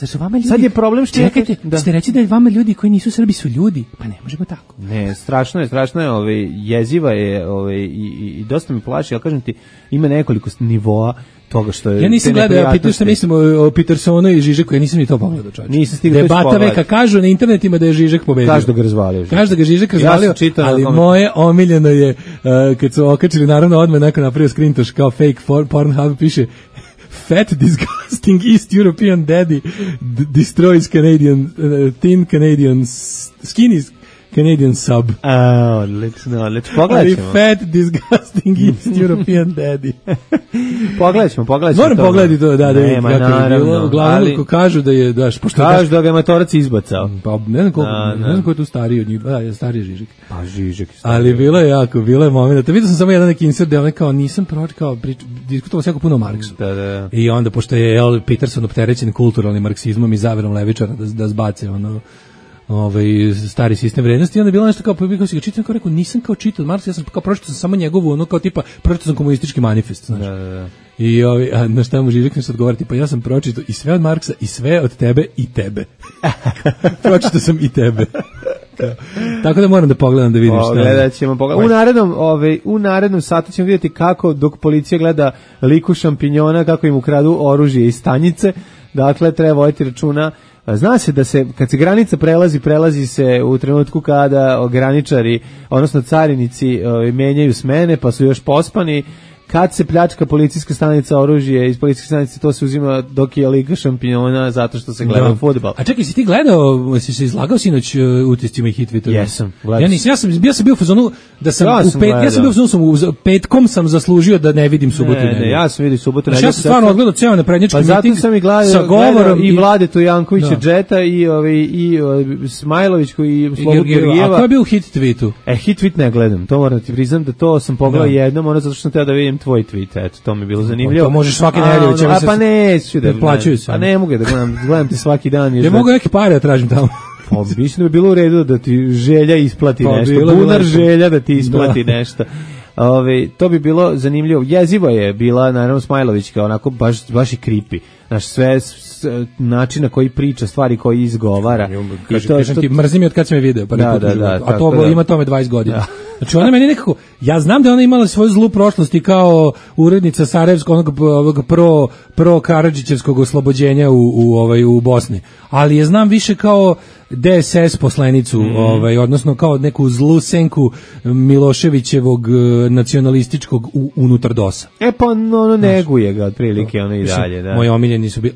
su vama ljudi... Sad je problem što... Čekajte, ćete reći da je vama ljudi koji nisu Srbi su ljudi? Pa ne možemo tako. Ne, strašno je, jeziva je i dosta me plaši, ali kažem ti, ima nekoliko nivoa toga što je... Ja nisam gledao, ja pitao što mislim o Petersonu i Žižeku, ja nisam ni to pogledao, čovječe. Nisam stigao to Debata veka, kažu na internetima da je Žižek pobedio. Kažu da ga razvalio. Ali moje omiljeno je, kad su okačili, naravno odmah neko napravio screentosh kao fake Pornhub, piše Fat, disgusting East European daddy destroys Canadian, thin Canadian, skinny Canadian sub. Odlično. Pogledat ćemo. Fat, disgusting East European daddy. Pogledat ćemo. Moram pogledati to, da je bilo. Uglavnom, ko kažu da je, kažu da ga je matorac izbacao. Pa ne znam ko je tu stariji od njih, stariji je Žižek. Pa Žižek. Ali bilo je moment. Vidio sam samo jedan neki insert gde on kao nisam kao diskutovao se jako puno o Marksu. Da. I onda, pošto je Peterson opterećen kulturalnim marksizmom i zaverom levičara da zbace stari sistem vrednosti, i onda je bilo nešto kao si ga čitao, kao rekao, nisam kao čitao Marksa, ja sam kao pročitao sam samo njegovu, kao tipa, pročitao sam komunistički manifest, znaš. Da. I na šta mu Žižek nešto odgovoriti, pa ja sam pročitao i sve od Marksa, i sve od tebe, i tebe. Pročitao sam i tebe. Tako da moram da pogledam da vidim šta. Gledat ćemo. U narednom satu ćemo vidjeti kako, dok policija gleda liku šampinjona, kako im ukradu oružje iz stanice. Dakle, treba voditi računa. Zna se da kad se granica prelazi se u trenutku kada graničari, odnosno carinici menjaju smene, pa su još pospani. Kad se pljačka policijska stanica, oružje iz policijske stanice, to se uzima dok je liga šampiona zato što se gleda fudbal. A čekaj, si ti gledao, si se izlagao sinoć utiscima i Hitvita? Jesam. Ja sam bio u fazonu da petkom sam zaslužio da ne vidim subotu. Ne, ja sam vidio subotu. Ja sam stvarno odgledao ceo naprednjački miting. Pa zato sam i gledao i Vladetu Jankovića Džeta i Smajlovićku i Slobu Georgijeva. A ko je bio u Hitvitu? Hitvit ne gledam, to moram ti priznam da to sam pogledao jednom, zato što sam teo da vidim tvoj tweet, eto, to mi je bilo zanimljivo. To možeš svake nedelje. Pa neću da plaćaju se. Pa ne mogu da gledam ti svaki dan. Ne mogu neke pare da tražim tamo. Pa mislim da bi bilo u redu da ti Želja isplati nešto. Bunar Želja da ti isplati nešto. To bi bilo zanimljivo. Jezivo je bila, naravno, Smajlovićka, onako baš i creepy. Znaš, sve način na koji priča, stvari koji izgovara. Kažem ti, mrzim je od kad sam je video. Pa a to ima tome 20 godina. Da. Znači ona meni nekako, ja znam da ona imala svoju zlu prošlost i kao urednica Sarajevskog, onog pro Karadžićevskog oslobođenja u Bosni. Ali je znam više kao DSS poslanicu, odnosno kao neku zlu senku Miloševićevog nacionalističkog unutar DOS-a. Pa ono neguje ga otprilike, ono i dalje. Da. Moji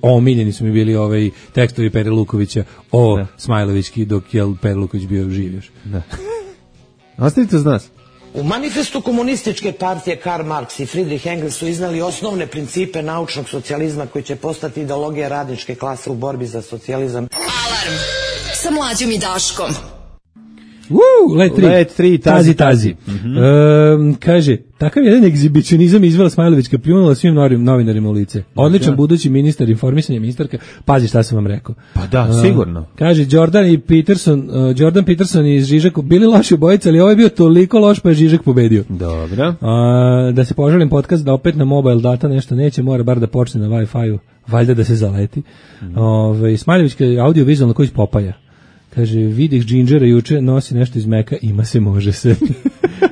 omiljeni su mi bili tekstovi Pere Lukovića o Smajlovićki dok je Pere Luković bio živ još. Da. Ostavite uz nas. U manifestu komunističke partije Karl Marx i Friedrich Engels su iznali osnovne principe naučnog socijalizma koji će postati ideologija radničke klase u borbi za socijalizam. Alarm sa Mlađom i Daškom. Let 3, tazi. Kaže, takav jedan egzibicionizam izvela Smajlovićka pljunula svim novinarima u lice. Odličan budući ministar informisanja, ministarka. Pazi šta sam vam rekao. Pa da, sigurno. Kaže, Jordan Peterson i Žižek bili loši obojice, ali ovo je bio toliko loš pa je Žižek pobedio. Dobro. Da se poželim podcast da opet na mobile data nešto neće, mora bar da počne na Wi-Fi-u, valjda da se zaleti. Smajlovićka audio-vizualna koji iz Popaja. Kaže, vidih Džinđera juče, nosi nešto iz Meka, ima se, može se.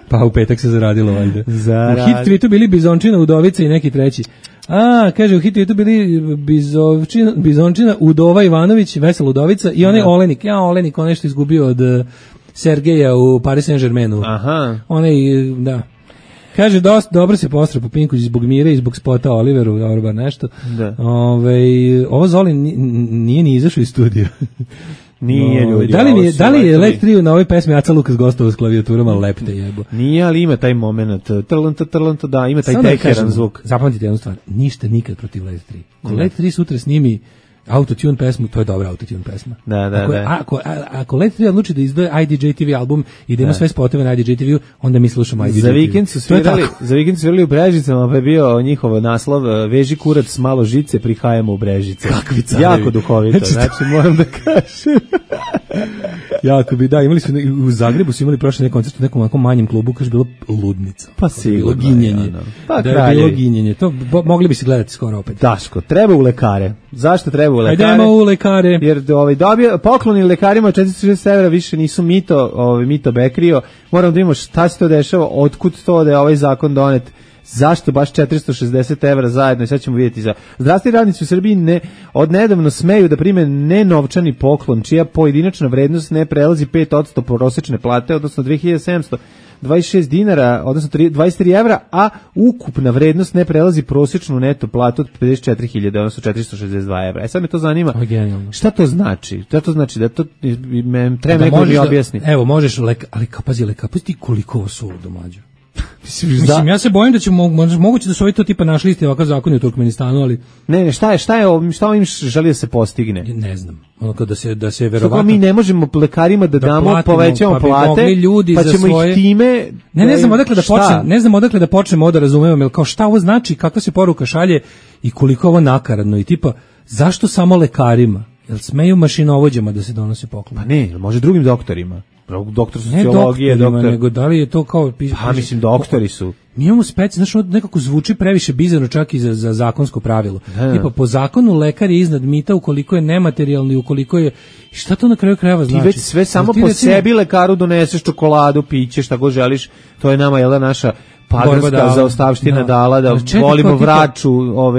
Pa u petak se zaradilo, valjda. U hit tweetu bili Bizončina, Udovica i neki treći. Kaže, u hit tweetu bili Bizončina, Udova Ivanović, Vesela Udovica i onaj Olenik. Olenik, on nešto izgubio od Sergeja u Paris Saint-Germainu. Aha. Da. Kaže, dosta dobro se postra po Pinku zbog Mire i zbog spota Oliveru, dobro bar nešto. Da. Ovo Zoli nije ni izašao iz studija. Nije, ljudi. Da li je Let 3 na ovoj pesmi Aca Lukas gostova s klavijaturama lepte jebo? Nije, ali ima taj moment. Trlanta, da, ima taj tekeran zvuk. Zapamtite jednu stvar, ništa nikad protiv Let 3. Ko Let 3 sutra snimi autotune pesmu, to je dobra autotune pesma. Da. Ako Let 3 odluči da izdaje IDJ TV album i da ima sve spotove na IDJ TV, onda mi slušamo IDJ TV. Za vikend su svirali u Brežicama, pa je bio njihov naslov Veži kurac s malo žice, prihajamo u Brežice. Kakvi carevi. Jako duhovito, znači moram da kažem. Jako bi, da, imali su u Zagrebu su imali prošle koncert u nekom onako manjem klubu, kaže bilo ludnica. Pa sigurno. Bilo ginjenje. Da je bilo ginjenje. To mogli bi se gledati skoro opet. Daško, treba u lekare. Zašto treba u lekare? Ajdemo u lekare. Jer pokloni lekarima 460 evra više nisu mito bekrio. Moram da imamo šta se to dešava, otkud to da je ovaj zakon donet. Zašto baš 460 evra zajedno? I sad ćemo vidjeti. Zdravstveni radnici u Srbiji od nedavno smeju da prime nenovčani poklon, čija pojedinačna vrednost ne prelazi 5% prosečne plate, odnosno 2726 dinara, odnosno 23 evra, a ukupna vrednost ne prelazi prosječnu neto platu od 54.000, odnosno 462 evra. Sad me to zanima. Šta to znači? Šta to znači? Da to treba neko mi objasni. Evo, možeš, ali pazi ti koliko ovo su domađu. Mislim, ja se bojim da će moguće da su ovi to tipa našli isti ovakav zakon u Turkmenistanu, ali... Ne, šta ovim želi da se postigne? Ne znam. Onako da se verovatno... Mi ne možemo lekarima da damo, povećamo plate, pa ćemo ih time... Ne znam odakle da počnemo da razumemo, jer kao šta ovo znači, kakva se poruka šalje i koliko ovo nakaradno i tipa, zašto samo lekarima? Jel smeju mašinovođama da se donose poklon? Pa ne, može drugim doktorima. Doktor sociologije, nego da li je to kao... Pa mislim, doktori su. Mi imamo znaš, nekako zvuči previše bizarno čak i za zakonsko pravilo. Tipa, po zakonu lekar je iznad mita ukoliko je nematerijalni, ukoliko je... Šta to na kraju krajeva znači? Ti već sve samo po sebi lekaru doneseš čokoladu, piće, šta god želiš, to je nama, jel da, naša paganska zaostavština dala da volimo vraču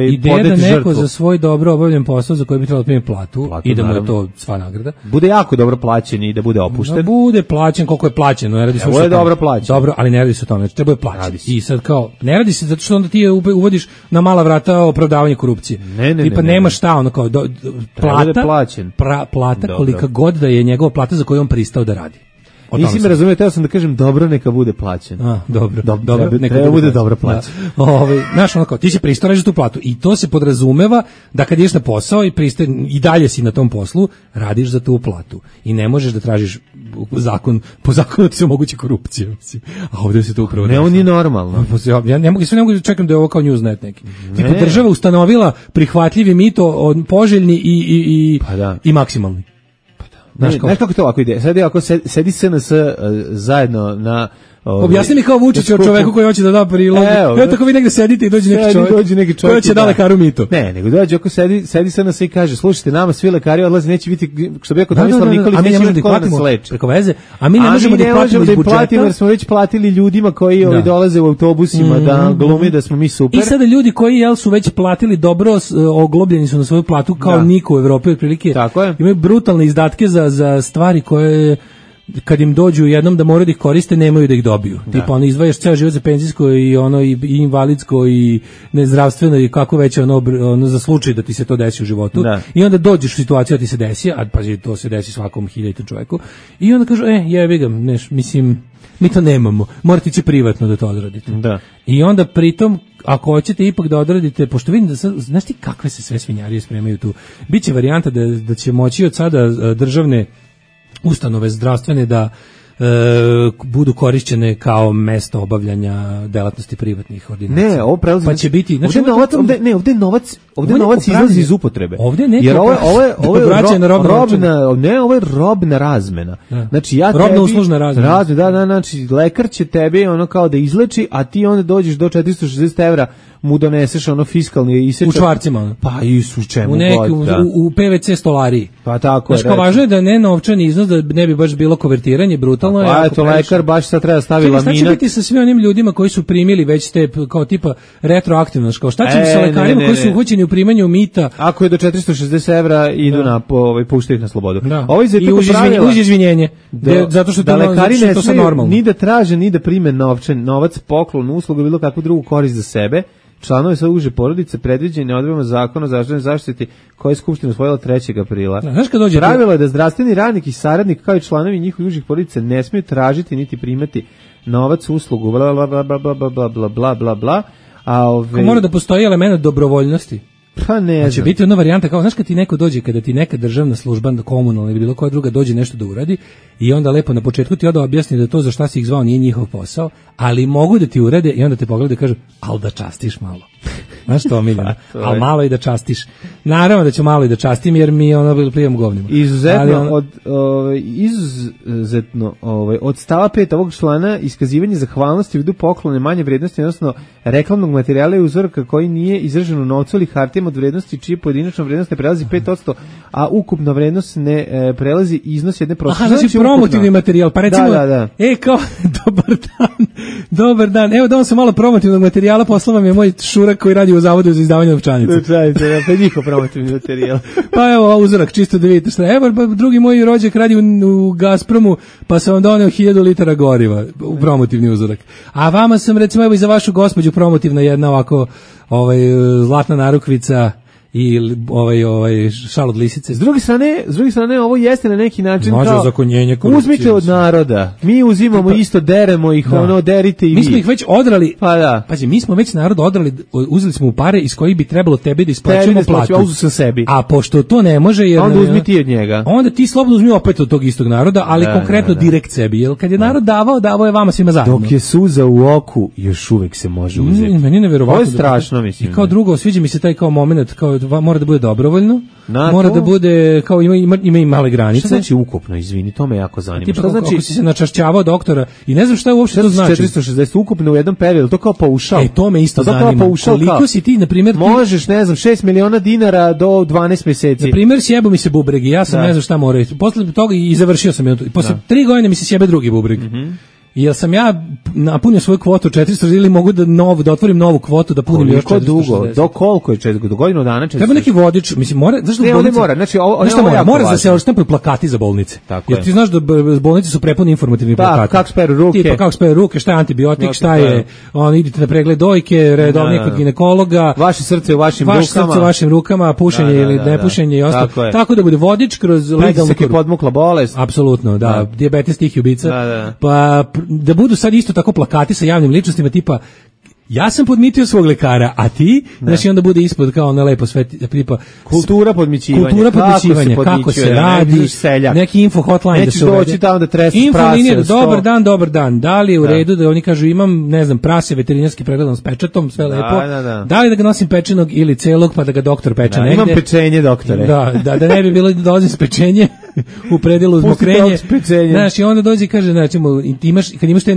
ideja da neko za svoj dobro obavljen posao za koji bi trebalo primiti platu i da mu je to sva nagrada. Bude jako dobro plaćen i da bude opušten. Da bude plaćen koliko je plaćeno. Ne radi se o dobro plaćen. Dobro, ali ne radi se o tome. Treba je plaćati. I sad kao, ne radi se zato što onda ti uvodiš na mala vrata opravdavanje korupcije. Tipa nema šta, ono kao plata kolika god da je njegova plata za koju on pristao da radi. Nisi me razumio, teo sam da kažem dobro neka bude plaćeno. Dobro, neka bude dobro plaćeno. Znaš, onako, ti si pristojan za tu platu i to se podrazumeva da kad ideš na posao i dalje si na tom poslu, radiš za tu platu i ne možeš da tražiš po zakonu ti se omogući korupcija, mislim. A ovdje se to upravo ne, on je normalno. Ja ne mogu da čekam da je ovo kao Newsnet neki. Tipo, država ustanovila prihvatljivi mito, poželjni i maksimalni. Znaš kako to ovako ide? Sad ako sedi SNS zajedno na... Objasni mi kao Vučić o čoveku koji hoće da da prilog. Evo tako vi negde sedite i dođe neki čovjek koji će da lekaru mito. Ne, nego dođe ako sedi SNS i kaže, slušajte, nama svi lekari odlaze, neće biti, što bi rekao Tomislav Nikolić, neće biti ko nas leči. Preko veze, a mi ne možemo da ih platimo iz budžeta. Jer smo već platili ljudima koji dolaze u autobusima da glumi da smo mi super. I sada ljudi koji su već platili dobro, oglobljeni su na svoju platu kao niko u Evropi, otprilike imaju brutalne izdatke za stvari koje kad im dođu jednom da moraju da ih koriste, nemaju da ih dobiju. Tipa, ono, izdvajaš ceo život za penzijsko i ono i invalidsko i nezdravstveno i kako već ono za slučaj da ti se to desi u životu. I onda dođeš u situaciju da ti se desi, a pazi, to se desi svakom 1000 čoveku. I onda kažu, jebi ga, mislim, mi to nemamo. Morate ići privatno da to odradite. I onda pritom, ako hoćete ipak da odradite, pošto vidim da sad, znaš ti kakve se sve svinjarije spremaju tu. Biće varijanta da će moći od sada državne ustanove zdravstvene da budu korišćene kao mesto obavljanja delatnosti privatnih ordinacija. Ne, ovo prelazi. Pa će biti, znači ovde novac izlazi iz upotrebe. Ovde neko jer ovo je robna razmena. Znači robna uslužna razmena. Znači lekar će tebi ono kao da izleči, a ti onda dođeš do 460 evra mu doneseš ono fiskalni isečak. U čvarcima. Pa i u čemu god. U PVC stolariji. Pa tako je. Znači, važno je da ne novčani iznos, da ne bi baš bilo konvertiranje, brutalno je. Pa eto, lekar baš sad treba stavi laminat. Šta će biti sa svim onim ljudima koji su primili već te, kao tipa, retroaktivno, kao šta će sa lekarima koji su uhoćeni u primanju mita? Ako je do 460 evra, idu na, puštaju ih na slobodu. I uz izvinjenje. Zato što da lekari ne smiju ni da traže, ni da prime novac, poklon, uslugu, bilo kakvu drugu korist za sebe. Članovi sve uže porodice predviđeni odredbama zakona o zdravstvenoj zaštiti koje je Skupština usvojila 3. aprila. Pravilo je da zdravstveni radnik i saradnik kao i članovi njihovih užih porodica ne smiju tražiti niti primati novac, uslugu, bla bla bla bla bla bla bla bla bla. Mora da postoji element dobrovoljnosti. Pa ne znam. Će biti jedna varijanta kao, znaš, kad ti neko dođe, kada ti neka državna služba, komunalna ili bilo koja druga dođe nešto da uradi i onda lepo na početku ti onda objasni da to za šta si ih zvao nije njihov posao, ali mogu da ti urede i onda te pogledaju i kažu, al da častiš malo. Znaš to, Miljana? Al malo i da častiš. Naravno da ću malo i da častim jer mi plijemo govnima. Izuzetno od stava 5 ovog člana iskazivanje zahvalnosti u vidu poklone manje vrednosti, odnosno reklamnog materijala i uzorka koji nije izražen u novcu ili hartijama od vrednosti čije pojedinačna vrednost ne prelazi 5%, a ukupna vrednost ne prelazi iznos jedne prosječne. Aha, znači promotivni materijal, pa recimo, kao, dobar dan, evo da vam sam malo promotivnog materijala, poslao vam je moj šurak koji radi u zavodu za izdavanje novčanica. Pa je njihov promotivni materijal. Pa evo uzorak, čisto da vidite šta. Evo, drugi moj rođak radi u Gazpromu, pa sam vam doneo 1000 litara goriva u promotivni uzorak. A vama sam, recimo, evo i za vašu gospođu promotivna jedna ovako zlatna narukvica i šal od lisice. S druge strane ovo jeste na neki način kao uzmite od naroda. Mi uzimamo isto, deremo ih, derite i vi. Mi smo ih već odrali. Pa da. Pazi, mi smo već narod odrali, uzeli smo u pare iz kojih bi trebalo tebi da isplaćujemo platu. A pošto to ne može, jer onda uzmi ti od njega. Onda ti slobodno uzmi opet od tog istog naroda, ali konkretno direkt sebi. Jer kad je narod davao je vama svima zajedno. Dok je suza u oku, još uvek se može uzeti. Meni je neverovatno. To je strašno, mislim. I kao drugo, sviđa mi se taj kao moment, kao mora da bude dobrovoljno, mora da bude, kao ima i male granice. Šta znači ukupno, izvini, to me jako zanima. Šta znači? Ako si se načašćavao doktora i ne znam šta uopšte to znači. 460 ukupno u jednom periodu, to kao paušal. To me isto zanima. Koliko si ti, na primjer... Možeš, ne znam, 6 miliona dinara do 12 mjeseci. Na primjer, sjebo mi se bubreg i ja sam ne znam šta mora. Posle toga i završio sam. Posle 3 godine mi se sjebe drugi bubreg. Jel sam ja napunio svoju kvotu 400 ili mogu da otvorim novu kvotu da punim još 460? Dugo? Do koliko je 400? Do godinu dana 400? Treba neki vodič, mislim, mora, zašto ne, bolnice? Mora, znači mora da se štampaju plakati za bolnice. Tako jer ti znaš da bolnice su prepune informativni plakati. Kako speru ruke. Tipa kako speru ruke, šta je antibiotik, šta je, idite na pregled dojke, redovni kod ginekologa. Vaše srce u vašim rukama. Vaše srce u vašim rukama, pušenje ili nepušenje i ostalo. Tako da bude vodič kroz legalnu podmukla bolest. Apsolutno, da, dijabetes tih ubica. Pa da budu sad isto tako plakati sa javnim ličnostima tipa ja sam podmitio svog lekara, a ti, znači onda bude ispod kao na lepo sve tipa kultura podmićivanja, kako se radi, neki info hotline da se uvede. Doći tamo da tresti prase. Dobar dan, da li je u redu da oni kažu imam, ne znam, prase veterinarski pregledan s pečatom, sve lepo, da li da ga nosim pečenog ili celog pa da ga doktor peče negde. Imam pečenje, doktore. Da ne bi bilo da dolazim s pečenje u predelu zmokrenje. Znaš, i onda dođe i kaže, znači, kad imaš te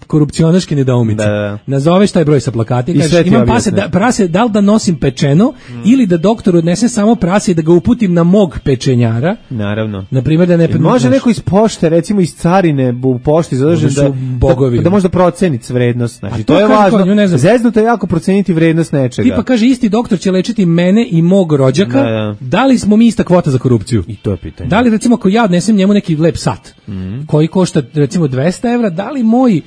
korupcionaške nedoumice, nazoveš taj broj sa plakati, kažeš, imam prase, da li da nosim pečeno ili da doktor odnese samo prase i da ga uputim na mog pečenjara. Naravno. Na primjer da ne može neko iz pošte, recimo iz carine u pošti zadržen da možda proceni vrednost. Znači, to je važno. Zeznuto je jako proceniti vrednost nečega. Tipa kaže, isti doktor će lečiti mene i mog rođaka, da li smo mi ista kvota za korupciju? I to je pitanje. Da li recimo ako ja odnesem njemu neki lep sat koji košta recimo 200 evra, da li moj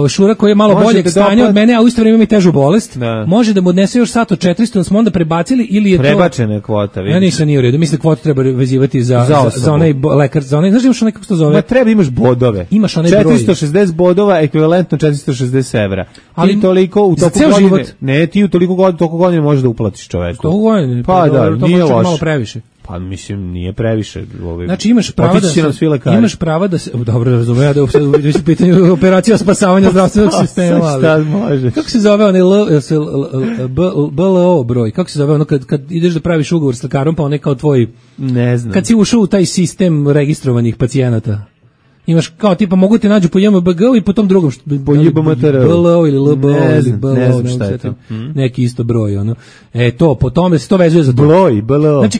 Šura koji je malo boljeg stanja od mene, a u isto vrijeme ima i težu bolest, može da mu odnese još sat od 400, da smo onda prebacili ili je to... Prebačena kvota, vidiš. Ja nisam nije u redu, mislim da kvotu treba vezivati za onaj lekar, za onaj, znaš imaš onaj kako se to zove? Ma treba, imaš bodove. Imaš onaj broj. 460 bodova, ekvivalentno 460 evra. Ali ti toliko u toku godine... Život. Ne, ti u toliko godine možeš da uplatiš čoveku. Toliko godine? Pa da, nije loše. Malo previše. Pa mislim nije previše. Znači imaš pravo da se dobro razumem ja da je u pitanju operacija spasavanja zdravstvenog sistema. Šta može? Kako se zove onaj BLO broj? Kako se zove ono kad ideš da praviš ugovor s lekarom pa on je kao tvoj, ne znam. Kad si ušao u taj sistem registrovanih pacijenata. Imaš kao tipa mogu te nađu po JMBG-u i po tom drugom po JMBG-u BLO ili LBO ili BLO, ne znam šta je neki isto broj ono. To po tome se to vezuje za BLO. Znači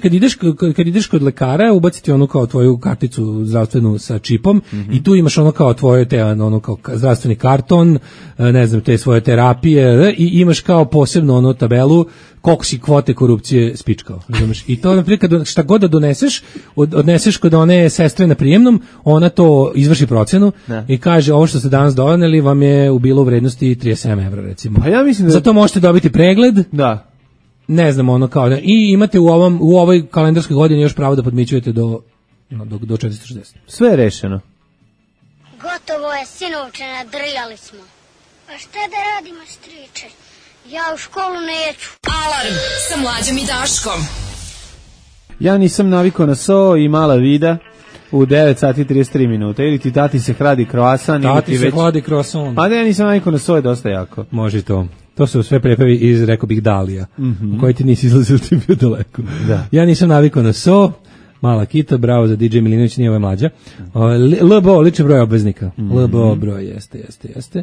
kad ideš kod lekara ubaciti ono kao tvoju karticu zdravstvenu sa čipom i tu imaš ono kao tvoje te ono kao zdravstveni karton, ne znam te svoje terapije i imaš kao posebno ono tabelu koliko si kvote korupcije spičkao, razumeš? I to naprijed šta god da doneseš, odneseš kod one sestre na prijemnom, ona to izvrši procenu i kaže ovo što ste danas doneli vam je bilo u vrednosti 37 evra recimo. Pa ja mislim da... Zato možete dobiti pregled. Da. Ne znam ono kao i imate u ovoj kalendarskoj godini još pravo da podmićujete do 460. Sve je rešeno. Gotovo je, sinovče, nadrljali smo. Pa šta da radimo, striče? Ja u školu neću. Alarm sa Mlađom i Daškom. Ja nisam navikao na so i mala vida u 9 sati 33 minuta. Ili ti tati se hladi kroasan. Tati se hladi kroasan. A da ja nisam navikao na so je dosta jako. Može to. To su sve prepevi iz, rekao bih, Dalija. U koji ti nisi izlazio ti bio daleko. Da. Ja nisam navikao na so. Mala kita, bravo za DJ Milinović, nije ovo je mlađa. LBO, lični broj obveznika. LBO broj, jeste.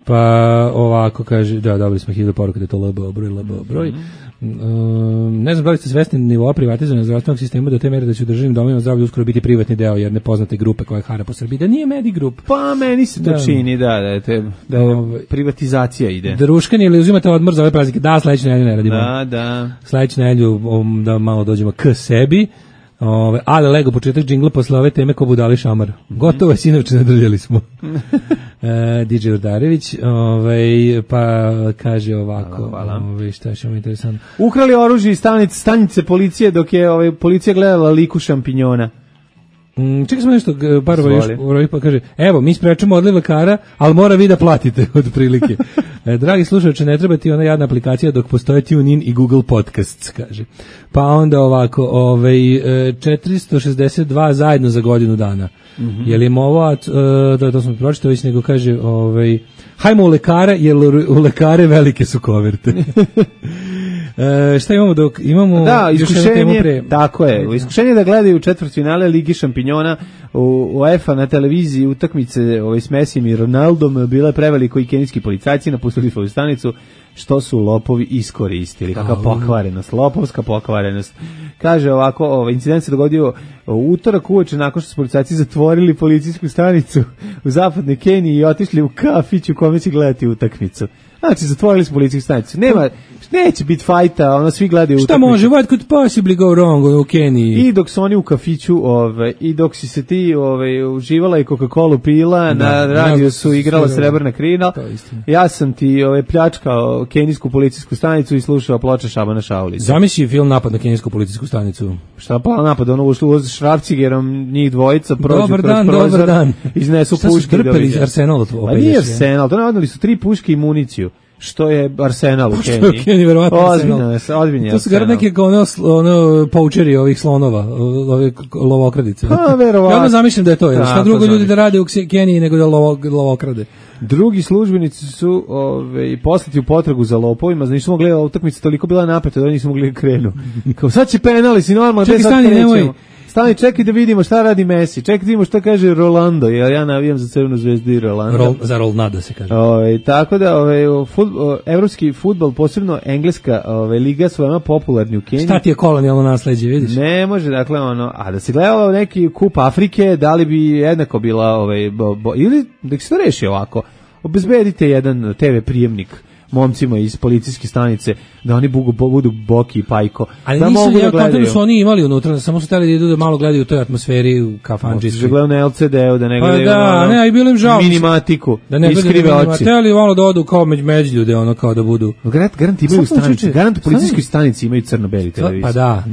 Pa ovako kaže, da, dobili smo 1000 poruka da je to LBO broj. Ne znam da li ste svesni nivoa privatizovanja zdravstvenog sistema do te mere da će u državnim domovima zdravlja uskoro biti privatni deo jedne poznate grupe koja hara po Srbiji, da nije Medigrup. Pa meni se to čini, da privatizacija ide. Druškani ili uzimate odmor za ove praznike? Da, sledeću nedelju ne radimo. Da. Sledeću nedelju da malo dođemo k sebi. Ale Lego, početak džingla posle ove teme ko budali šamar. Gotovo je, sinovče, nadrljali smo. DJ Urdarević, pa kaže ovako, šta je što mi interesantno. Ukrali oružje iz stanice policije dok je policija gledala liku šampinjona. Čekaj smo nešto, Barova pa kaže, evo, mi sprečemo odliv lekara, ali mora vi da platite, od prilike. Dragi slušalče, ne treba ti ona jadna aplikacija dok postoje TuneIn i Google Podcasts, kaže. Pa onda ovako, 462 zajedno za godinu dana. Je li im ovo, to smo pročitali već, nego kaže, hajmo u lekara, jer u lekare velike su koverte. Šta imamo dok imamo iskušenje, tako je, iskušenje da gledaju četvrtfinale Ligi šampinjona u UEFA na televiziji utakmice s Messijem i Ronaldom, bila je preveliko i kenijski policajci napustili svoju stanicu što su lopovi iskoristili. Kakva pokvarenost, lopovska pokvarenost. Kaže ovako, incident se dogodio u utorak uveče nakon što su policajci zatvorili policijsku stanicu u zapadnoj Keniji i otišli u kafić u kome će gledati utakmicu. Znači, zatvorili smo policijsku stanicu. Neće biti fajta, svi gledaju utakmicu. Šta može, what could possibly go wrong u Keniji? I dok su oni u kafiću, i dok si se ti uživala i Coca-Cola pila, na radiju su igrala Srebrna krila, ja sam ti pljačkao kenijsku policijsku stanicu i slušao ploče Šabana Šaulića. Zamisli film Napad na kenijsku policijsku stanicu. Šta pa napad, ušlo uz Šrafcigerom, njih dvojica prođu kroz prozor, dobar dan. Iznesu puške. Šta su trpeli iz Arsenala? Pa nije Arsenal, to nadali su 3 puške i municiju. Što je Arsenal u Keniji. Što je u Keniji, verovatno Arsenal. Ozbiljno je to su gar neke poučeri ovih slonova, ove lovokradice. Pa, verovatno. Ja onda zamišljam da je to. Šta drugo ljudi da rade u Keniji nego da lovokrade. Drugi službenici su poslati u potragu za lopovima, znači nisu mogli gledati utakmicu, toliko bila napeta da oni nisu mogli krenu. Kao sad će penali, si normalno, čekaj, stani, nemoj. Stani, čekaj da vidimo šta radi Messi. Čekaj da vidimo šta kaže Rolando, jer ja navijam za Crvenu zvezdu i Rolando. Za Rolnado se kaže. Tako da evropski fudbal, posebno engleska liga su veoma popularni u Keniji. Šta ti je kolonijalno nasleđe, vidiš? Ne može, dakle a da se gledalo neki kup Afrike, da li bi jednako bila ili da se to reši ovako. Obezbedite jedan TV prijemnik momcima iz policijske stanice, da oni budu Boki i Pajko. Ali da nisu, mogu da gledaju. Su oni imali unutra, samo su htjeli da idu da malo gledaju u toj atmosferi u kafanđici. Da gledaju na LCD-u, da ne gledaju ne, bilo im žao. Minimatiku, da ne iskrive oči. Htjeli malo da odu kao među ljude, kao da budu. Garant imaju stanici, garant u policijskoj stanici imaju crno-beli televizor. Pa da.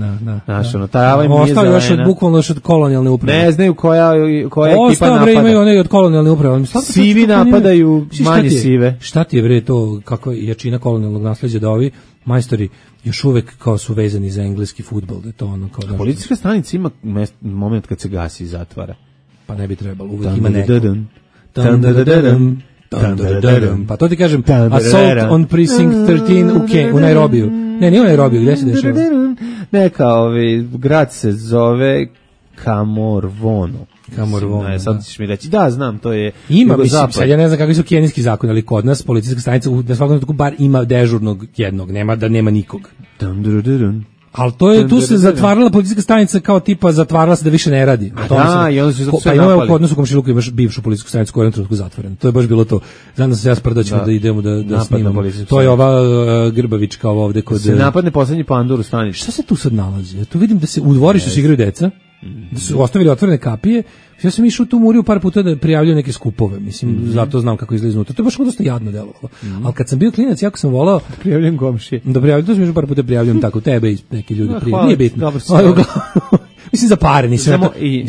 Znaš, tarava im nije zelena. Ostali još bukvalno od kolonijalne uprave. Ne znaju koja ekipa napada. Imaju one od kolonijalne uprave. Sivi napadaju manje sive. Šta ti je bre to, kakva jačina kolonijalnog nasleđa da ovi majstori još uvek kao su vezani za engleski fudbal, da je to kao da. Policijska stanica ima moment kad se gasi i zatvara. Pa ne bi trebalo, uvek ima neko. Pa to ti kažem, Assault on Precinct 13 u Nairobiju. Nije u Nairobiju, gde se dešava? Neka, grad se zove Kamorvono. Sad ćeš mi reći, da, znam, to je ima, mislim, sad ja ne znam kakvi su kenijski zakon, ali kod nas policijska stanica na svakom trenutku bar ima dežurnog jednog, nema nikog. Ali tu se zatvarala policijska stanica kao tipa zatvarala se da više ne radi. I onda su zato sve napali. Pa imamo kod nas u komšiluku imaš bivšu policijsku stanicu koja je u jednom trenutku zatvorena. To je baš bilo to. Znam da se ja sprdaćemo da idemo da snimamo. To je ova Grbavička ovde kod... Se napadne poslednji pandur u stanici. Šta se tu sad nalazi? Ja tu vidim da se u dvorištu se igraju deca, da su ostavili otvorene kapije. Ja sam išao tu Muriju par puta da prijavljaju neke skupove, mislim, zato znam kako izgleda iznutra. To je baš dosta jadno delovalo. Ali kad sam bio klinac, jako sam volao da prijavljujem komšije. To sam išao par puta prijavljujem tako tebe i neki ljudi prijavljaju. Nije bitno. Mislim za pare, nisam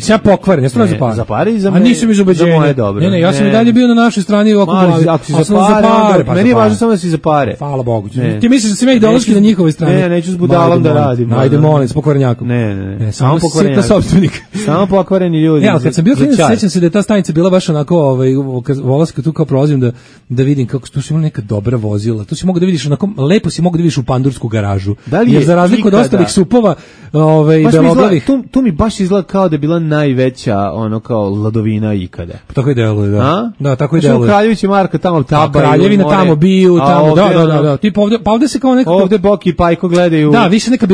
ja pokvaren, jesam za pare. Za pare i za mene. A nisam iz ubeđenja. Za moje dobro. Ne, ja sam i dalje bio na našoj strani oko glavi. Ako si za pare, meni je važno samo da si za pare. Hvala Bogu. Ti misliš da sam ja ideološki na njihovoj strani? Ne, neću s budalom da radim. Ajde, molim, s pokvarenjakom. Ne, samo pokvarenjak. Samo pokvareni ljudi. Ja, kad sam bio klinac, sećam se da je ta stanica bila baš onako, volao sam tu kao prolazim da vidim kako tu su imali neka dobra vozila. Tu si mogu da vidiš onako, lepo si mogu da vidiš u pandursku garažu. Jer za razliku od ostalih supova, beloglavih. Tu mi baš izgleda kao da je bila najveća kao ladovina ikada. Pa tako i deluje, da. Da, tako i deluje. Kraljević i Marka tamo tabaju. Kraljevina tamo biju, tamo, da. Tipa ovde se kao neko... Ovde Boki i Pajko gledaju... Da, više neka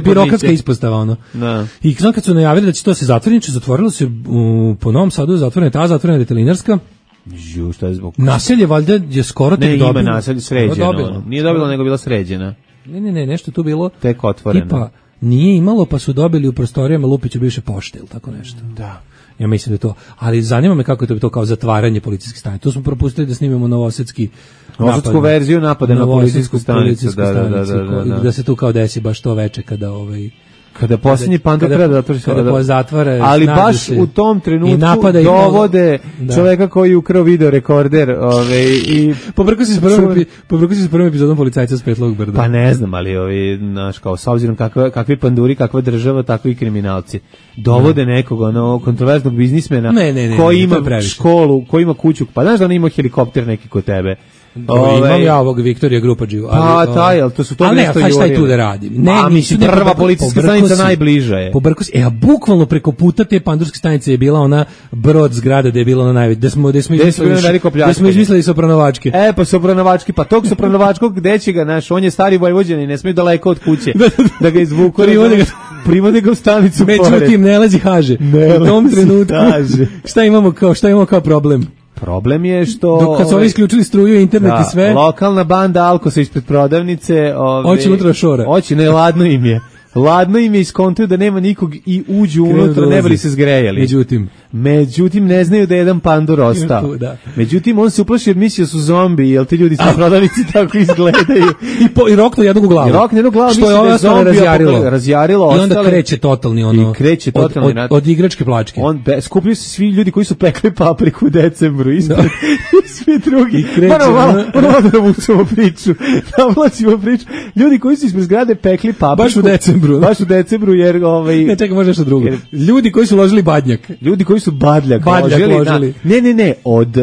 birokratska ispostava, ono. I znam kad su najavili da će to se zatvoriti, zatvorilo se po Novom Sadu, zatvorena detelinarska. Šta je zbog... Naselje valjda je skoro tek dobilo. Ne, ima naselje sređeno. Nije dobilo, nego bila sređena. Ne, nešto tu bilo... Tek otvoreno. Tipa, nije imalo, pa su dobili u prostorijama Lupiću bivše pošte ili tako nešto. Da. Ja mislim da je to. Ali zanima me kako je to kao zatvaranje policijske stanice. Tu smo propustili da snimamo novosadsku verziju napada na policijsku stanicu. Da se tu kao desi baš to veče kada posljednji pandur predator kada zatvara, ali baš u tom trenutku dovode čoveka koji je ukrao video rekorder i pobrkao se s prvom epizodom Policajca s Petlog brda. Pa ne znam, ali naš kao s obzirom kakvi panduri, kakva država, takvi kriminalci dovode nekog kontroverznog biznismena koji ima školu, koji ima kuću, pa znaš da on ima helikopter neki kod tebe. Imam ja ovog Viktorija Grupađiju. Pa taj, ali to su to nešto jurili. Šta je tu da radim? Ne, mislim, prva policijska stanica najbliža je. A bukvalno preko puta te pandurske stanice je bila ona brod zgrada da je bila ona najveća. Da smo izmislili Sopranovačke. Pa Sopranovački, pa tog Sopranovačkog gde će ga, on je stari Vojvođanin, ne smije daleko od kuće da ga izvuku. Privode ga u stanicu pored. Međutim, ne lazi Haže. U tom trenutku, šta imamo kao problem? Problem je što... Kad su ovi isključili struju, internet i sve... Lokalna banda Alkosa ispred prodavnice... Oći unutra šora. Ladno im je. Ladno im je iskontuju da nema nikog i uđu unutra, ne bili se zgrejali. Međutim, ne znaju da je jedan pandur ostao. Međutim, on se uplaši jer misli da su zombi, jer ti ljudi sa prodavnici tako izgledaju. I roknu jednog u glavu. Što je ovo ostalo razjarilo. I onda kreće totalni ono. Od igračke plačke. Skupljaju se svi ljudi koji su pekli papriku u decembru. Svi drugi. Moramo da vučemo priču. Navlačimo priču. Ljudi koji su ispred zgrade pekli papriku. Baš u decembru, jer... Ne, čekaj, može nešto drugo. Ljudi koji su ložili badnjak. Ljudi koji su badljak ložili. Ne, od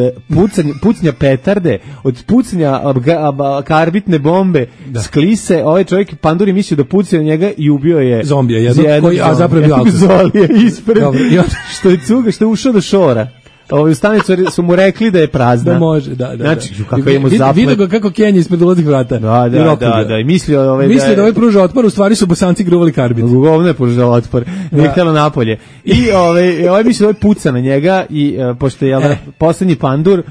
pucnja petarde, od pucnja karbitne bombe, sklise, ovaj čovjek panduri mislio da puci na njega i ubio je... Zombija jednog, a zapravo bio Alkos. Zolije ispred, što je ušao do šora. U stanicu su mu rekli da je prazna. Da može, da. Znači, kako je mu zaplet. Vidio ga kako Kenji ispred ulaznih vrata. Da. I mislio da ovaj pruža otpor, u stvari su Bosanci gruvali karbit. Govno je pružao otpor. Nije htjelo napolje. I ovaj mislio da ovaj puca na njega i pošto je poslednji pandur,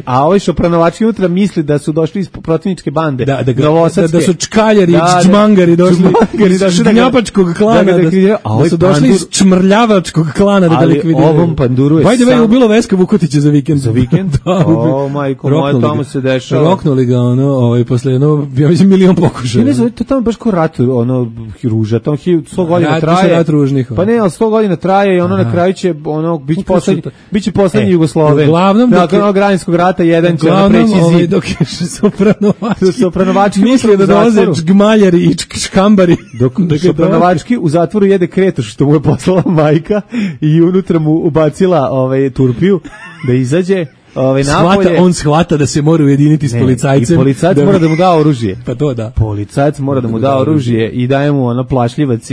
a ovaj Sopranovački unutra misli da su došli iz protivničke bande. Da su čkaljari i čmangari došli iz gnjapačkog klana. Da su došli iz čmrljavačkog klana da likvidiraju. Ovom panduru je je ubilo Veska Vukotića za vikend. Za vikend? Majko moja, tamo se dešava. Roknuli ga, posle ja mislim, milion pokušaja. Ne znam, to tamo baš ko rat, ruža, tamo 100 godina traje. Rat ružnih. Pa ne, ali 100 godina traje i na kraju će, biće poslednji Jugosloven. Uglavnom, nakon Građanskog rata, jedan će preći zid. Dok je Sopranovački mislio da dolaze čgmaljari i čkambari. Dok Sopranovački u zatvoru jede kretoš što mu je poslala majka i unutra mu ubacila turpiju da izađe napolje. On shvata da se mora ujediniti s policajcem. I policajac mora da mu da oružje. Pa to da. Policajac mora da mu da oružje i daje mu plašljivac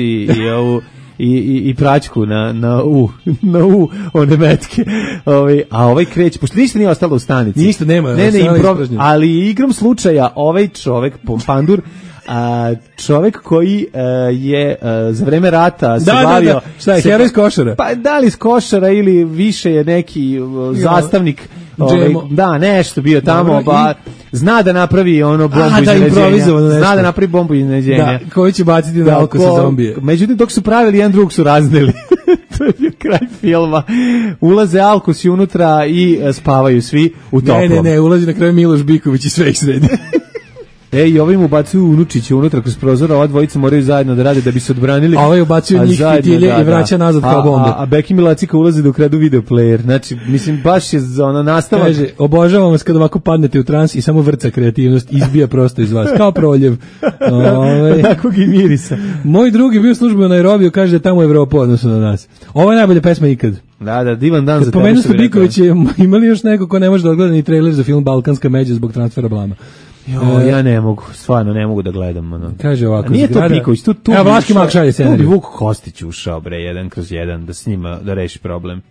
i praćku na one metke. A ovaj kreće, pošto ništa nije ostalo u stanici. Ništa nema. Ali igrom slučaja ovaj čovek, pandur, čovek koji je za vreme rata se bavio... Šta je, heroj iz Košara? Pa da li iz Košara ili više je neki zastavnik... nešto bio tamo, zna da napravi bombu iznenađenja. Zna da napravi bombu iznenađenja. Da, koji će baciti na Alkosa zombije. Međutim, dok su pravili, jedan drugog su razneli. To je bio kraj filma. Ulaze Alkosi unutra i spavaju svi u toplom. Ne, ulazi na kraju Miloš Biković i sve ih sredi. I ovim ubacuju unučiće unutra kroz prozor, ova dvojica moraju zajedno da rade da bi se odbranili. A ovaj ubacuju njih fitilje i vraća nazad kao bombe. A Beki Milacika ulazi da ukradu video player. Znači, mislim, baš je nastavak. Kaže, obožavam vas kad ovako padnete u trans i samo vrca kreativnost, izbija prosto iz vas, kao proljev. Takvog i mirisa. Moj drugi bio službeno na Nairobiju, kaže da je tamo Evropa odnosno na nas. Ovo je najbolja pesma ikad. Da, divan dan za tebe. Pomenuo ste Biković, imali još neko ko ne može da odgleda ni trailer za film Balkanska međa zbog transfera blama? Ja ne mogu, stvarno ne mogu da gledam. Kaže ovako, nije to Biković, tu Vlaški Mak šalje scenarij. Tu bi Vuk Kostić ušao, 1/1, da s njima, da reši problem.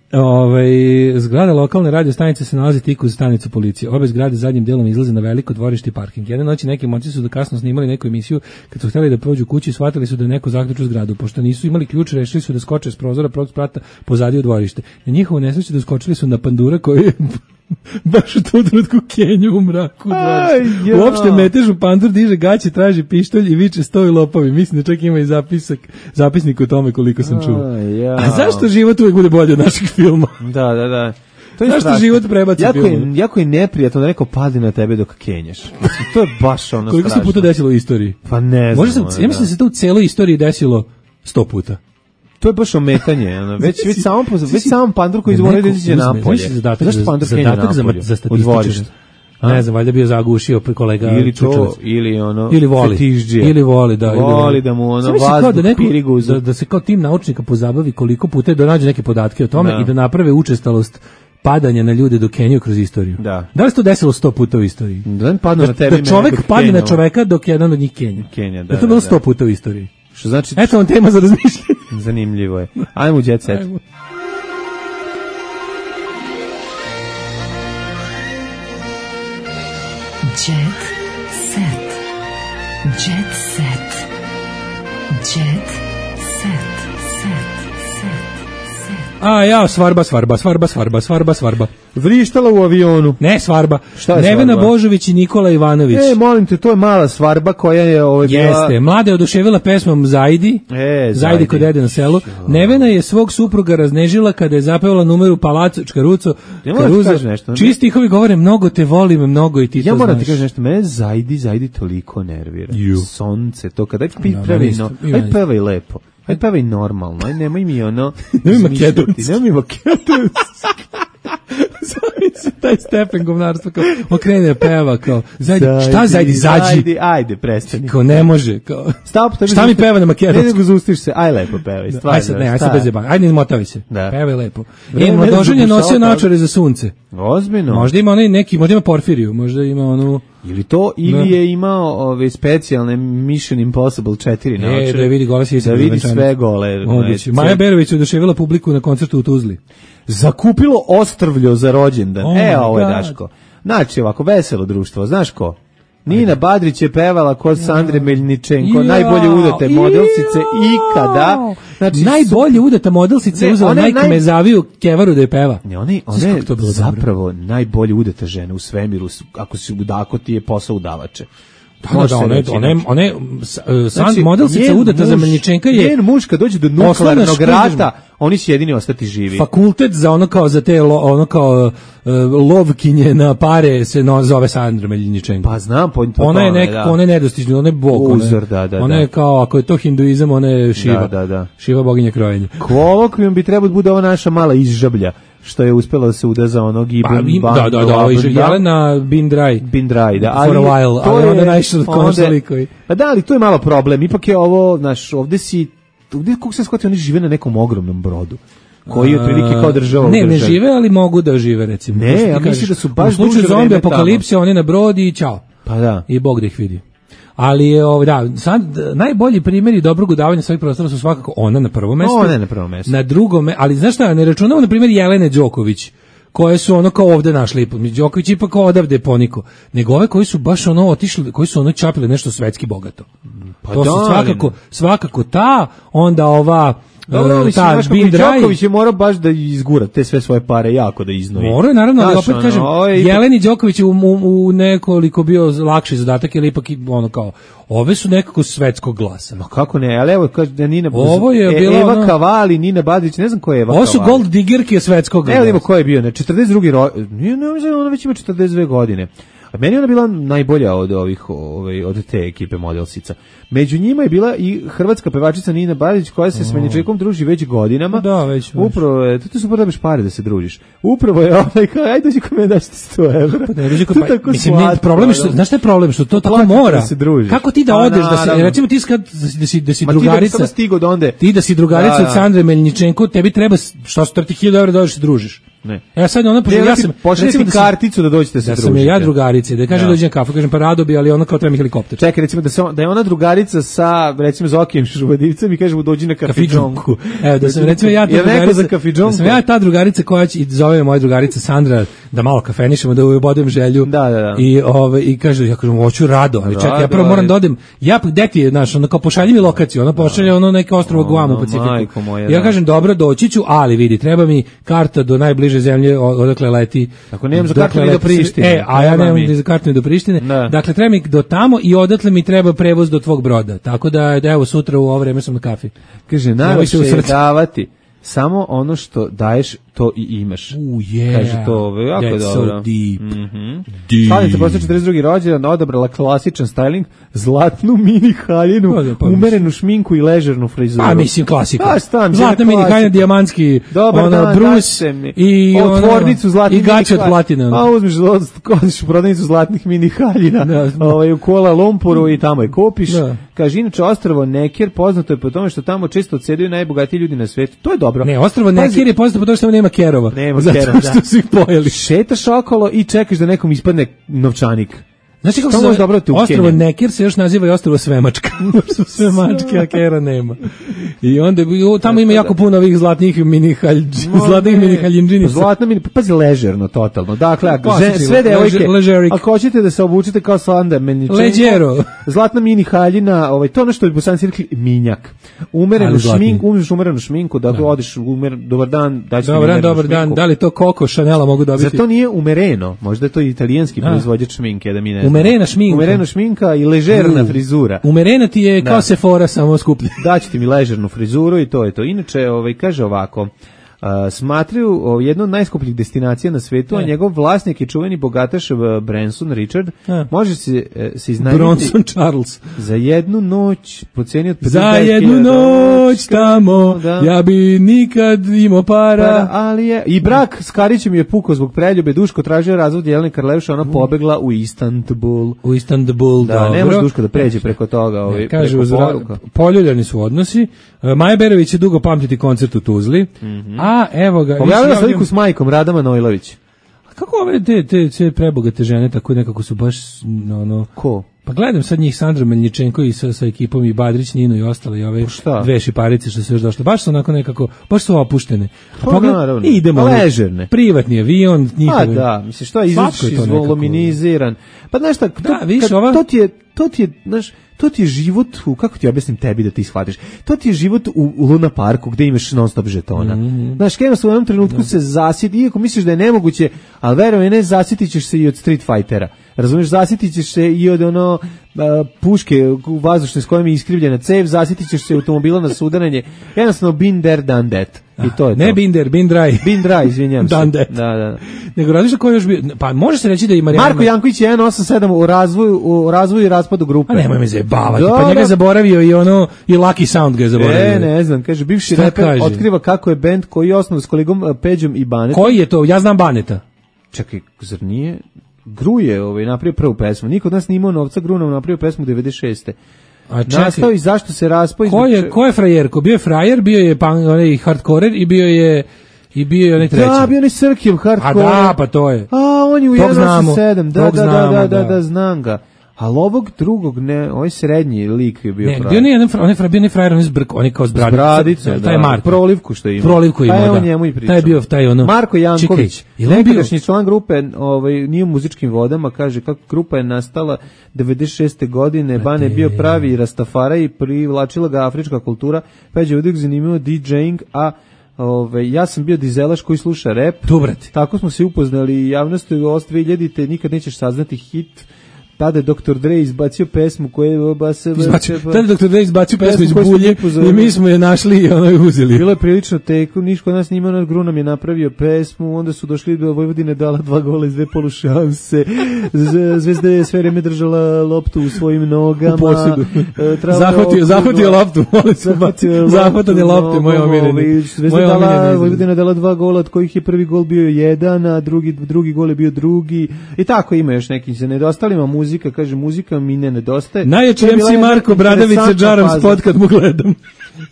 Zgrada lokalne radio stanice se nalazi tik uz stanicu policije. Obe zgrade zadnjim delom izlaze na veliko dvorište i parking. Jedne noći neki momci su da kasno snimali neku emisiju, kad su htjeli da prođu kući, shvatili su da je neko zaključio zgradu. Pošto nisu imali ključ, rešili su da skoče s prozora prvog sprata pozadi u dvorište. Na njihovu nesreću doskočili su na pandura koji je baš u tom trenutku Kenju u mraku. Uopšte metežu, pandur diže gaće, traži pištolj i viče stoji lopovi. Mislim da čak ima i zapisnik o tome koliko sam čuo. A zašto život uvijek bude bolje od našeg filma? Da. To je zašto život prebaci film? Jako je neprijatno da neko padne na tebe dok kenješ. To je baš strašno. Koliko se puta desilo u istoriji? Pa ne znam. Ja mislim da se to u celoj istoriji desilo 100 puta. To je baš ometanje, već sam pandur koji izvoli da izađe napolje. Zašto pandur kenja napolje? Za statističar. Ne znam, valjda bio zagušio pri kolega ili to, ili voli. Fetišđija. Ili voli, da. Voli da mu vazduh pirigu. Da se kao tim naučnika pozabavi koliko puta je da nađe neke podatke o tome i da naprave učestalost padanja na ljude do Keniju kroz istoriju? Da li se to desilo 100 puta u istoriji? Da čovek padne na čoveka dok jedan od njih Kenja. Da to bilo 100 puta u istoriji. Što znači? Eto vam tema za razmišljanje. Zanimljivo je. Ajmo u Jet Set. Jet set. Jet set. Jet set. Svarba. Vrištala u avionu. Ne, svarba. Šta je Nevena svarba? Božović i Nikola Ivanović. Molim te, to je mala svarba koja je bila... Jeste, mlada je oduševila pesmom Zajdi. Zajdi kod dede na selu. Nevena je svog supruga raznežila kada je zapevala numeru Palaco Čkaruco. Čiji stihovi govore mnogo te volim, mnogo i ti to znaš. Ja moram ti kažem nešto, mene Zajdi toliko nervira. Sonce, to kada pevaj lepo. Ajde pevaj normalno, ajde nemoj mi ono... Nemoj maketovci. Taj stepen govnarstva kao okrene da peva kao šta Zajdi? Ajde, prestani. Kao ne može. Šta mi peva na maketovci? Ne nego zustiš se, aj lepo pevaj. Aj sad bez jebanja. Ajde izmotavi se. Pevaj lepo. Mladožen je nosio naočare za sunce. Ozbiljno. Možda ima onaj neki, možda ima Porfiriju, možda ima onu... Ili to, ili je imao specijalne Mission Impossible 4 naočare. Da vidi gole da vidi sve gole. Maja Berović je oduševila publiku na koncertu u Tuzli. Zakupilo ostrvljo za rođendan. Ovo je Daško. Znači ovako, veselo društvo, znaš ko? Nina Badrić je pevala kod Sandre Meljničenko, najbolje udate modelsice ikada. Znači, najbolje udata modelsice je uzela najkmezaviju kevaru da je peva. Ona je zapravo najbolje udata žena u svemiru, ako ti je posao udavače. Modelsica udata za Meljničenka je... Njen muž kad dođe do nuklearnog rata, oni će jedini ostati živi. Fakultet za za te lovkinje na pare se zove Sandra Meljničenko. Pa znam, ona je nedostižna, ona je bog. Uzor, ona je kao, ako je to hinduizam, ona je Šiva. Šiva boginja krojenja. Kolokvijom bi trebalo bude ova naša mala izžablja, što je uspjela da se udaza onog Ibn Jelena Bindrai, da. For a while, ali onda najviše od konsolikovi. Pa da, ali to je malo problem, ipak je ovo, ovdje kako se shvati, oni žive na nekom ogromnom brodu, koji je otprilike kao država u državi. Ne žive, ali mogu da žive, recimo. Ne, ja mislim da su baš u slučaju zombi apokalipse, oni na brodi i čao. Pa da. I Bog da ih vidi. Ali sad najbolji primjeri dobrog udavanja svojih prostora su svakako ona na prvom mjestu. Ona na prvom mjestu. Na drugom, ali znaš šta, ne računamo na primjer Jelene Đoković, koje su ono kao ovde našli, Đoković ipak odavde poniko, nego ove koji su baš ono otišli, koji su ono čapili nešto svetski bogato. Pa to su svakako ta, onda ova ta Đoković je morao baš da izgura te sve svoje pare jako da iznovi. Morao, naravno, ali opet kažem, Jeleni Đoković je u nekoliko bio lakši zadatak, jer ipak ono kao, ove su nekako svetskog glasa. Ma kako ne, ali evo, kaže da Nina, ovo je bila Eva Kavali, Nina Badrić, ne znam ko je Eva Kavali. Ovo su gold diggerke svetskog glasa. Evo ima ko je bio, 42. Ona već ima 42 godine. A meni ona bila najbolja od te ekipe modelsica. Među njima je bila i hrvatska pevačica Nina Badić, koja se s Meljničenkom druži već godinama. Da, već. Upravo je, to su super da biš pare da se družiš. Upravo je kao, ajde dođi kod mene da ćete 100 evra. Pa ne dođi kod problem je što, znaš šta je problem, što to tako mora. Kako ti da odeš, recimo ti da si drugarica, ti da si drugarica od Sandre Meljničenko, tebi treba, što su 30.000 evra da dođeš se družiš. Ne. Ja sad ona pošaljete karticu da dođete se družiti. Da sam ja drugarica, da kaže dođi na kafu, kažem pa rado bi, ali ona kao treba mi helikopter. Čekaj, recimo da je ona drugarica sa recimo Zokijem Šubadivcem i kaže mu dođi na kafidžonku. Evo da sam recimo ja ta drugarica koja će zove moja drugarica Sandra da malo kafenišemo, da ubodujem želju. Da. I kaže ja kažem hoću rado, ali čekaj ja prvo moram da odem. Ja gde ti je znaš, ona kao pošalji mi lokaciju, ona pošalje ono neke ostrvo Guam u Pacifiku. Ja kažem dobro doći ću, ali vidi treba mi karta do najbliže zemlje odakle leti. Ako nemam za kartu ni do Prištine. A ja nemam ni za kartu ni do Prištine. Dakle, treba mi do tamo i odatle mi treba prevoz do tvog broda. Tako da evo sutra u ovo vreme sam na kafi. Kaže, najviše je davati samo ono što daješ, to i imaš. Kaže to, jako je dobro. So deep. Slavica posle 42. rođendan odabrala klasičan styling, zlatnu mini haljinu, umerenu šminku i ležernu frizuru. A mislim klasika. Zlatna mini haljina, dijamantski, brus i tvornicu zlatnih i gače od platine. A uzmeš u prodavnicu zlatnih mini haljina u Kuala Lumpuru i tamo je kupiš. Kaže, inače ostrvo Necker poznato je po tome što tamo često odsedaju najbogatiji ljudi na svijetu. To je dobro. Ne, ostrvo Nekir je poznato po tome što nema kerova. Nema kerova, zato što su ih pojeli. Šetaš okolo i čekaš da nekom ispadne novčanik. Znači kako se ostrvo Nekir se još naziva i ostrvo Svemačka. Su Svemačke, a kera nema. I onda tamo ima jako puno ovih zlatnih mini haljinđinica. Zlatna mini, pazi, ležerno, totalno. Dakle, sve devojke, ako hoćete da se obučete kao Slanda Melničenko, zlatna mini haljina, to je ono što bi Bosanci rekli minjak. Umerenu šminku, da odeš dobar dan, daći mi umerenu šminku. Dobar dan, da li to Coco Chanela mogu dobiti? Zar to nije umereno? Možda je to italijanski proizvođač šminke, da mi ne. Umerena šminka i ležerna frizura. Umerena ti je kao Sephora, samo skuplje. Daćete mi ležernu frizuru i to je to. Inače, kaže ovako, smatraju jednu od najskupljih destinacija na svetu, a njegov vlasnik je čuveni bogataš Branson Richard. Može se iznajmiti Bronson Charles za jednu noć po ceni od 50.000. Za jednu noć tamo, ja bi nikad imao para. Ali je i brak s Karićem je pukao zbog preljube. Duško tražio razvod Jelene Karleuša, ona pobegla u Istanbul. Da, ne može Duško da pređe preko toga. Kaže, poljuljani su odnosi. Maja Berović će dugo pamtiti koncert u Tuzli. A evo ga. Pogledala sliku s majkom Rada Manojlović. A kako ove te prebogate žene tako nekako su baš Ko? Pa gledam sad njih, Sandra Melničenko i sa ekipom i Badrić, Nino i ostale i ove dve šiparice što se još došle. Baš su onako nekako, baš su opuštene. Naravno. Idemo ležerne. Privatni avion, njihove. Da, mislim što je izvoluminiziran. Pa znaš šta, to ti je život, kako ti objasnim tebi da ti shvatiš, to ti je život u Luna Parku gde imaš non stop žetona. Znaš, kada u jednom trenutku se zasiti, iako misliš da je nemoguće, ali verujem, ne, zasjetit ćeš se i od Street Fightera. Razumiješ, zasjetit ćeš se i od puške vazdušne s kojom je iskrivljena cev, zasjetit ćeš se automobila na sudaranje, jednostavno been there, done that. I to je ne to. Been there, been dry. Been dry, izvinjam se. Done that. Da. Nego različno ko još bi, pa može se reći da i Marijana... Marko Janković je 187 u razvoju i raspadu grupe. A nemoj me zajebavati, pa njega je zaboravio i Lucky Sound ga je zaboravio. Ne znam, kaže, bivši reper otkriva kako je bend koji je osnovan s kolegom Peđom i Banetom. Koji je to? Ja znam Baneta. Čekaj, zar nije? Gru je napravio prvu pesmu. Niko od nas nije imao novca, Gru nam napravio pesmu 96. Nastao i zašto se raspao? Ko je frajerko? Bio je frajer, bio je onaj hardcorer i bio je onaj treći. Da, bio je onaj Srkjev hardcorer. A da, pa to je. A, on je u 187. Da, znam ga. Ali ovog drugog, ne, ovaj srednji lik je bio frajer. Ne, bio nije frajer, on je zbrk, on je kao s bradice. Taj je Marko. Prolivku što ima. Prolivku ima, da. On njemu i pričao. Taj je bio, Marko Janković, nekadašnji član grupe, nije u muzičkim vodama, kaže kako grupa je nastala 96. godine, Bane je bio pravi rastafara i privlačila ga afrička kultura, Peđa uvijek zanimljivo DJing, a ja sam bio dizelaš koji sluša rap. Dobrate. Tako smo se upoznali i javnosti od 2000-te nikad nećeš saznati hit. Tada je Dr. Dre izbacio pesmu koju je... Tada je Dr. Dre izbacio pesmu iz bulje i mi smo je našli i ono je uzeli. Bilo je prilično teko, niško od nas nije imao, Gru nam je napravio pesmu, onda su došli do Vojvodine, dala 2 gola iz 2 polušanse, Zvezda je sve vreme držala loptu u svojim nogama. U posjedu. Zahvatio loptu, molim se. Zahvatanje lopte, moje omiljeni. Vojvodina dala 2 gola, od kojih je prvi gol bio 1, a drugi gol je bio drugi. I tako ima još neki se nedostalima muzika, kaže muzika mi ne nedostaje. Najjači MC Marko Bradović sa džarom spot kad mu gledam.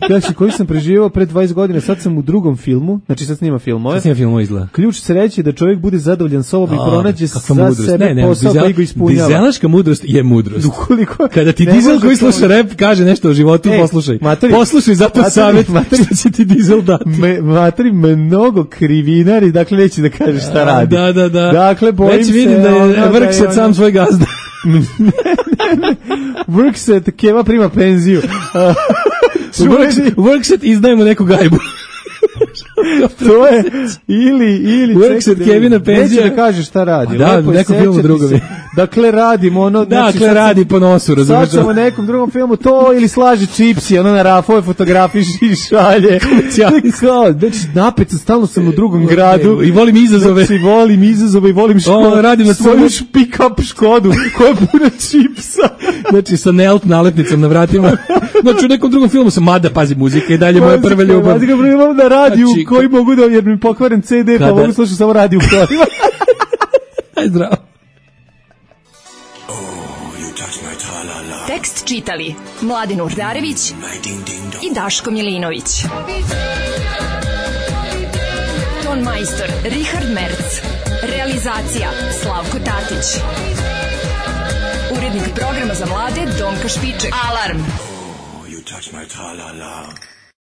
Znači, koji sam preživao pre 20 godina, sad sam u drugom filmu, znači sad snima filmove. Sad snima filmove izgleda. Ključ sreće da čovjek bude zadovoljan sobom i pronađe za sebe posao koji ga ispunjava. Dizelaška mudrost je mudrost. Ukoliko kada ti dizel koji sluša rap kaže nešto o životu, poslušaj. Poslušaj, zato savjet što će ti dizel dati. Materi, mnogo krivinari, dakle neće da kaže šta radi. Da. Dakle, bojim se. Već vidim da je Vrkset sam svoj gazda. Vrkset, Keva prima penziju. Workset izdajemo neku gajbu. To je ili Workset Kevina penzija. Neće da kaže šta radi. Da, nekom filmu drugom. Dakle, radimo ono... Dakle, radi po nosu, razumiješ. Sad ćemo nekom drugom filmu to ili slaže čipsi, ono na rafove fotografiji i šalje. Znači, napet stalno sam u drugom gradu. I volim izazove. Znači, volim izazove i volim radim na svoju pick-up Škodu koja je puna čipsa. Znači, sa Nelt nalepnicom na vratima. Znači, u nekom drugom filmu sam, mada, pazi, muzika i dalje moja prva ljubav. Pazi ga primam na radiju koji mogu da, jer mi pokvaren CD, pa mogu slušati samo radiju u kolima. Aj, zdravo. Tekst čitali Mladin Urdarević i Daško Milinović. ton majstor Richard Merc. Realizacija Slavko Tatić. Urednik programa za mlade Donka Špiček. Alarm! You touch my tra-la-la.